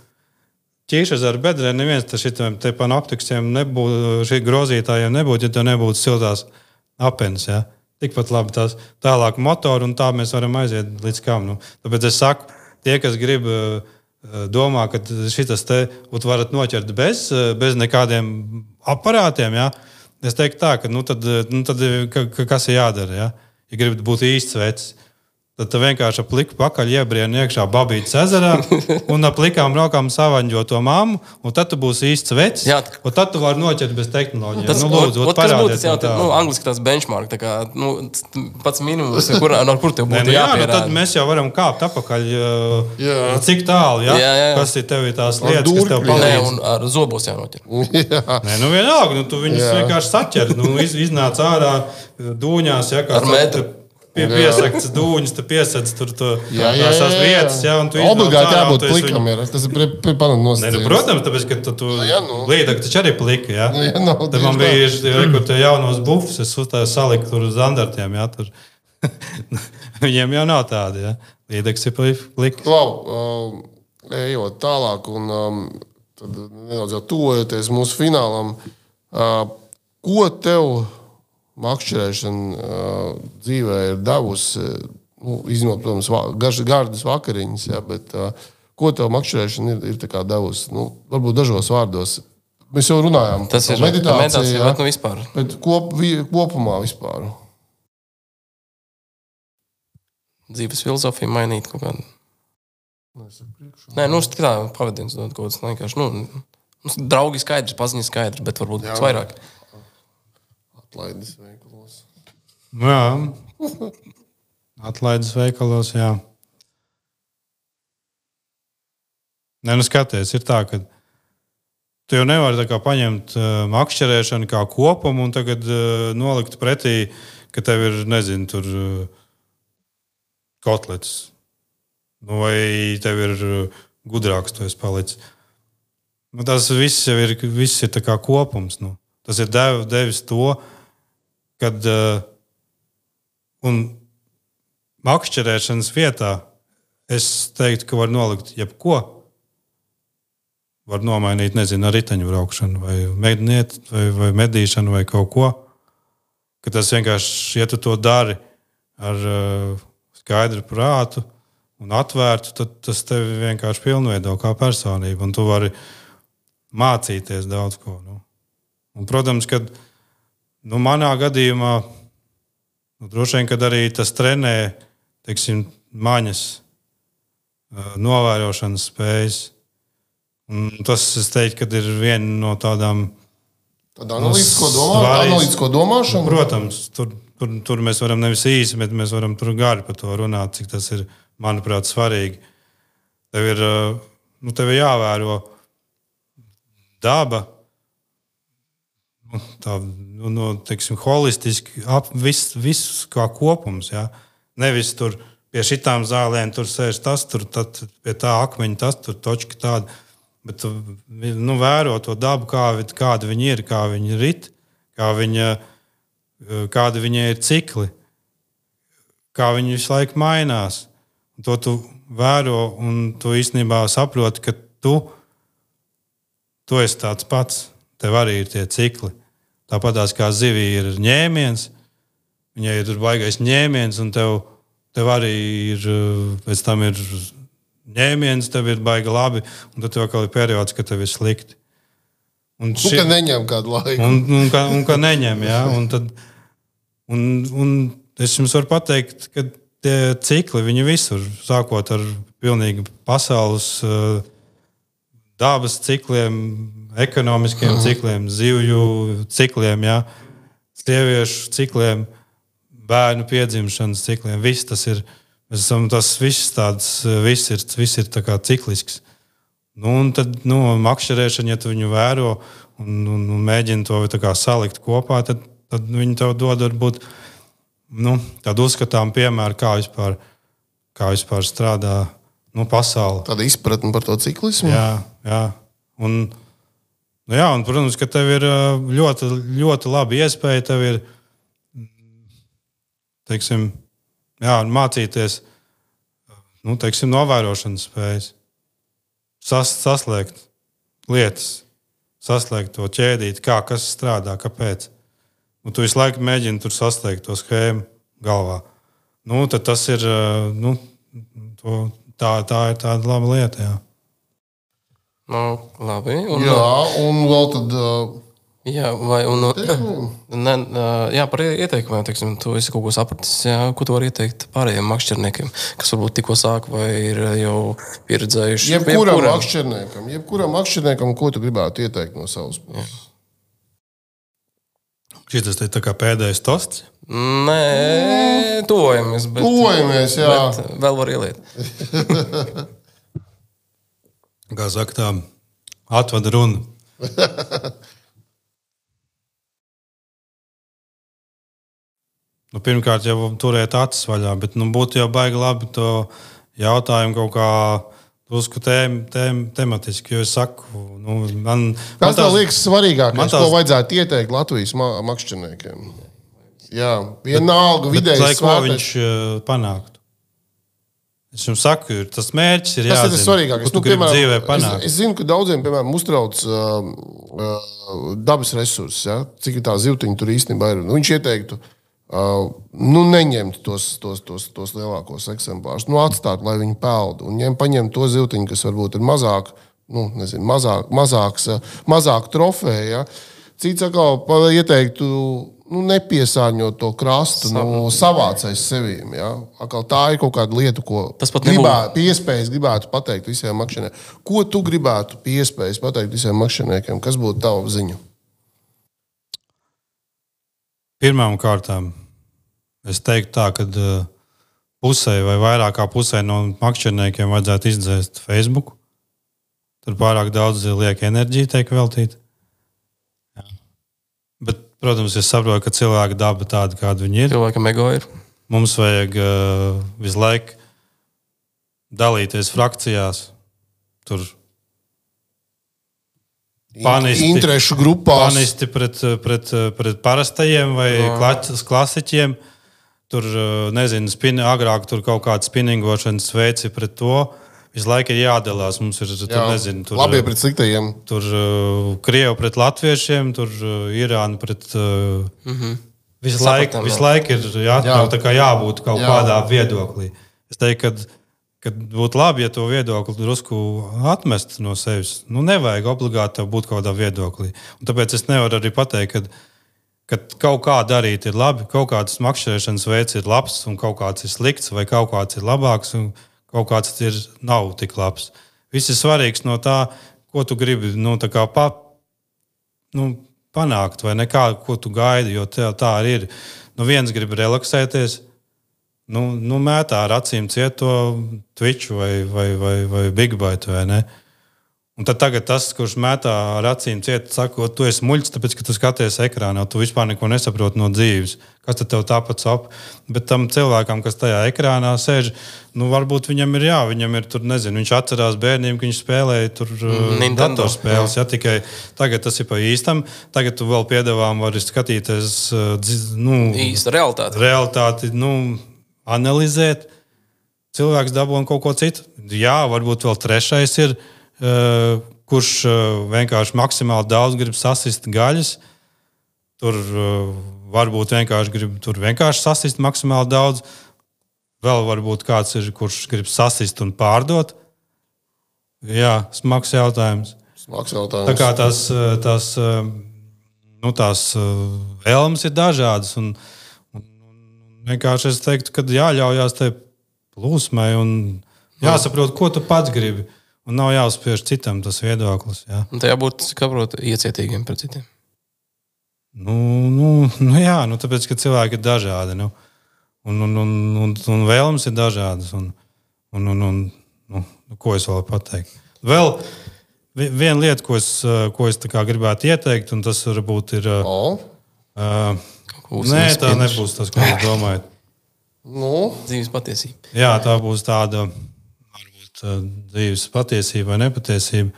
Ķīšas ar bedrēm neviens šitiem te panoptiksiem nebūtu, šī grozītājiem nebūtu, ja tev nebūtu siltās apenes, ja? Tikpat labi tās tālāk motoru, un tā mēs varam aiziet līdz kam. Nu. Tāpēc es saku, tie, kas grib domā, ka šitas te varat noķert bez, bez nekādiem aparātiem, ja? Es teiktu tā, ka nu tad, nu tad ka, kas ir jādara, ja? Ja gribat būt īsts vecs, tad tu vienkārši ap pliku pakaļ iebrieni iekšā babītas ezerā un ap plikām rokām savaņģo to mammu, un tad tu būsi īsts vecs, Jā, un tad tu vari noķert bez tehnoloģijām. Tas, nu, lūdzu, ot, kas būtu tas jau, tā. nu, angliski tās benchmark, tā kā, nu, pats minimums, kur, no kur tev Nē, būtu nu, jā, nu, jāpierāda. tad mēs jau varam kāpt apakaļ, Jā. cik tālu, ja? Jā, jā, jā. Kas ir tev ir tās Ar lietas, kas tev durkļiem. Nē, palīdz. un ar zobos jānoķer. Jā. Nē, nu vienalga, nu, tu viņus Jā. vienkārši saķer, nu, iz, iznāc ārā dūņās, ja, kā Ar metru. Pie, piesakts dūņus, tu piesakts tur to, Jā, jā, tās jā, vietas, ja, un tu iznāc Obligāti ārā, un jābūt tu esi plikam. viņu- Ir. Tas ir pie Nē, nu, nosacījums. protams, tāpēc, ka tu, tu jā, nu. līdāk taču arī plika, ja. Nu, jā, nav Tad man tieši bija, tā. re, kur tie jaunos bufus, es uztāju saliku tur uz standartiem, ja, tur. Viņiem jau nav tādi, ja. Līdāks ir plika. Klau, um, ejot tālāk un um, tad nedaudz jau tuvojoties mūsu finālam, uh, ko tev makšķerēšana uh, dzīvē ir devusi, nu, izņemot, protams, va- garš- gardas vakariņas, ja, bet uh, ko tev makšķerēšana ir, ir tā kā devusi? Nu, varbūt dažos vārdos. Mēs jau runājām Tas ir par meditāciju, meditācija, ja, bet nu vispār. bet kop, vi, kopumā vispār. Dzīves filozofija mainīt kaut kādu. Nē, nu, tā pavadiens dod kaut kāds vienkārši, nu, nu, draugi skaidrs, paziņas skaidrs, bet varbūt kaut kas vairāk. Atlaides veikalos. Nu, jā. Atlaides veikalos, jā. Nē, nu skaties, ir tā, ka tu jau nevari tā kā paņemt uh, makšķerēšanu kā kopumu un tagad uh, nolikt pretī, ka tev ir, nezinu, tur uh, kotlets. Nu, vai tev ir uh, gudrāks, tu esi palicis. Nu, tas viss jau ir, viss ir tā kā kopums. Nu. Tas ir dev, devis to, kad uh, un makšķerēšanas vietā es teiktu, ka var nolikt jebko. Var nomainīt, nezinu, ar riteņu braukšanu, vai medniet, vai, vai medīšanu, vai kaut ko. Ka tas vienkārši, ja tu to dari ar uh, skaidru prātu un atvērtu, tad tas tevi vienkārši pilnveido kā personību, un tu vari mācīties daudz ko. Nu. Un, protams, kad nu, manā gadījumā nu, droši vien, kad arī tas trenē, teiksim, maņas, uh, novērošanas spējas. Un tas, es teiktu, ka ir viena no tādām Tad analītisko, domā, analītisko domāšanu? Protams, tur, tur, tur mēs varam nevis īsi, bet mēs varam tur gari par to runāt, cik tas ir, manuprāt, svarīgi. Tev ir, nu, tev ir jāvēro daba, tā, nu, no, teiksim, holistiski, ap, viss, viss kā kopums, jā. Nevis tur pie šitām zālēm tur sēž tas, tur, tad pie tā akmeņa tas, tur točka tāda. Bet tu nu, vēro to dabu, kā, kāda viņi ir, kā viņi rit, kā viņa, kāda viņa ir cikli, kā viņi visu laiku mainās. Un to tu vēro un tu īstenībā saproti, ka tu, tu esi tāds pats. Tev arī ir tie cikli. Tāpatās kā zivī ir ņēmiens, viņai ir baigais ņēmiens un tev, tev arī ir, pēc tam ir ņēmiens, tev ir baigi labi, un tad tev vēl ir periods, ka tev ir slikti. Un, ši... un ka neņem kādu laiku. Un, un, ka, un ka neņem, jā. Un, tad, un, un es jums varu pateikt, ka tie cikli, viņi visur, sākot ar pilnīgi pasaules uh, dabas cikliem, ekonomiskiem mm. cikliem, zivju cikliem, jā, sieviešu cikliem, bērnu piedzimšanas cikliem, viss tas ir. Mēs esam tas viss tāds, viss ir, viss ir tā kā ciklisks. Nu, un tad, nu, makšķerēšana, ja tu viņu vēro un, un, un mēģini to tā kā salikt kopā, tad, tad viņi tev dod varbūt, nu, tādu uzskatām piemēru, kā vispār, kā vispār strādā, nu, pasaule. Tāda izpratne par to ciklismu? Jā, jā. Un, nu, jā, un, protams, ka tev ir ļoti, ļoti labi iespēja, tev ir, teiksim, jā, mācīties, nu, teiksim, novērošanas spējas, Sas, saslēgt lietas, saslēgt to ķēdīt, kā kas strādā, kāpēc. Un tu visu laiku mēģini tur saslēgt to schēmu galvā. Nu, tad tas ir, nu, to, tā, tā ir tāda laba lieta, jā. Nu, labi. Un, jā, un vēl tad... Uh... Jā, vai, un, ne, jā, par ieteikumiem, teiksim, tu esi kaut ko sapratis, jā, ko tu vari ieteikt pārējiem makšķerniekiem, kas varbūt tikko sāk vai ir jau pieredzējuši. Jebkuram makšķerniekam, jebkuram makšķerniekam, ko tu gribētu ieteikt no savas puses? Šis ir tā kā pēdējais tosts? Nē, tuvojamies, bet, tuvojamies, jā. Bet vēl var ieliet. Kā saka tā, atvada runa. Nu, pirmkārt, jau turēt acis vaļā, bet nu, būtu jau baigi labi to jautājumu kaut kā drusku tēm, tēm, tematiski, jo es saku, nu, man... Kas man tev liekas svarīgākais, tās... ko vajadzētu ieteikt Latvijas makšķerniekiem? Jā, vienalga vidējas svārtais. Lai ko viņš uh, panāktu? Es jums saku, tas mērķis ir jāzina. Tas ir svarīgākais. Nu, piemēram, es, es zinu, ka daudziem, piemēram, uztrauc uh, uh, dabas resursus, ja? Cik tā zivtiņa tur īstenībā ir. Nu, viņš ieteiktu, Uh, nu, neņemt tos, tos, tos, tos lielākos eksemplārus, nu, atstāt, lai viņi peld, un ņem, paņemt to zivtiņu, kas varbūt ir mazāk, nu, nezinu, mazāk, mazāks, mazāk trofēja. Ja? Cits atkal ieteiktu, nu, nepiesārņot to krastu, nu, savācais sevīm. Ja? Atkal tā ir kaut kāda lieta, ko gribētu, piespējas gribētu pateikt visiem makšķerniekiem. Ko tu gribētu piespējas pateikt visiem makšķerniekiem? Kas būtu tava ziņa? Pirmām kārtām es teiktu tā, ka pusē vai vairāk kā pusē no makšķerniekiem vajadzētu izdzēst Facebook. Tur pārāk daudz lieka enerģija tiek veltīta. Jā. Bet, protams, es saprotu, ka cilvēka daba tāda, kāda viņi ir. Cilvēkam ego ir. Mums vajag uh, visu laiku dalīties frakcijās. Tur Panisti, interešu grupās. Panisti pret, pret, pret parastajiem vai klaķis, klasiķiem. Tur, nezinu, spin, agrāk tur kaut kāda spinningošanas veici pret to. Visu laiku ir jādalās. Mums ir, tur, Jā, nezinu, tur, labie pret sliktajiem. Tur Krievi pret latviešiem, tur Irāna pret... Mm-hmm. Visu laiku, visu laiku ir jā, Jā. Tā kā jābūt kaut Jā. Kādā viedoklī. Es teiktu, ka Kad būtu labi, ja to viedokli drusku atmest no sevis. Nu, nevajag obligāti būt kaut kādā viedoklī. Un tāpēc es nevaru arī pateikt, ka, ka kaut kā darīt ir labi, kaut kāds makšķerēšanas veids ir labs, un kaut kāds ir slikts, vai kaut kāds ir labāks, un kaut kāds ir nav tik labs. Viss ir svarīgs no tā, ko tu gribi nu, tā kā pa, nu, panākt, vai nekā, ko tu gaidi, jo tev tā arī ir. Nu, viens grib relaksēties, nu, nu mētā ar acīm ciet to Twitch vai, vai, vai, vai Big Byte, vai ne? Un tad tagad tas, kurš mētā ar acīm ciet, saka, tu esi muļķis, tāpēc, ka tu skaties ekrānā, tu vispār neko nesaproti no dzīves. Kas tad tev tāpat sap? Bet tam cilvēkam, kas tajā ekrānā sēž, nu, varbūt viņam ir jā, viņam ir tur, nezinu, viņš atcerās bērniem, ka viņš spēlēja tur Nintendo datorspēles, jā, tikai tagad tas ir pa īstam. Tagad tu vēl piedāvām vari skatīties, nu, īsta realitāte. Realitāti, nu, analizēt. Cilvēks dabūna kaut ko citu. Jā, varbūt vēl trešais ir, Uh, kurš uh, vienkārši maksimāli daudz grib sasist gaļas. Tur uh, varbūt vienkārši grib tur vienkārši sasist maksimāli daudz. Vēl varbūt kāds ir, kurš grib sasist un pārdot. Jā, smags jautājums. Smags jautājums. Tā kā tās, tās, nu, tās vēlmes ir dažādas. Un, un, un vienkārši es teiktu, ka jāļaujās tai plūsmai un jāsaprot, ko tu pats gribi. Un nav jāuzspiež citam tas viedoklis. Jā. Un tajā būtu, kāprot, iecietīgiem pret citiem. Nu, nu, nu jā, nu, tāpēc, ka cilvēki ir dažādi. Nu, un, un, un, un, un vēlmes ir dažādas. Un, un, un, un, nu, ko es vēl pateikt? Vēl viena lieta, ko es, ko es gribētu ieteikt, un tas varbūt ir... Oh. Uh, nē, tā nebūs tas, ko jūs domājat. Nu? Dzīves patiesība. Jā, tā būs tāda... dzīves patiesība vai nepatiesība.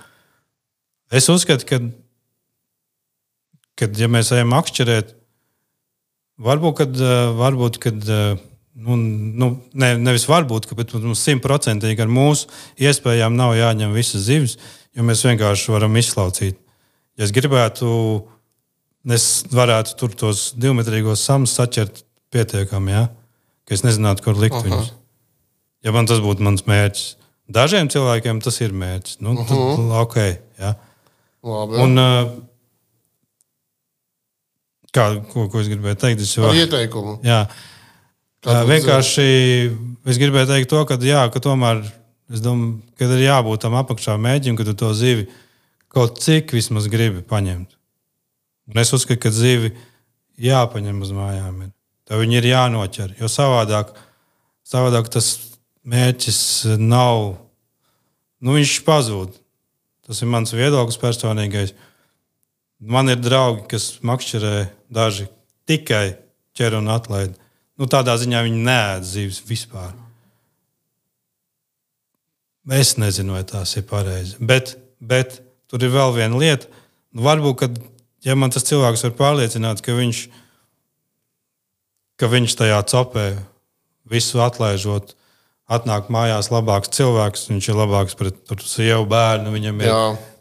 Es uzskatu, ka, kad, ja mēs ejam akšķerēt, varbūt, kad, varbūt, kad nu, nu, ne, nevis varbūt, bet mums simtprocentīgi ar mūsu iespējām nav jāņem visas zivis, jo mēs vienkārši varam izslaucīt. Ja es gribētu, es varētu tur tos divmetrīgos samus saķert pietiekami, ja? Ka es nezinātu, kur likt Aha. viņus. Ja man tas būtu mans mērķis. Dažiem cilvēkiem tas ir mērķis. Nu, tad, uh-huh. okay, ja. Labi. Un, kā, ko, ko es gribēju teikt? Es jau, ar ieteikumu. Jā. Kā vienkārši es gribēju teikt to, ka, jā, ka tomēr es domāju, ka ir jābūt tam apakšā mēģim, ka tu to zivi kaut cik vismaz gribi paņemt. Un es uzskatu, ka zivi jāpaņem uz mājām. Ir. Tev viņi ir jānoķer, jo savādāk, savādāk tas mērķis nav, nu viņš pazūd. Tas ir mans viedoklis personīgais. Man ir draugi, kas makšķerē daži tikai ķer un atlaid. Nu tādā ziņā viņi neēd zivis vispār. Es nezinu, vai tās ir pareizi. Bet, bet tur ir vēl viena lieta. Nu, varbūt, kad, ja man tas cilvēks var pārliecināt, ka viņš, ka viņš tajā copē visu atlaižot, atnāk mājās labāks cilvēks, viņš ir labāks pret sievu bērnu. Viņam ir,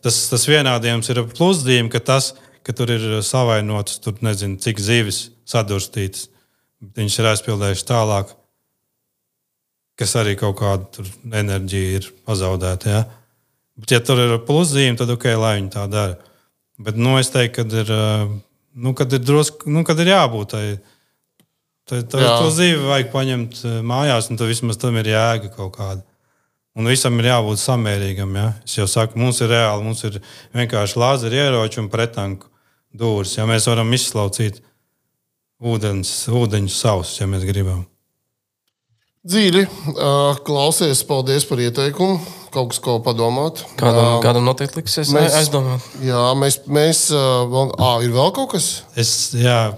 tas, tas vienādījums ir plusdījums, ka tas, ka tur ir savainots, tur nezinu, cik zivis sadurstītas. Viņš ir aizpildējuši tālāk, kas arī kaut kāda tur enerģija ir pazaudēta. Ja? Bet, ja tur ir plusdījumi, tad ok, lai viņi tā dara. Bet, nu, es teiktu, kad ir, nu, kad ir drosku, nu, kad ir jābūt tai, Tad to zīvi vajag paņemt mājās, un tad vismaz tam ir jēga kaut kāda. Un visam ir jābūt samērīgam. Ja? Es jau saku, mums ir reāli, mums ir vienkārši lāzeri ieroči un pretanku dūris. Ja mēs varam izslaucīt ūdens, ūdeņus savus, ja mēs gribam. Dzīvi, klausies, paldies par ieteikumu. Kaut kas, ko padomāt. Kādam, kādam noteikti liksies mēs, aizdomāt. Jā, mēs, mēs vēl, ā, ir vēl kaut kas? Es, jā.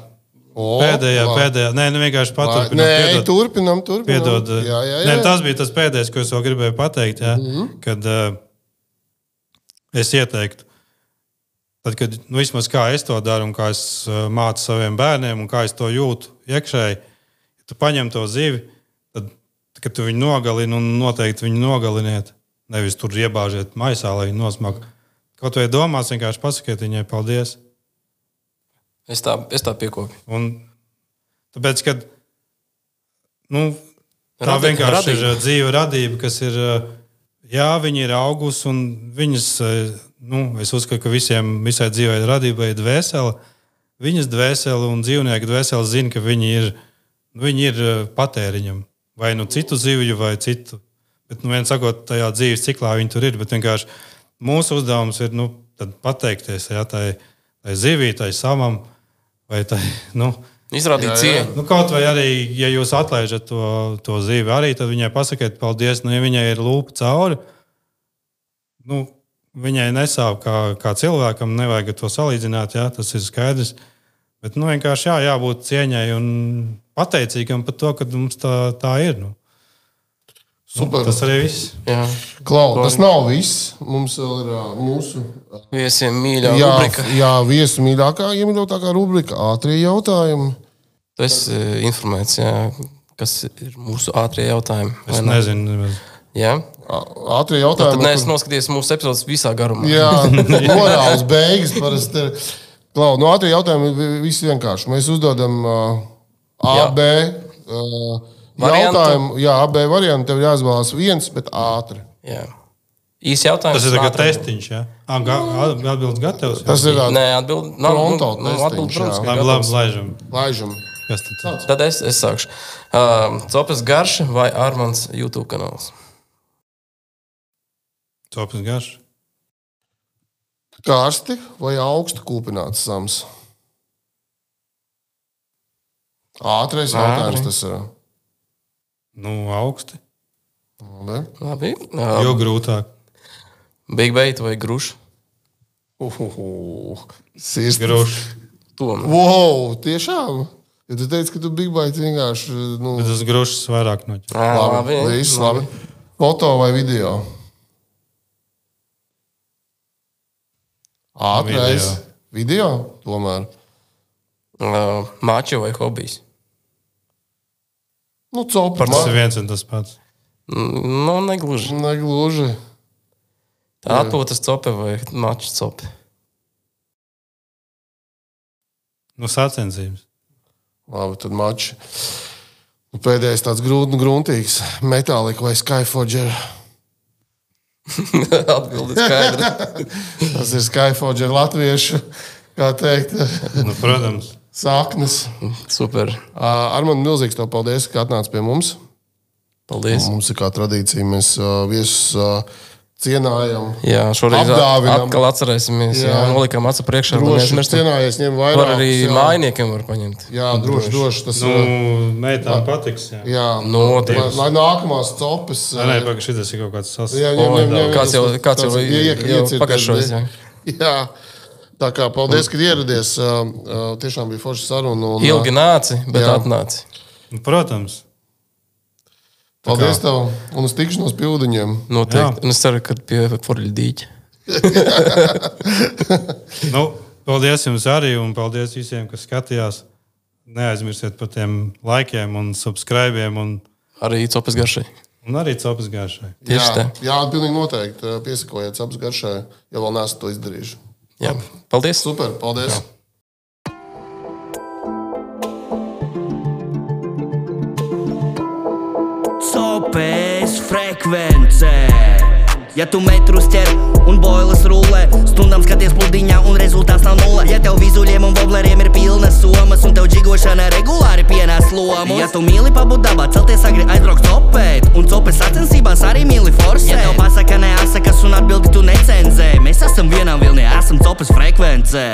O, pēdējā, lai. pēdējā, nē, nu vienkārši paturpinām. Nē, piedod, turpinām, turpinām. Piedod, jā, jā, jā. Nē, tas bija tas pēdējais, ko es vēl gribēju pateikt, jā, mm-hmm. kad uh, es ieteiktu, tad, kad, nu, vismaz kā es to daru un kā es uh, mācu saviem bērniem un kā es to jūtu iekšēji, ja tu paņem to zivi, tad, kad tu viņu nogalini un noteikti viņu nogaliniet, nevis tur iebāžiet maisā, lai viņu nosmak. Kaut vai domās, vienkārši pasakiet viņai paldies. Es tā, es tā piekopu. Un tāpēc, kad nu, tā Radī, vienkārši radība. ir dzīve radība, kas ir, jā, viņi ir augus un viņas, nu, es uzskatu, ka visiem, visai dzīvei radībai ir dvēsele. Viņas dvēsele un dzīvnieku dvēsele zina, ka viņi ir, viņi ir patēriņam. Vai nu citu zivju, vai citu. Bet, nu, vien sakot, tajā dzīves ciklā viņi tur ir, bet vienkārši mūsu uzdevums ir, nu, tad pateikties, jā, tai tai zivī, tai savam, vai tai, nu, Izrādīt cieņu. nu, kaut vai arī, ja jūs atlaižat to, to zivi arī, tad viņai pasakiet paldies, nu, ja viņai ir lūpa cauri, nu, viņai nesāp kā, kā cilvēkam, nevajag to salīdzināt, jā, tas ir skaidrs, bet, nu, vienkārši jā, jābūt cieņai un pateicīgam par to, ka mums tā, tā ir, nu. Super. Tas arī viss. Jā. Klau, tas nav viss. Mums vēl ir uh, mūsu Viesiem mīļā jā, rubrika. jā, viesu mīļākā, iemīļotākā rubrika ātrie jautājumi. Tu esi informēts, jā, kas ir mūsu ātrie jautājumi. Es vai ne? nezinu. Nemaz. Jā? Ā- Ātrie Tad jautājumi. neesmu noskatījies mūsu epizodes visā garumā. Jā, morāls beigas parasti ir. Klau, no ātrie jautājumi vi- viss vienkārši. Mēs uzdodam uh, A, Jā. B uh, Variantu. jautājumu. Jā, A, B variantu. Tev jāizvēlās viens, bet ātri. Jā. Īsi jautājums. Tas ir tagad ātri. testiņš, jā? Ah, ga, atbildes gatavs? Tas ir ā, Nē, atbild. Nav, Pronto nu, nu, atbild, testiņš, protams, jā. ka Labi, gatavs. labi, laižam. laižam. Kas tad? Sāc. Tad es, es sākšu. Uh, Copes garša vai Armāns YouTube kanāls? Copis garš. Karsti vai augstu kūpināts sams? Ātrais Ātri. jautājums tas ir. Nu, augsti. Ne? Labi. Jo Uh, grūtāk. Big Bait vai Gruša? Uhuhu. Sirds. Gruši. Tom. Wow, tiešām. Ja tu teici, ka tu Big Bite vienkārši. Nu, Bet tas grušas vairāk noķer. Ā, labi, viss labi. Foto vai video? Ātrais. Video. Tomēr. Uh, Mačo vai hobijs? Nu, copa. Tas ir viens un tas pats. Mm, Nu, negluži. Negluži. Tā atpūtas cope vai mača cope? Nu, sacensības. Labi, tad mači. Nu, pēdējais tāds grūti un gruntīgs. Metālika vai Skyforger? Atbildi skaidra. Tas ir Skyforger latviešu, kā teikt, Nu, protams. saknes. Super. Armand, milzīgs tev paldies, ka atnāc pie mums. Paldies. Mums ir kā tradīcija, mēs uh, viesus uh, cienājam. Jā, šoreiz Apdāvinam. atkal atcerēsimies. Jā, Jā. nolikām acu priekšā. lai Droši neaizmirstam. cienājies, ņem vairāk. Var arī mājiniekiem var paņemt. Jā, droši, droši. Tas Nu, ir. meitām patiks. Jā, Jā, Noteikti. lai, lai nākamās copes. Nē, nē, pagaidi, šitas ir kaut kāds sas. Jā, ņem, ņem, ņem, Kāds jau, kāds jau, tāds iek- jau iecirties, pagājušais. Jā. Jā, tā kā paldies, ka ieradies. Uh, uh, Tiešām bija forša saruna. un, uh, Ilgi nāci, bet Jā. atnāci. Nu, protams. Paldies tev un uz tikšanos pie ūdeņiem. Noteikti. Un es ceru, ka pie Forļa dīķa. Nu, paldies jums arī un paldies visiem, kas skatījās. Neaizmirstiet par tiem laikiem un subscribiem un, Arī copas garšai. un arī copas garšai. Tieši jā, tā. jā, pilnīgi noteikti. uh, Piesakojiet abas garšai, ja vēl neesat to izdarījuši. Jā. Paldies. Super, paldies! Jā. Copes frekvence. Ja tu metrus ķer un boilas rullē, stundām skaties pludiņā un rezultāts nav nulle. Ja tev vizuļiem un vobleriem ir pilnas somas un tev džigošana regulāri pienās lomus. Ja tu mīli pabūt dabā, celties agri aizbraukt copēt un copes sacensībās arī mīli forsēt. Ja tev pasaka neasakas un atbildi tu necenzē, mēs esam vienā vilnī, esam copes frekvencē.